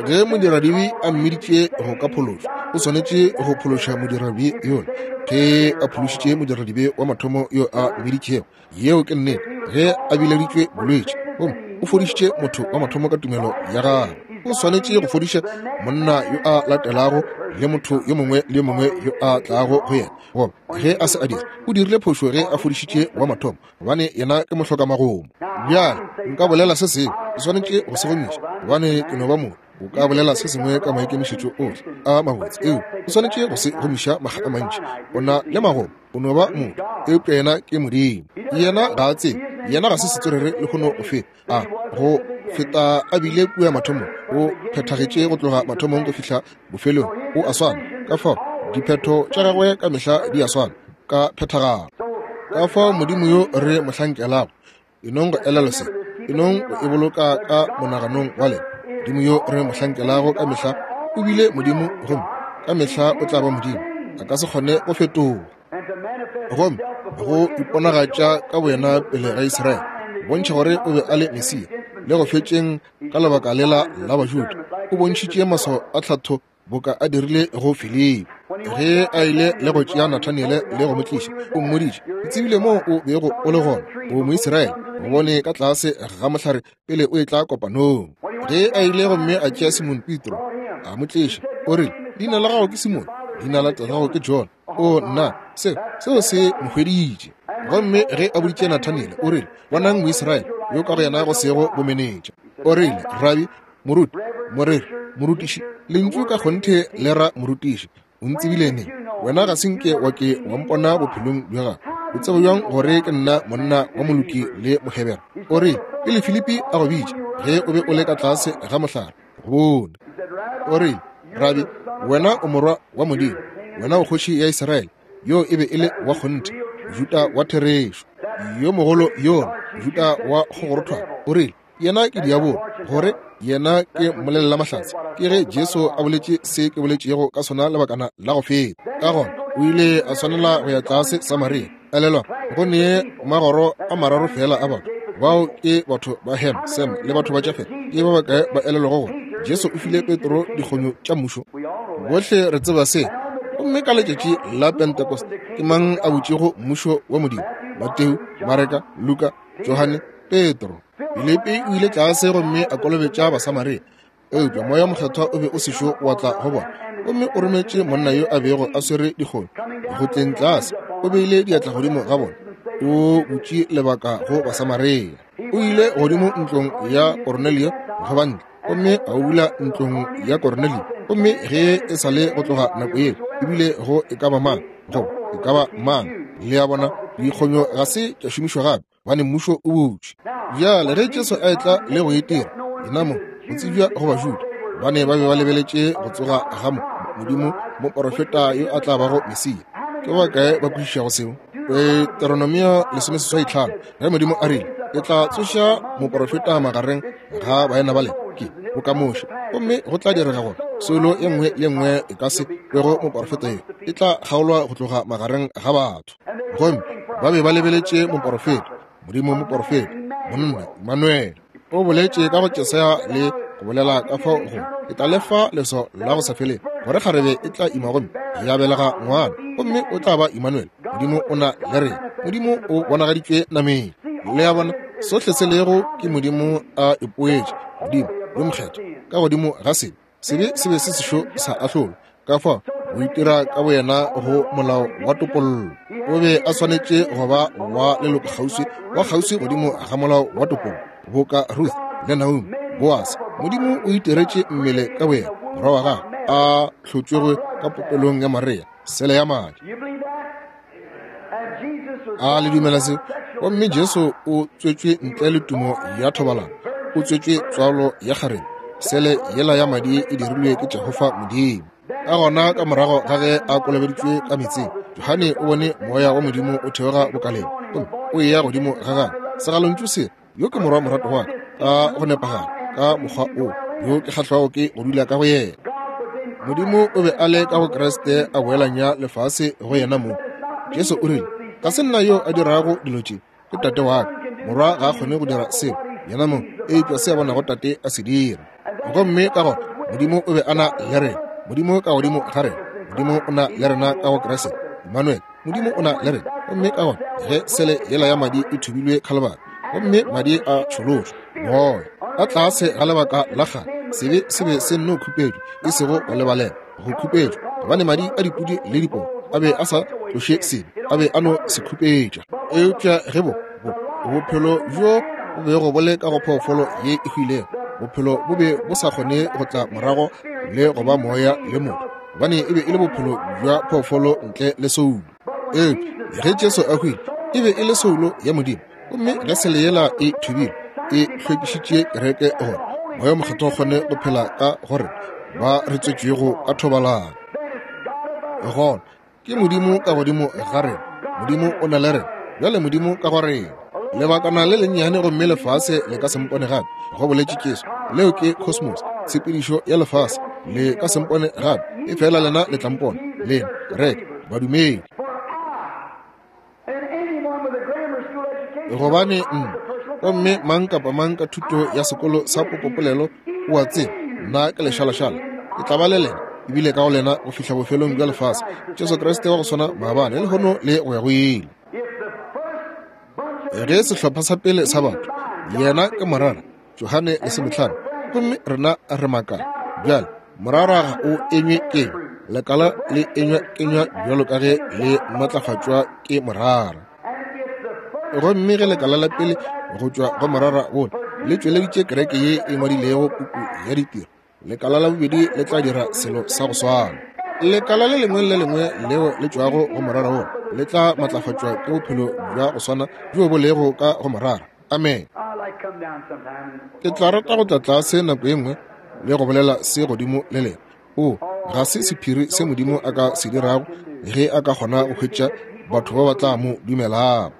Ge modiradibe a mmiditše go ka phološwa, o swanetše go phološa modiradibe yola. Ge a phološitše modiradibe wa mathomo yo a mmiditšego, yeo ke nnete. Ge a bileditšwe bolwetši, gomme o fodišitše motho wa mathomo ka tumelo ya gagwe. O swanetše go fodiša monna yo a latelago le motho yo mongwe le yo mongwe yo a tlago go yena. Goba ge a se a dira, o dirile phošo ge a fodišitše wa mathomo, gobane yena ke mohloka-magomo. Bjale nka bolela se sengwe, ke swanetše go se gomiša, gobane ke no ba motho. O ka bolela se sengwe ka maikemišetšo ohle a mabotse, eupša o swanetše go se gomiša makga a mantši. O na le magomo, o no ba motho, eupša yena ke Modimo. Yena ga a tsebe, yena ga se setswerere lehono go feta a go feta a bile kua mathomong. O phethagetše go tloga mathomong go fihla bofelong, o a swana. Ka fao diphetho tša gagwe ka mehla di a swana ka phethagalo. Ka fao Modimo yo re mo hlankelago, e nong go elelwa se, e nong go e boloka ka monaganong wa lena. Modimo yo re mo hlankelago ka mehla o bile Modimo, gomme ka mehla o tla ba Modimo. A ka se kgone go fetoga. Gomme go iponagatša ka boyena pele ga Israele, go bontšha gore o be a le Mesia, le go fetšeng ka lebaka lela la Bajuda, o bontšhitše maswao a tlhatho boka a dirile go Filipi. Ge a ile le go tšea Nathaniele le go mo tliša, o mmoditše, Ke tsebile moo o bego o le gona, o Moisraele, o bone ka tlase ga mohlare pele o etla kopanong. Ge a ile gomme a tšea Simon Petro, a mo tliša, o rile, Leina la gago ke Simon, leina la tatago ke John. O nna, seo, seo se mo hweditše. Gomme ge a boditše Nathaniele, o rile, Bonang Moisraele, yo ka go yena go sego bomenetša. O rile, Rabi, moruti, moreri, morutiši, lentšu ka kgonthe le ra morutiši. O ntsebile neng? Wena ga se nke wa ke wa mpona bophelong bja gago. O tseba bjang gore ke nna monna wa moloki le Mohebere? O rile, Pele Filipi a go bitša, ge o be o le ka tlase ga mohlare, go bone. O rile, Rabi, wena o morwa wa Modimo, wena o kgoši ya Israele. Yo e be e le wa kgonthe, Mojuda wa therešo, yo mogolo yola, Mojuda wa kgogorothwana. O rile, Yena ke diabolo, gore yena ke mmolelelamahlatse. Ke ge Jesu a boletše se ke boletšego ka sona lebakana la go feta. Ka gona o ile a swanela go ya tlase Samaria. Elelwa, go ne magoro a mararo feela a batho. Bao ke batho ba Ham, Sem le batho ba Jafet. Ke ba bakae ba elelwago gore Jesu o file Petro dikgonyo tša mmušo? Bohle re tseba se. Gomme ka letšatši la Pentekoste, ke mang a butšego mmušo wa Modimo? Mateo, Mareka, Luka, Johane, Petro. Filipi o ile tlase gomme a kolobetša Basamaria, eupša Moya Mokgethwa o be o sešo wa tla go bona. Gomme o rometše monna yo a bego a swere dikgonyo go tleng tlase, o beile diatla godimo ga bona, o butše lebaka go Basamaria. O ile godimo ntlong ya Koronelio go ba ntle, gomme a o bula ntlong ya Koronelio. Gomme ge e sa le go tloga nako yeo, ebile go e ka ba mang, goba e ka ba mang, le a bona, dikgonyo ga se tša šomišwa gape, gobane mmušo o butšwe. Bjale ge Jesu a etla le go itira yena mo go tsebja go Bajuda, gobane ba be ba lebeletše go tsoga ga Modimo moporofeta yo a tla bago Mesia. Ke ba bakae ba kwešišago seo? Deuteronomio 85, ge Modimo a rile, Ke tla tsoša moporofeta magareng ga baena ba lena, ke boka Moshe, gomme go tla direga gore soulo ye nngwe le nngwe e ka se kwego moporofeta yo e tla kgaolwa go tloga magareng ga batho. Gomme ba be ba lebeletše moporofeta, Modimo moporofeta, monna Immanuele. O boletše ka go Jesaya le go bolela ka fao go ke tla lefa leso la go sa feleng, gore kgarebe e tla ima gomme ya belega ngwana, gomme o tla ba Immanuele. Modimo o na le rena. Modimo o bonagaditšwe nameng. Le a bona, sohle se lego ke Modimo a ipoetše, Modimo yo mokgethwa ka godimo ga sebe. Sebe se be se sešo sa ahlolwa, ka fao o itira ka boyena go molao wa topollo. O be a swanetše go ba wa leloko kgauswi wa kgauswi godimo ga molao wa topollo, boka Ruth le Naomi, Boase. Modimo o itiretše mmele ka boyena, morwa wa gagwe a hlotšwego ka popelong ya Maria, sele ya madi. A le dumela se? Gomme Jesu o tswetšwe ntle le tumo ya thobalano, o tswetšwe tswalo ya kgarebe, sele yela ya madi e dirilwe ke Jehofa Modimo. Ka gona ka morago ga ge a kolobeditšwe ka meetseng, Johane o bone moya wa Modimo o theoga bokaleng gomme o eya godimo ga gagwe. Segalontšu se, yo ke morwa morato wa ka, ka go nepagala, ka mokgwa o yo ke kgahlwago ke go dula ka go yena. Modimo o be a le ka go Kriste a boelanya lefase go yena mong. Jesu o rile, Ga se nna yo a dirago dilo tše, ke Tate wa ka. Morwa ga a kgone go dira selo yena mong, eupša se a bonago Tate a se dira. Gomme ka gona Modimo o be a na le rena, Modimo ka godimo ga rena, Modimo o na le rena ka go Kriste, Emmanuel. Modimo o na le rena. Gomme ka gona ge sele yela ya madi e thubilwe Khalibari, gomme madi a tšholotšwe, moya ka tlase ga lebaka la kgale. Sebe se be se nno khupetšwa, e sego go lebalela, go khupetšwa, gobane madi a dipudi le dipoo a be a sa tloše sebe, a be a no se khupetša. Eupša ge bo, bo, bophelo bjo bo bego bo le ka go phoofolo ye e hwilego, bophelo bo be bo sa kgone go tla morago le go ba moya le motho, gobane e be e le bophelo bja phoofolo ntle le soulo. Eupša ge Jesu a hwile, e be e le soulo ya Modimo, gomme ge sele yela e thubile, e hlwekišitše kereke gore Moya wo Mokgethwa o kgone go phela ka go rena ba re tswetšwego ka thobalano. Gona ke Modimo ka godimo ga rena, Modimo o na le rena bjale, Modimo ka go rena. Lebakana le lennyane gomme lefase le ka se mpone gape, go boletše Jesu. Leo ke cosmos, tshepedišo ya lefase. Le ka se mpone gape, efela lena le tla mpona, lena kereke, badumedi. Gobane nna, gomme mang kapa mang ka thuto ya sekolo sa popopolelo o a tseba, nna ke lešalašala, ke tla ba le lena ebile ka go lena go fihla bofelong bja lefase. Jesu Kriste wa go swana maabane, lehono le go ya go ile. Ge sehlopha sa pele sa batho, yena ke morara, Johane lesometlhano, gomme rena re makala. Bjale, morara ga o enywe kenywa, lekala le enywa kenywa bjalo ka ge le matlafatšwa ke morara. Gomme ge lekala la pele go tšwa go morara wola le tšweleditše kereke ye e ngwadilego puku ya ditiro, lekala la bobedi le tla dira selo sa go swana. Lekala le lengwe le lengwe leo le tšwago go morara wola le tla matlafatšwa ke bophelo bja go swana bjo bo lego ka go morara. Amen. Ke tla rata go tla tlase nako ye nngwe le go bolela se godimo le lena. O, ga se sephiri se Modimo a ka se dirago ge a ka kgona go hwetša batho ba ba tla mo dumelago.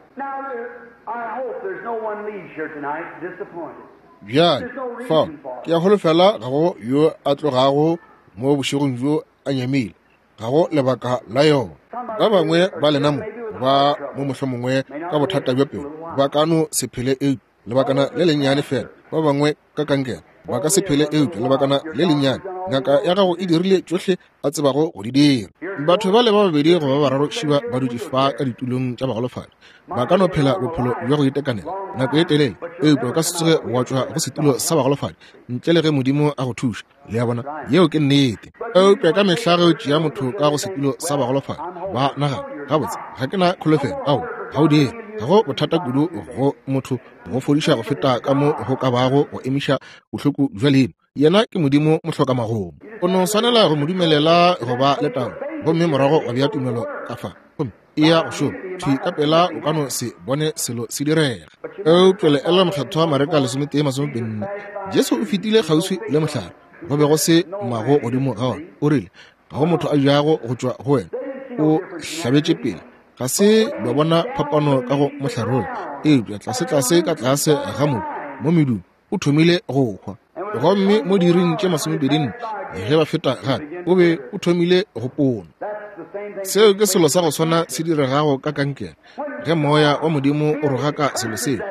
Bjale, fao, ke a holofela ga go yo a tlogago mo bošegong bjo a nyamile. Ga go lebaka la yona. Ba bangwe ba lena mo ba mo mohlomongwe ka bothata bja pelo ba ka no se phele eupša lebakana le lennyane fela. Ba bangwe ka kankere ba ka se phele eupša lebakana le lennyane. Ngaka ya gago e dirile tšohle a tsebago go di dira. Batho bale ba babedi goba ba bararo šiba ba dutše fa ka ditulong tša bagolofadi ba ka no phela bophelo bja go itekanela nako e telele, eupša o ka se tsoge wa tšwa go setulo sa bagolofadi ntle le ge Modimo a go thuša. Le a bona, yeo ke nnete. Eupša ka mehla ge o tšea motho ka go setulo sa bagolofadi, ba nagana, gabotse, ga ke na kholofelo. Ao, ga o dire. Ga go bothata kudu go motho go fodiša go feta ka mo go ka bago go emiša bohloko bja leino. Yena ke Modimo mohlokamagomo. O no swanela go mo dumelela go ba le taolo, gomme morago wa bea tumelo ka fa, gomme e ya go šoma thwi ka pela. O ka no se bone selo se direga. Eupša le ela Mokgethwa Mareka 11:24, Jesu o fetile kgauswi le mohlare, go be go se mago godimo ga ona. O rile, ga go motho a jago go tšwa go wena. O hlabetše pele. Ga se ba bona phapano ka go mohlare wola, eupša tlasetlase ka tlase ga mobu mo medung o thomile go hwa. Gomme mo diiring tše 24 ge ba feta gape, o be o thomile go pona. Seo ke selo sa go swana se diregago ka kankere. Ge Moya wa Modimo o rogaka selo seo,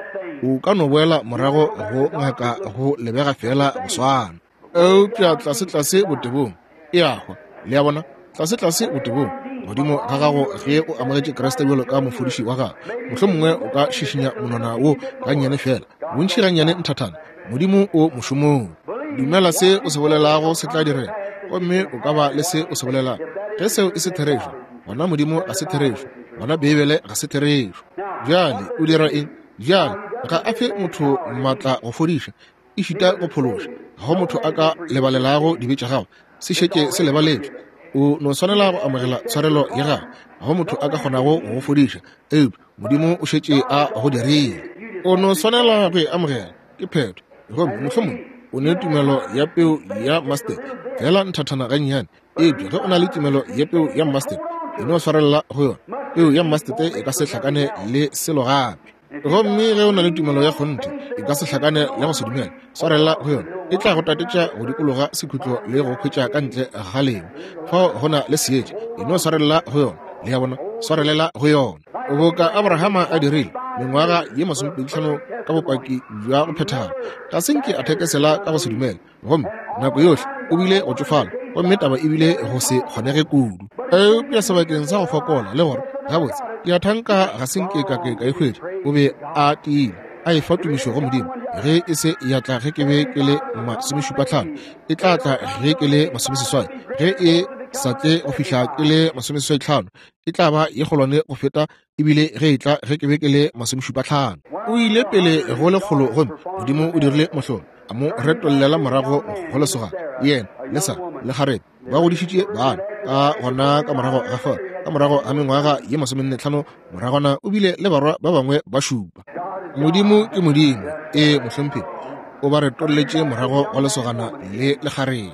o ka no boela morago go ngaka go lebega feela go swana. Eupša tlasetlase botebong e a hwa. Le a bona? Tlasetlase botebong godimo ga gago, ge o amogetše Kriste bjalo ka mofodiši wa gago, mohlomongwe o ka šišinya monwana wo gannyane feela, bontši gannyane nthathana. Modimo o mošomong. Dumela se o se bolelago se tla direga, gomme o ka ba le se o se bolelago. Ge seo e se therešo, gona Modimo ga se therešo, gona Beibele ga se therešo. Bjale o dira eng? Bjale ga a fe motho maatla go fodiša, ešita go phološa. Ga go motho a ka lebalelago dibe tša gago, se šetše se lebaletšwe. O no swanela go amogela tshwarelo ya gago. Ga go motho a ka kgonago go go fodiša, eupša Modimo o šetše a go dirile. O no swanela go e amogela, ke phetho. Gomme mohlomongwe o ne tumelo ya peu ya mustard fela nthathana gannyane, eupša ge o na le tumelo ya peu ya mustard, e no swarelela go yona. Peu ya mustard e ka se hlakane le selo gape. Gomme ge o na le tumelo ya kgonthe, e ka se hlakane le go se dumela. Swarelela go yona, e tla go tatetša go dikologa sekhutlo le go hwetša ka ntle ga lengwe. Fao go na le seetša, e no swarelela go yona. Le a bona? Swarelela go yona. Boka Abrahama a dirile, mengwaga ye 25 ka bopaki bja go phethagala, ga se nke a thekesela ka go se dumele. Gomme nako yohle o bile go tšofala, gomme taba e bile go se kgonege kudu. Eupša sebakeng sa go fokola le gore gabotse ke a thanka ga se nke ka ke ka e hwetša, o be a tiile. a efa tumišo go Modimo. Ge e se ya tla ge ke be ke le masomešupatlhano, e tla tla ge ke le masomeseswai. Ge e sa tle go fihla ke le masomeseswaitlhano, e tla ba ye kgolwane go feta ebile ge e tla ge ke be ke le masomešupatlhano. O ile pele go lekgolo gomme Modimo o dirile mohlolo, a mo retollela morago go lesogana. Yena le Sara le kgarebe ba godišitše bana. Ka gona ka morago ga fao, ka morago ga mengwaga ye 45 moragwana, o bile le barwa ba bangwe ba šupa. Modimo ke Modimo. Ee, mohlomphegi, o ba retolletše morago go lesogana le lekgarebe.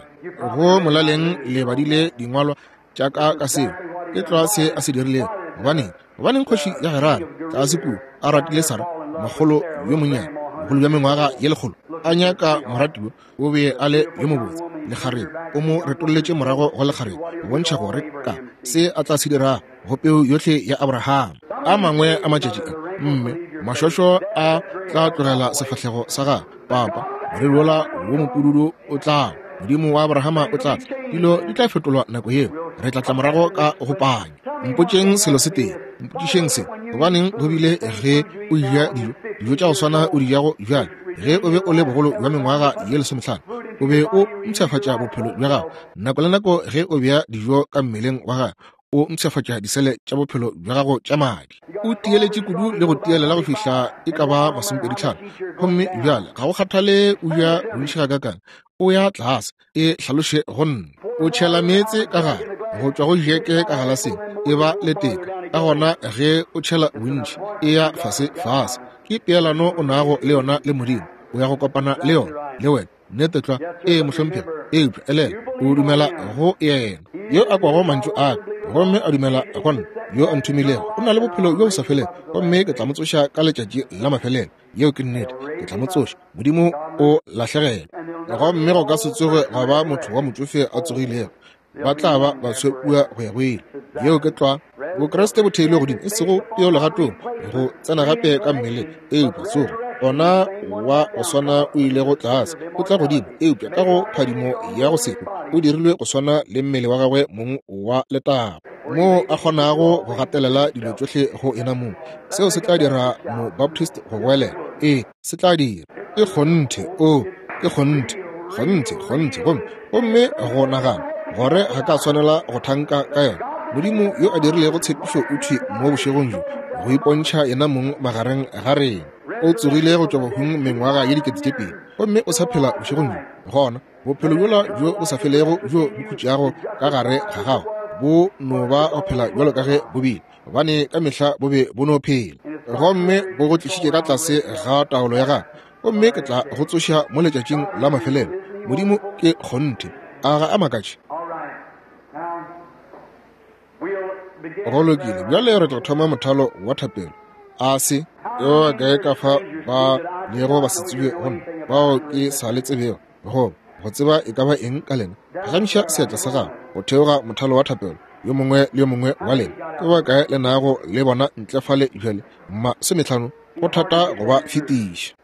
Go molaleng le badile dingwalwa tša ka ka seo. Ke tlwa se a se dirilego. Gobaneng? Gobaneng kgoši ya Gerara tlase kua a ratile Sara, mogolo yo monnyane, bogolo bja mengwaga ye 100, a nyaka moratiwa, o be a le yo mobotse, lekgarebe, o mo retolletše morago go lekgarebe, go bontšha gore ka se a tla se dirago go peu yohle ya Abraham. A mangwe a matšatši a, mme mašošo a tla tlogela sefahlego sa gagwe, papa, moriri wola wo mopududu o tla, Modimo wa Abrahama o tla tla, dilo di tla fetolwa nako yeo, re tla tla morago ka go panya. Mpotšeng selo se tee, mpotšišeng se, gobaneng go bile ge o eja dijo, dijo tša go swana o di jago bjale, ge o be o le bogolo bja mengwaga ye 15, o be o mpshafatša bophelo bja gago. Nako le nako ge o bea dijo ka mmeleng wa gago, o mpshafatša disele tša bophelo bja gago tša madi. O tieletše kudu le go tielela go fihla e ka ba 25, gomme bjale ga go kgathale o ja bontši gakakang, o ya tlase. E hlaloše go nna. O tšhela meetse ka gare go tšwa go jeke ka galaseng, e ba leteka. Ka gona ge o tšhela bontši, e ya fase fase. Ke peelano o nago le yona le Modimo. O ya go kopana le yona le wena. Nnete tlwa. Ee, mohlomphegi. Eupša elela, o dumela go yena yo a kwago mantšu a ka gomme a dumela go nna yo a nthomilego, o na le bophelo bjo bo sa felego, gomme ke tla mo tsoša ka letšatši la mafelelo. Yeo ke nnete. Ke tla mo tsoša. Modimo o lahlegelwa, gomme go ka se tsoge gwa ba motho wa motšofe a tsogilego. Ba tla ba ba swe kua go ya go ile. Yeo ke tlwa. Bokriste bo theilwe godimo, e sego peo legatong, go tsena gape ka mmeleng, eupša tsogo. Ona wa go swana o ilego tlase, o tla godimo, eupša ka go phadimo ya go se hwe, o dirilwe go swana le mmele wa gagwe mong wa letago, moo a kgonago go gatelela dilo tšohle go yena mong. Seo se tla dira Mobaptist go goelela. Ee, se tla dira. Ke kgonthe. Oo, ke kgonthe. Kgonthe, kgonthe. Gomme, gomme go nagana gore ga ka swanela go thanka ka yona. Modimo yo a dirilego tshepišo o thwi mo bošegong bjo go ipontšha yena mong magareng ga rena. O tsogile go tšwa bahung mengwaga ye 2000, gomme o sa phela bošegong bjo. Gona, bophelo bjola bjo bo sa felego bjo bo khutšago ka gare ga gago bo no ba go phela bjalo ka ge bo bile, gobane ka mehla bo be bo no phela, gomme bo go tlišitše ka tlase ga taolo ya gagwe, gomme ke tla go tsoša mo letšatšing la mafelelo. Modimo ke kgonthe. A ga a makatše? Go lokile, bjale re tla thoma mothalo wa thapelo. A se yo kae ka fa ba lego ba se tsebe go nna, bao ke sa le tsebego, goba go tseba e ka ba eng ka lena, phagamiša seatla sa gago go theoga mothalo wa thapelo, yo mongwe le yo mongwe wa lena. Ke ba kae le nago le bona ntle fale bjale? 50, go thata go ba fetiša.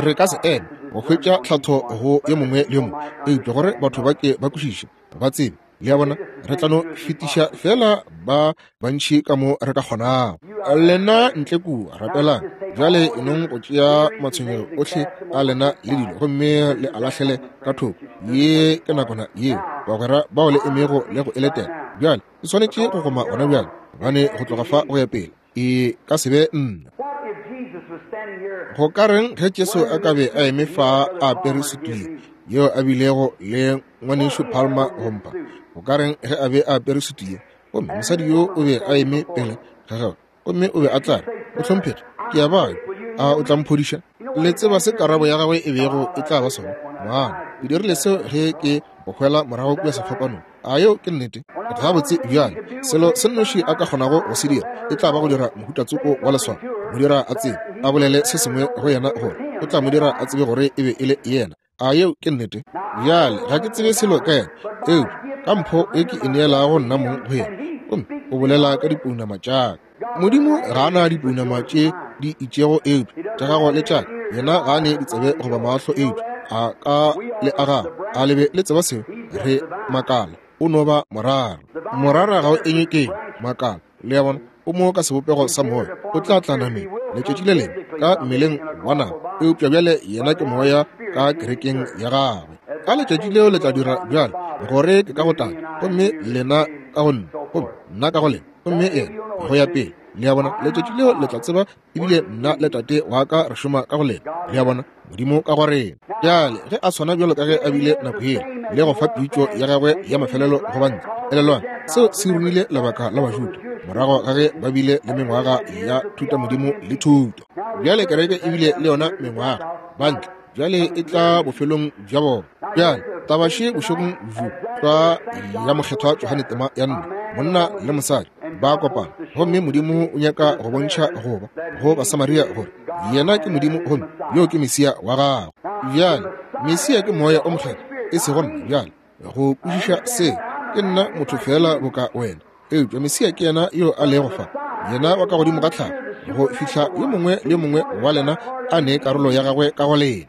Re ka se eme go hwetša tlhatho go yo mongwe le yo mongwe, eupša gore batho ba ke ba kwešiše, ba tsebe. Le a bona, re tla no fetiša feela ba bantši ka mo re ka kgonago. Lena ntle kua, rapelang bjale, e nong go tšea matshwenyego ohle a lena le dilo gomme le a lahlele ka thoko. Ye ke nakwana yeo bagwera bao le emego le go e letela. Bjale e swanetše go goma gona bjale, gobane go tloga fa go ya pele e ka se be nna. Go ka reng ge Jesu a ka be a eme fa a apere sutu ye yeo a bilego le ngwanešu Palmer go mpha? Go ka reng ge a be a apere sutu ye, gomme mosadi yo o be a eme pele ga gagwe, gomme o be a tla re, Mohlomphegi, ke a babja, a o tla mphodiša? Le tseba se karabo ya gagwe e bego e tla ba sona? Moana, ke dirile seo ge ke go hwela morago kua sefapanong. A yeo ke nnete? Gabotse, bjale, selo se nnoši a ka kgonago go se dira e tla ba go dira mohuta tsoko wa leswao, mo dira a tsebe, a bolele se sengwe go yena gore o tla mo dira a tsebe gore e be e le yena. A yeo ke nnete? Bjale, ga ke tsebe selo ka yena, eupša ka mpho e ke e neelago nna mong go yena, gomme o bolela ka dipounama tša ka. Modimo ga a na dipounama tše di itšego eupša tša gago le tša ka. Yena ga a ne ditsebe goba mahlo eupša a ka le a gago. A le be le tseba seo? Re makala. O no ba morara. Morara ga o enywe kenywa, makala. Le a bona? O mo ka sebopego sa moya. O tla tla nameng letšatši le lengwe ka mmeleng wa nama, eupša bjale yena ke moya ka kerekeng ya gagwe. Ka letšatši leo le tla dira bjale gore ke ka go Tate, gomme lena ka go nna, gomme nna ka go lena, gomme yena go ya pele. Le a bona, letšatši leo le tla tseba ebile nna le Tate wa ka re šoma ka go lena. Le a bona, Modimo ka go rena. Bjale ge a swana bjalo ka ge a bile nako yela, le go fa pitšo ya gagwe ya mafelelo go bantle. Elelwang, seo se ruile lebaka la Bajuda morago ga ge ba bile le mengwaga ya thutamodimo le thuto. Bjale kereke e bile le yona mengwaga, bantle bjale e tla bofelong bja bona. Bjale tabaše bošegong bjo tlwa ya Mokgethwa Johane tema ya 4, monna le mosadi ba kopana, gomme Modimo o nyaka go bontšha goba go Basamaria gore yena ke Modimo gomme yo ke Mesia wa gagwe. Bjale Mesia ke Moya o Mokgethwa, e sego nna. Bjale go kwešiša se, ke nna motho feela boka wena, eupša Mesia ke yena yo a lego fa, yena wa ka godimo ga tlhago, go fihla yo mongwe le yo mongwe wa lena a ne karolo ya gagwe ka go lena.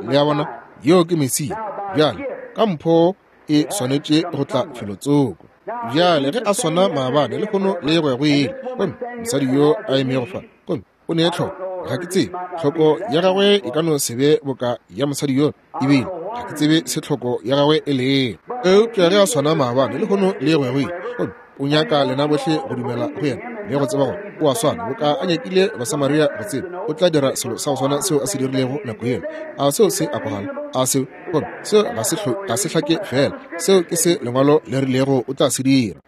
Le a bona, yo ke Mesia. Bjale ka mpho e swanetše go tla felotsoko. Bjale ge a swana maabane, lehono le go ya go ile, gomme mosadi yo a emego fa, gomme o ne tlhoko, ga ke tsebe, tlhoko ya gagwe e ka no se be boka ya mosadi yo, ebile ga ke tsebe se tlhoko ya gagwe e lego. Eupša ge a swana maabane, lehono le go ya go ile, gomme o nyaka lena bohle go dumela go yena le go tseba gore o a swana, boka a nyakile Basamaria go tseba, o tla dira selo sa go swana seo a se dirilego nako yela. A seo se a kwagala? A seo, gomme seo ga se hlake fela, seo ke se Lengwalo le rilego o tla se dira.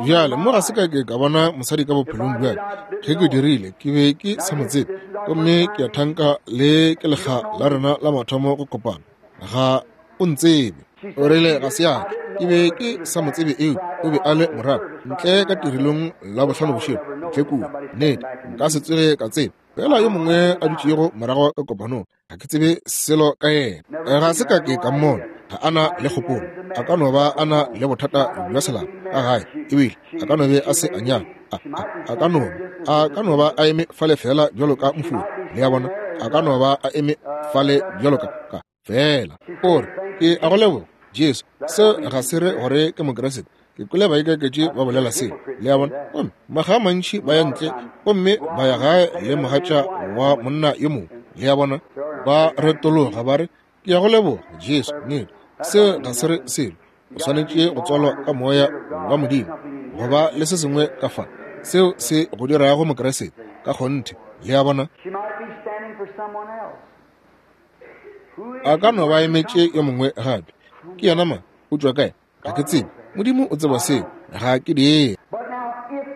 Bjale mo ga se ka ke ka bona mosadi ka bophelong bjale. Ge ke dirile, ke be ke sa mo tsebe, gomme ke a thanka le ke lekga la rena la mathomo go kopana. Ga o ntsebe. O rile ga se ya ke be ke sa mo tsebe, eo o be a le morago ntle ka tirelong la bohlano bošego ntle kua. Nnete, nka se tsoge ka tseba fela yo mongwe a dutšego morago ka kopanong, ga ke tsebe selo ka yena, ga se ka ke ka mmona. Ga a na le kgopolo, a ka no ba a na le bothata bja selapa ka gae, ebile a ka no be a se a nyala, a ka no ba a eme fale fela bjalo ka mofori. Le a bona, a ka no ba a eme fale bjalo ka fela. O re, ke a go leboga, Jesu. Seo ga se re gore ke Mokriste. Ke kwele baikaketši ba bolela seo. Le a bona? Gomme makga a mantši ba ya ntle gomme ba ya gae le mogatša wa monna yo mongwe. Le a bona? Ba retologa ba re, ke a go leboga, Jesu. Nnete, seo ga se re selo. O swanetše go tswalwa ka Moya wa Modimo, go ba le se sengwe ka fa seo se go dirago Mokriste ka kgonthe. Le a bona? A ka no ba emetše yo mongwe gape. Ke yena mang? O tšwa kae? Ga ke tsebe. Modimo o tseba seo. Ga ke dire.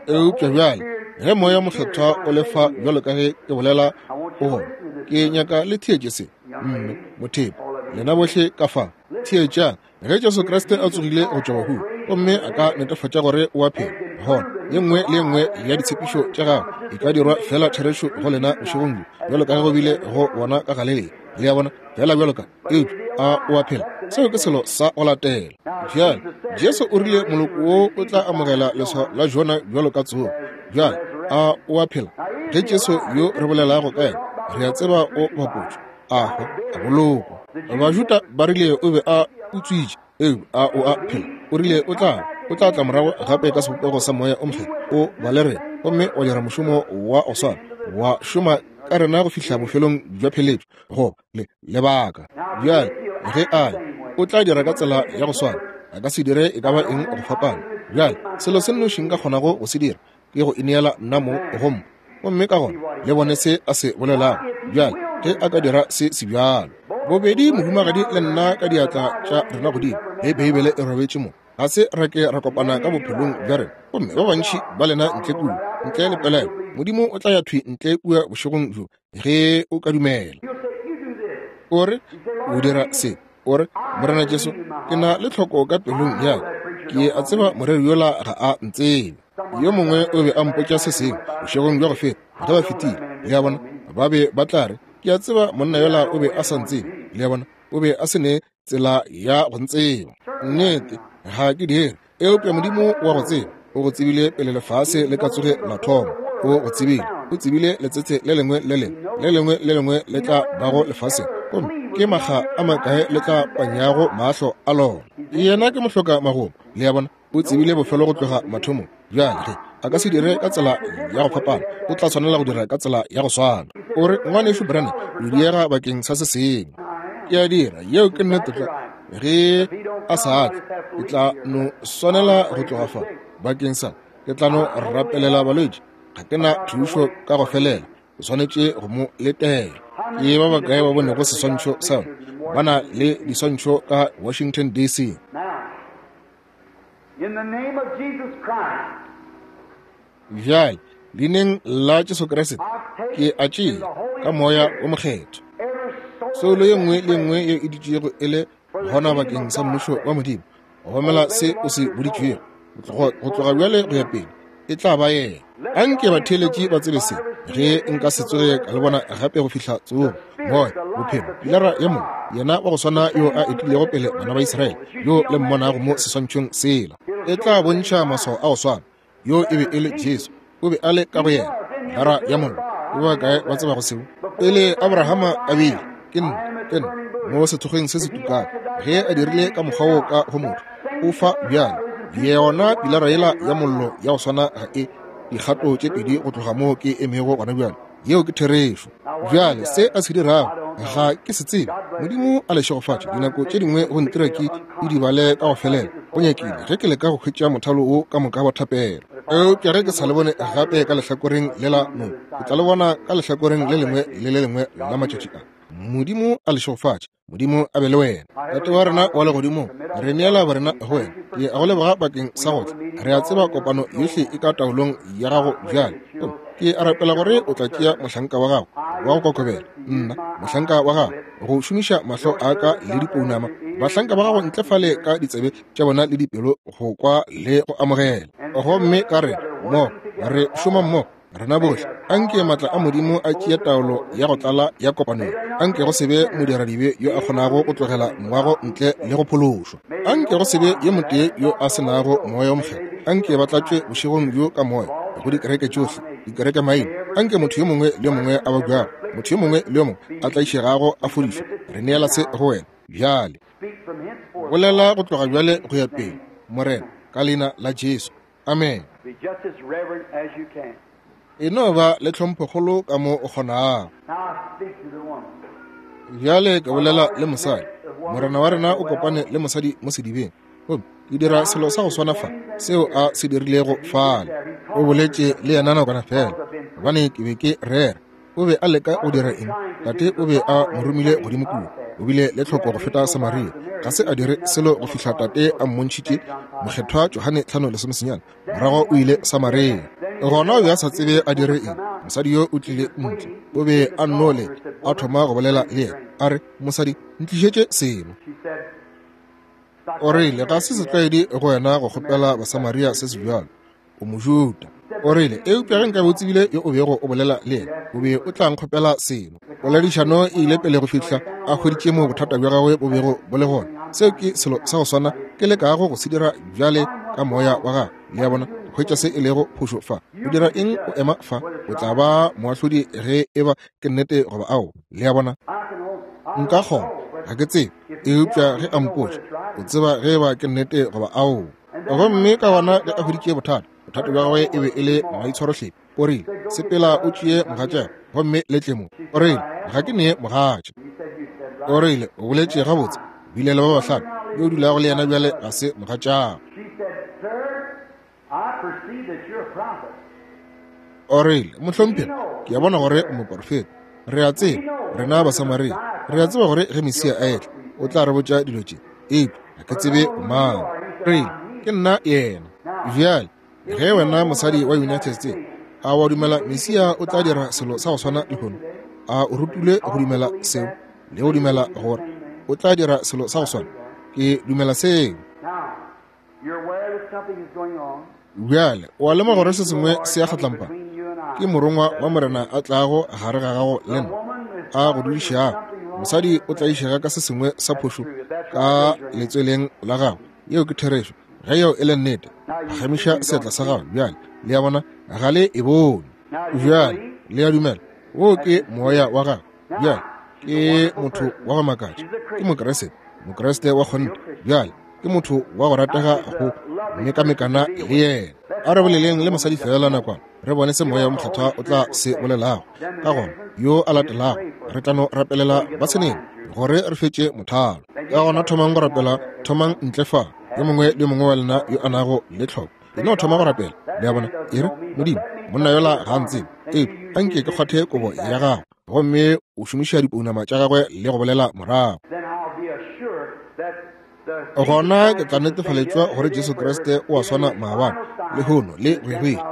Eupša bjale ge Moya Mokgethwa o le fa bjalo ka ge ke bolela o gona, ke nyaka le theetše se. Mme mothepe, lena bohle ka fa, theetšang. Ge Jesu Kriste a tsogile go tšwa bahung gomme a ka netefatša gore o a phela, gona ye nngwe le ye nngwe ya ditshepišo tša gagwe e ka dirwa fela therešo go lena bošegong bjo, bjalo ka ge go bile go bona ka Galilea. Le a bona, fela bjalo ka, eupša a o a phela? Seo ke selo sa go latela. Bjale, Jesu o rile moloko wo o tla amogela leswao la Jona bjalo ka tsogo. Bjale, a o a phela? Ge Jesu yo re bolelago ka yena, re a tseba o bapotšwe, a hwa, a bolokwa. Bajuda ba rile o be a utswitše, eupša a o a phela? O rile o tla, o tla tla morago gape ka sebopego sa Moya o Mokgethwa, o ba le rena, gomme wa dira mošomo wa go swana, wa šoma ka rena go fihla bofelong bja pheletšo, goba le lebaka. Bjale ge a ya, o tla dira ka tsela ya go swana. A ka se dire e ka ba eng go fapana. Bjale selo se nnoši nka kgonago go se dira ke go ineela nna mong go mma, gomme ka gona le bone se a se bolelago. Bjale ge a ka dira se se bjalo, bobedi mohumagadi le nna ka diatla tša rena godimo, ge Beibele e robetše mo, ga se ra ke ra kopana ka bophelong bja rena. Gomme ba bantši ba lena ntle kua, ntle le pelaelo, Modimo o tla ya thwi ntle kua bošegong bjo ge o ka dumela. O re, o dira se. O re, Morena Jesu, ke na le tlhoko ka pelong ya ka. Ke a tseba moreri yola ga a ntsebe. Yo mongwe o be a mpotša se sengwe bošegong bja go feta ge ba fetile. Le a bona, ba be ba tla re, ke a tseba monna yola o be a sa ntsebe. Le a bona, o be a se ne tsela ya go ntseba. Nnete, ga ke dire. Eupša Modimo wa go tseba, o go tsebile pele lefase le ka tsoge la thoma. O go tsebile. O tsebile letsetse le lengwe le lengwe, le lengwe le lengwe le tla bago lefaseng, gomme ke makga a makae le tla panyago mahlo a lona. Yena ke mohloka magomo. Le a bona? O tsebile bofelo go tloga mathomong. Bjale ge a ka se dire ka tsela ya go fapana, o tla swanela go dira ka tsela ya go swana. O re, Ngwanešu Branham, o diega bakeng sa se sengwe. Ke a dira, yeo ke nnete tlwa. Ge a sa tle, ke tla no swanela go tloga fa bakeng sa, ke tla no rapelela balwetši. Ga ke na thušo ka go felela, ke swanetše go mo letela. Ke ba bakae ba bonego seswantšho sa yona? Ba na le diswantšho ka Washington DC. Bjale, Leineng la Jesu Kriste, ke a tšea ka Moya wo Mokgethwa soulo ye nngwe le nngwe ye e dutšego e le gona bakeng sa Mmušo wa Modimo, go homela se o se boditšwego go tloga bjale go ya pele, e tla ba yena. Anke batheeletši ba tsebe se, ge nka se tsoge ka le bona gape go fihla tsogo, Moya, bophelo, pilara ya mollo, yena wa go swana yo a etilego pele bana ba Israele, yo le mmonago mo seswantšhong sela, e tla bontšha maswao a go swana. Yo e be e le Jesu, o be a le ka go yena, pilara ya mollo. Ke ba bakae ba tsebago seo? Pele Abrahama a bile, ke nna, ke nna, mo sethokgweng se se tukang, ge a dirile ka mokgwa wo ka go motho, o fa bjale. Yona pilara yela ya mollo ya go swana ga e dikgato tše pedi go tloga mo ke emego gona bjale. Yeo ke therešo. Bjale se a se dirago ga ke se tsebe. Modimo a le šegofatše. Dinako tše dingwe go ntira ke idibale ka go felela, go nyakile, ge ke leka go hwetša mothalo wo ka moka wa thapelo. Eupša ge ke sa le bone gape ka lehlakoreng lela mo, ke tla le bona ka lehlakoreng le lengwe le le lengwe la matšatši a. Modimo a le šegofatše. Modimo a be le wena. Tate wa rena wa legodimong, re neela borena go wena. Ke a go leboga bakeng sa go tla. Re a tseba kopano yohle e ka taolong ya gago bjale. Ke a rapela gore o tla tšea mohlanka wa gago wa go kokobela, nna mohlanka wa gago, go šomiša mahlo a ka le dipounama, bahlanka ba gago ntle fale ka ditsebe tša bona le dipelo go kwa le go amogela. Gomme ka re mmogo, re šoma mmogo, rena bohle, anke maatla a Modimo a tšee taolo ya go tlala ya kopanong. Anke go se be modiradibe yo a kgonago go tlogela moago ntle le go phološwa. Anke go se be yo motee yo a se nago Moya wo Mokgethwa. Anke ba tlatšwe bošegong bjo ka Moya go dikereke tšohle, dikereke maina. Anke motho yo mongwe le yo mongwe a babjago, motho yo mongwe le yo mongwe a tlaišegago a fodišwe. Re neela se go wena bjale. Bolela go tloga bjale go ya pele, Morena, ka leina la Jesu. Amen. E no ba le tlhomphokgolo ka mo o kgonago. Bjale ke bolela le mosadi. Morena wa rena o kopane le mosadi mo sedibeng. Gomme ke dira selo sa go swana fa seo a se dirilego fale. O boletše le yena nakwana fela, gobane ke be ke rera. O be a leka go dira eng? Tate o be a mo romile godimo kua. O bile le tlhoko go feta Samaria. Ga se a dire selo go fihla Tate a mmontšhitše, Mokgethwa Johane 5:11. Morago o ile Samaria. Gona o be a sa tsebe a dire eng. Mosadi yo o tlile ntle. O be a nno leta, a thoma go bolela le yena. A re, Mosadi, ntlišetše seno. O rile, Ga se setlwaedi go wena go kgopela Basamaria se sebjalo. O Mojuda. O rile, Eupša ge nkabe o tsebile yo o bego o bolela le yena, o be o tla nkgopela seno. Poledišano e ile pele go fihla a hweditše moo bothata bja gagwe bo bego bo le gona. Seo ke selo sa go swana ke lekago go se dira bjale ka Moya wa Gagwe. Le a bona? Go hwetša se e lego phošo fa. O dira eng o ema fa? O tla ba moahlodi ge e ba ke nnete goba ao. Le a bona? Nka kgona, ga ke tsebe. Eupša ge a mpotša, o tseba ge e ba ke nnete goba ao. Gomme ka gona ge a hweditše bothata, bothata bja gagwe e be e le maitshwarohlephi. O rile, Sepela o tšee mogatšago gomme le tle mo. O rile, Ga ke ne mogatša. O rile, O boletše gabotse, o bile le ba bahlano, yo o dulago le yena bjale ga se mogatšago. O rile, Mohlomphegi, ke a bona gore o moporofeta. Re a tseba, rena Basamaria, re a tseba gore ge Mesia a etla, o tla re botša dilo tše. Eupša ga ke tsebe o mang. Rile, Ke nna yena. Bjale, ge wena mosadi wa United States, a wa dumela Mesia o tla dira selo sa go swana lehono? A o rutilwe go dumela seo le go dumela gore o tla dira selo sa go swana? Ke dumela seo. Bjale, o a lemoga gore se sengwe se a kgatlampa? Ke morongwa wa Morena a tlago gare ga gago le nna, a go dudišago. Mosadi o tlaišega ka se sengwe sa phošo ka letsweleng la gago. Yeo ke therešo. Ge yeo e le nnete, phagamiša seatla sa gago bjale. Le a bona, ga le e bone. Bjale, le a dumela, woo ke moya wa gago. Bjale, ke motho wa go makatša. Ke Mokriste, Mokriste wa kgonthe. Bjale, Ke motho wa go ratega go mekamekana le yena. A re boleleng le mosadi feela nakwana, re bone se Moya wo Mokgethwa o tla se bolelago. Ka gona yo a latelago re tla no rapelela ba seneng gore re fetše mothalo. Ka gona thomang go rapela, thomang ntle fa, yo mongwe le yo mongwe wa lena yo a nago le tlhoko. E no thoma go rapela, le a bona. E re, Modimo, monna yola ga a ntsebe, eupša anke ke kgwathe kobo ya gago. Gomme o šomiša dipounama tša gagwe le go bolela morago. Gona ke tla netefaletšwa gore Jesu Kriste o a swana maabane, lehono le go ya go ile.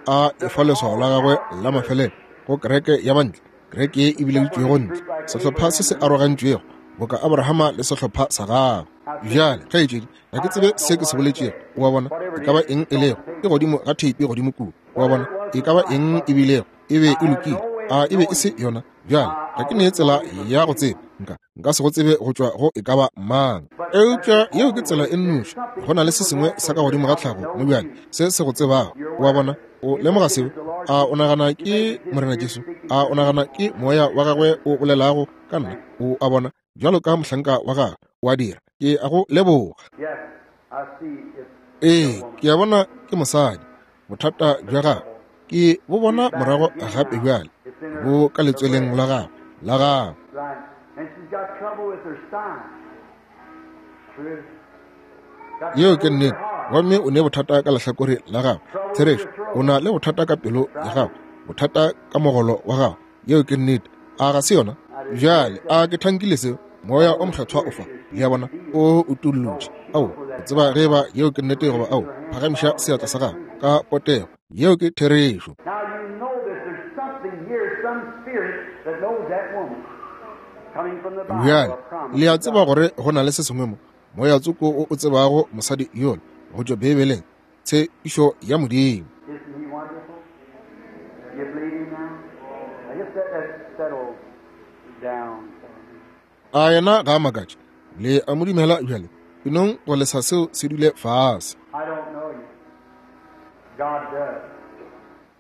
A efa leswao la gagwe la mafelelo go kereke ya bantle, kereke ye e bileditšwego ntle, sehlopha se se arogantšwego, boka Abrahama le sehlopha sa gagwe. Bjale, kgaetšedi, ga ke tsebe se ke se boletšego, o a bona, e ka ba eng e lego, e godimo ga theipi godimo kua, o a bona, e ka ba eng e bilego, e be e lokile, a e be e se yona? Bjale, ga ke ne tsela ya go tseba, nka, nka se go tsebe go tšwa go e ka ba mang. Eupša yeo ke tsela e nnoši, go na le se sengwe sa ka godimo ga tlhago mo bjale, se se go tsebago, o a bona. O lemoga seo? A o nagana ke Morena Jesu? A o nagana ke Moya wa gagwe o bolelago ka nna? O a bona, bjalo ka mohlanka wa gagwe, o a dira. Ke a go leboga. Ee, ke a bona ke mosadi. Bothata bja gagwe ke bo bona morago gape bjale, bo ka letsweleng la gagwe, la gagwe. Yeo ke nnete. Gomme o ne bothata ka lehlakore la gagwe. Therešo, o na le bothata ka pelo ya gago, bothata ka mogolo wa gago. Yeo ke nnete. A ga se yona? Bjale, a ke thankile seo? Moya o Mokgethwa o fa. Le a bona? O utollotše. Ao, o tseba ge eba yeo ke nnete goba ao. Phagamiša seatla sa gago ka potego. Yeo ke therešo. Bjale, le a tseba gore go na le se sengwe mo, moya tsoko o o tsebago mosadi yola go tšwa Beibeleng, tshepišo ya Modimo. A yena ga a makatše? Le a mo dumela bjale? E nong go lesa seo se dule fase.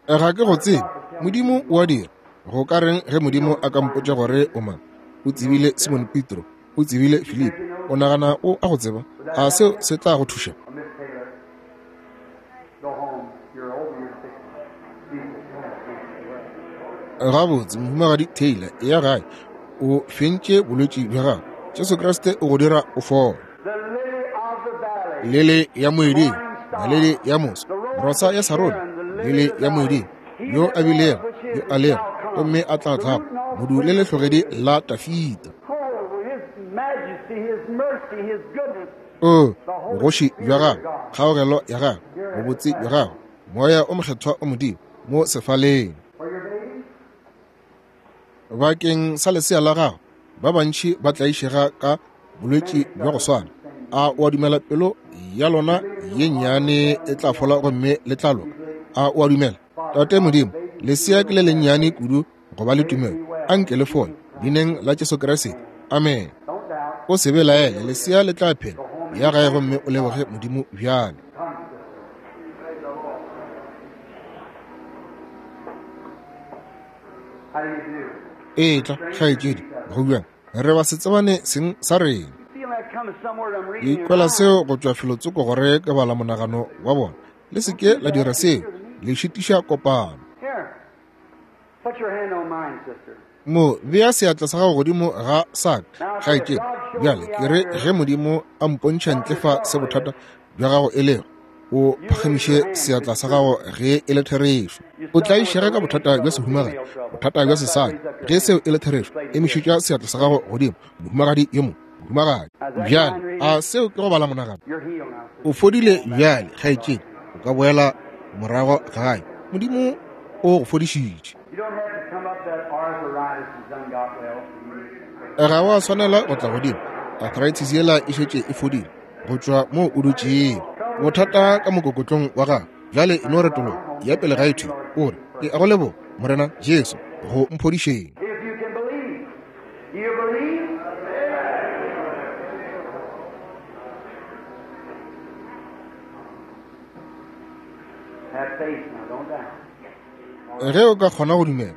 Ga ke go tsebe. Modimo o a dira. Go ka reng ge Modimo a ka mpotša gore o mang? O tsebile Simon Petro. O tsebile Filipi. O nagana o a go tseba? A seo se tla go thuša? Gabotse, Mohumagadi Taylor, eya gae. O fentše bolwetši bja gago. Jesu Kriste o go dira o fole. Lele ya moeding, naledi ya moso, rosa ya Sarone, lele ya moeding, yo a bilego, yo a lego, gomme a tla tlago, modu le lehlogedi la Tafita. O, bogoši bja gagwe, kgaogelo ya gagwe, bobotse bja gagwe, Moya o Mokgethwa o Modimo mo sefaleng. Bakeng sa lesea la gago, ba bantši ba tlaišega ka bolwetši bja go swana. A o a dumela pelo ya lona ye nnyane e tla fola gomme le tla loka? A o a dumela? Tate Modimo, lesea ke le lennyane kudu go ba le tumelo. A nke le fole, Leineng la Jesu Kriste. Amen. O se belaele, lesea le tla phela. Ya gae gomme o leboge Modimo bjale. Etla, kgaetšedi, go bjang? Re ba se tsebane seng sa rena. Ke ikwela seo go tšwa felotsoko gore ke bala monagano wa bona. Le se ke la dira seo, le šitiša kopano. Mo, bea seatla sa gago godimo ga sa ka, kgaetšedi. Bjale, ke re ge Modimo a mpontšha ntle fa se bothata bja gago e lego, o phagamiše seatla sa gago ge e le therešo. O tlaišega ka bothata bja sehumagadi, bothata bja sesadi. Ge seo e le therešo, emišetša seatla sa gago godimo, mohumagadi yo mongwe, mohumagadi. Bjale, a seo ke go bala monagano? O fodile bjale, kgaetšedi. O ka boela morago gae. Modimo o go fodišitše. Ga wa swanela go tla godimo. Arthritis yela e šetše e fodile go tšwa moo o dutšego. Bothata ka mokokotlong wa gago bjale, e no retologa ya pele ga e thwi, o re, Ke a go leboga, Morena Jesu, go mphodišeng. Ge o ka kgona go dumela,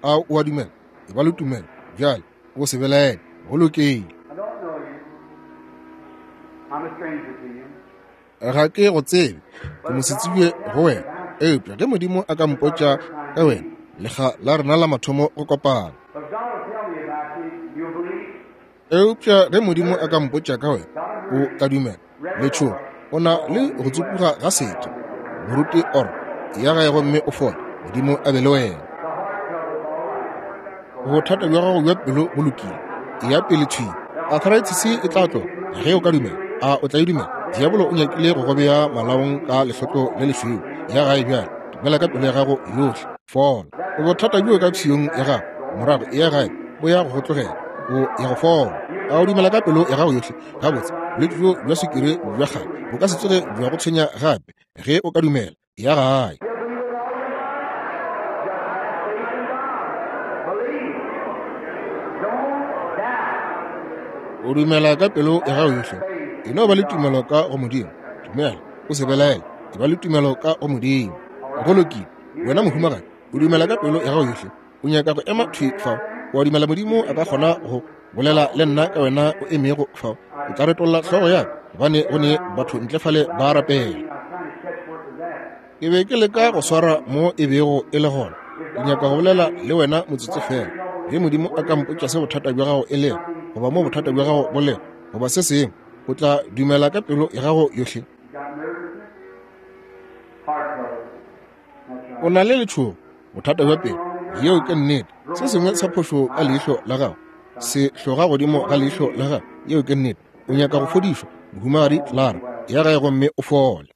a o a dumela? E ba le tumelo bjale, o se belaele. Go lokile. Ga ke go tsebe, ke mosetsebje go wena. Eupša ge Modimo a ka mpotša ka wena, lekga la rena la mathomo go kopana. Eupša ge Modimo a ka mpotša ka wena, o tla dumela. Letšhogo, o na le go tsupuga ga setho. Moruti Oro, ya gae gomme o fole. Modimo a be le wena. Bothata bja gago bja pelo bo lokile. Eya pele thwi. Arthritis e tla tloga ge o ka dumela. A o tla e dumela? Diabolo o nyakile go go bea malaong ka lehlotlo le lešweu. Ya gae bjale. Dumela ka pelo ya gago yohle. Fola. Bothata bjo ka pshiyong ya gago. Morago eya gae, bo ya go go tlogela. O ya go fola. A o dumela ka pelo ya gago yohle? Gabotse, bolwetši bjo bja swikiri bja kgale bo ka se tsoge bja go tshwenya gape ge o ka dumela. Ya gae. O dumela ka pelo ya gago yohle. E no ba le tumelo ka go Modimo. Dumela, o se belaele. E ba le tumelo ka go Modimo. Go lokile. Wena mohumagadi, o dumela ka pelo ya gago yohle. O nyaka go ema thwi fao. O a dumela Modimo a ka kgona go bolela le nna ka wena o emego fao? Ke tla retolla hlogo ya ka, gobane go ne batho ntle fale ba rapela. Ke be ke leka go swara mo e bego e le gona. Ke nyaka go bolela le wena motsotso feela. Ge Modimo a ka mpotša se bothata bja gago e lego, goba mo bothata bja gago bo lego, goba se sengwe, o tla dumela ka pelo ya gago yohle. O na le letšhogo, bothata bja pelo. Yeo ke nnete. Se sengwe sa phošo ka leihlo la gago se hloga godimo ga leihlo la gago. Yeo ke nnete. O nyaka go fodišwa, Mohumagadi Clara. Ya gae gomme o fole.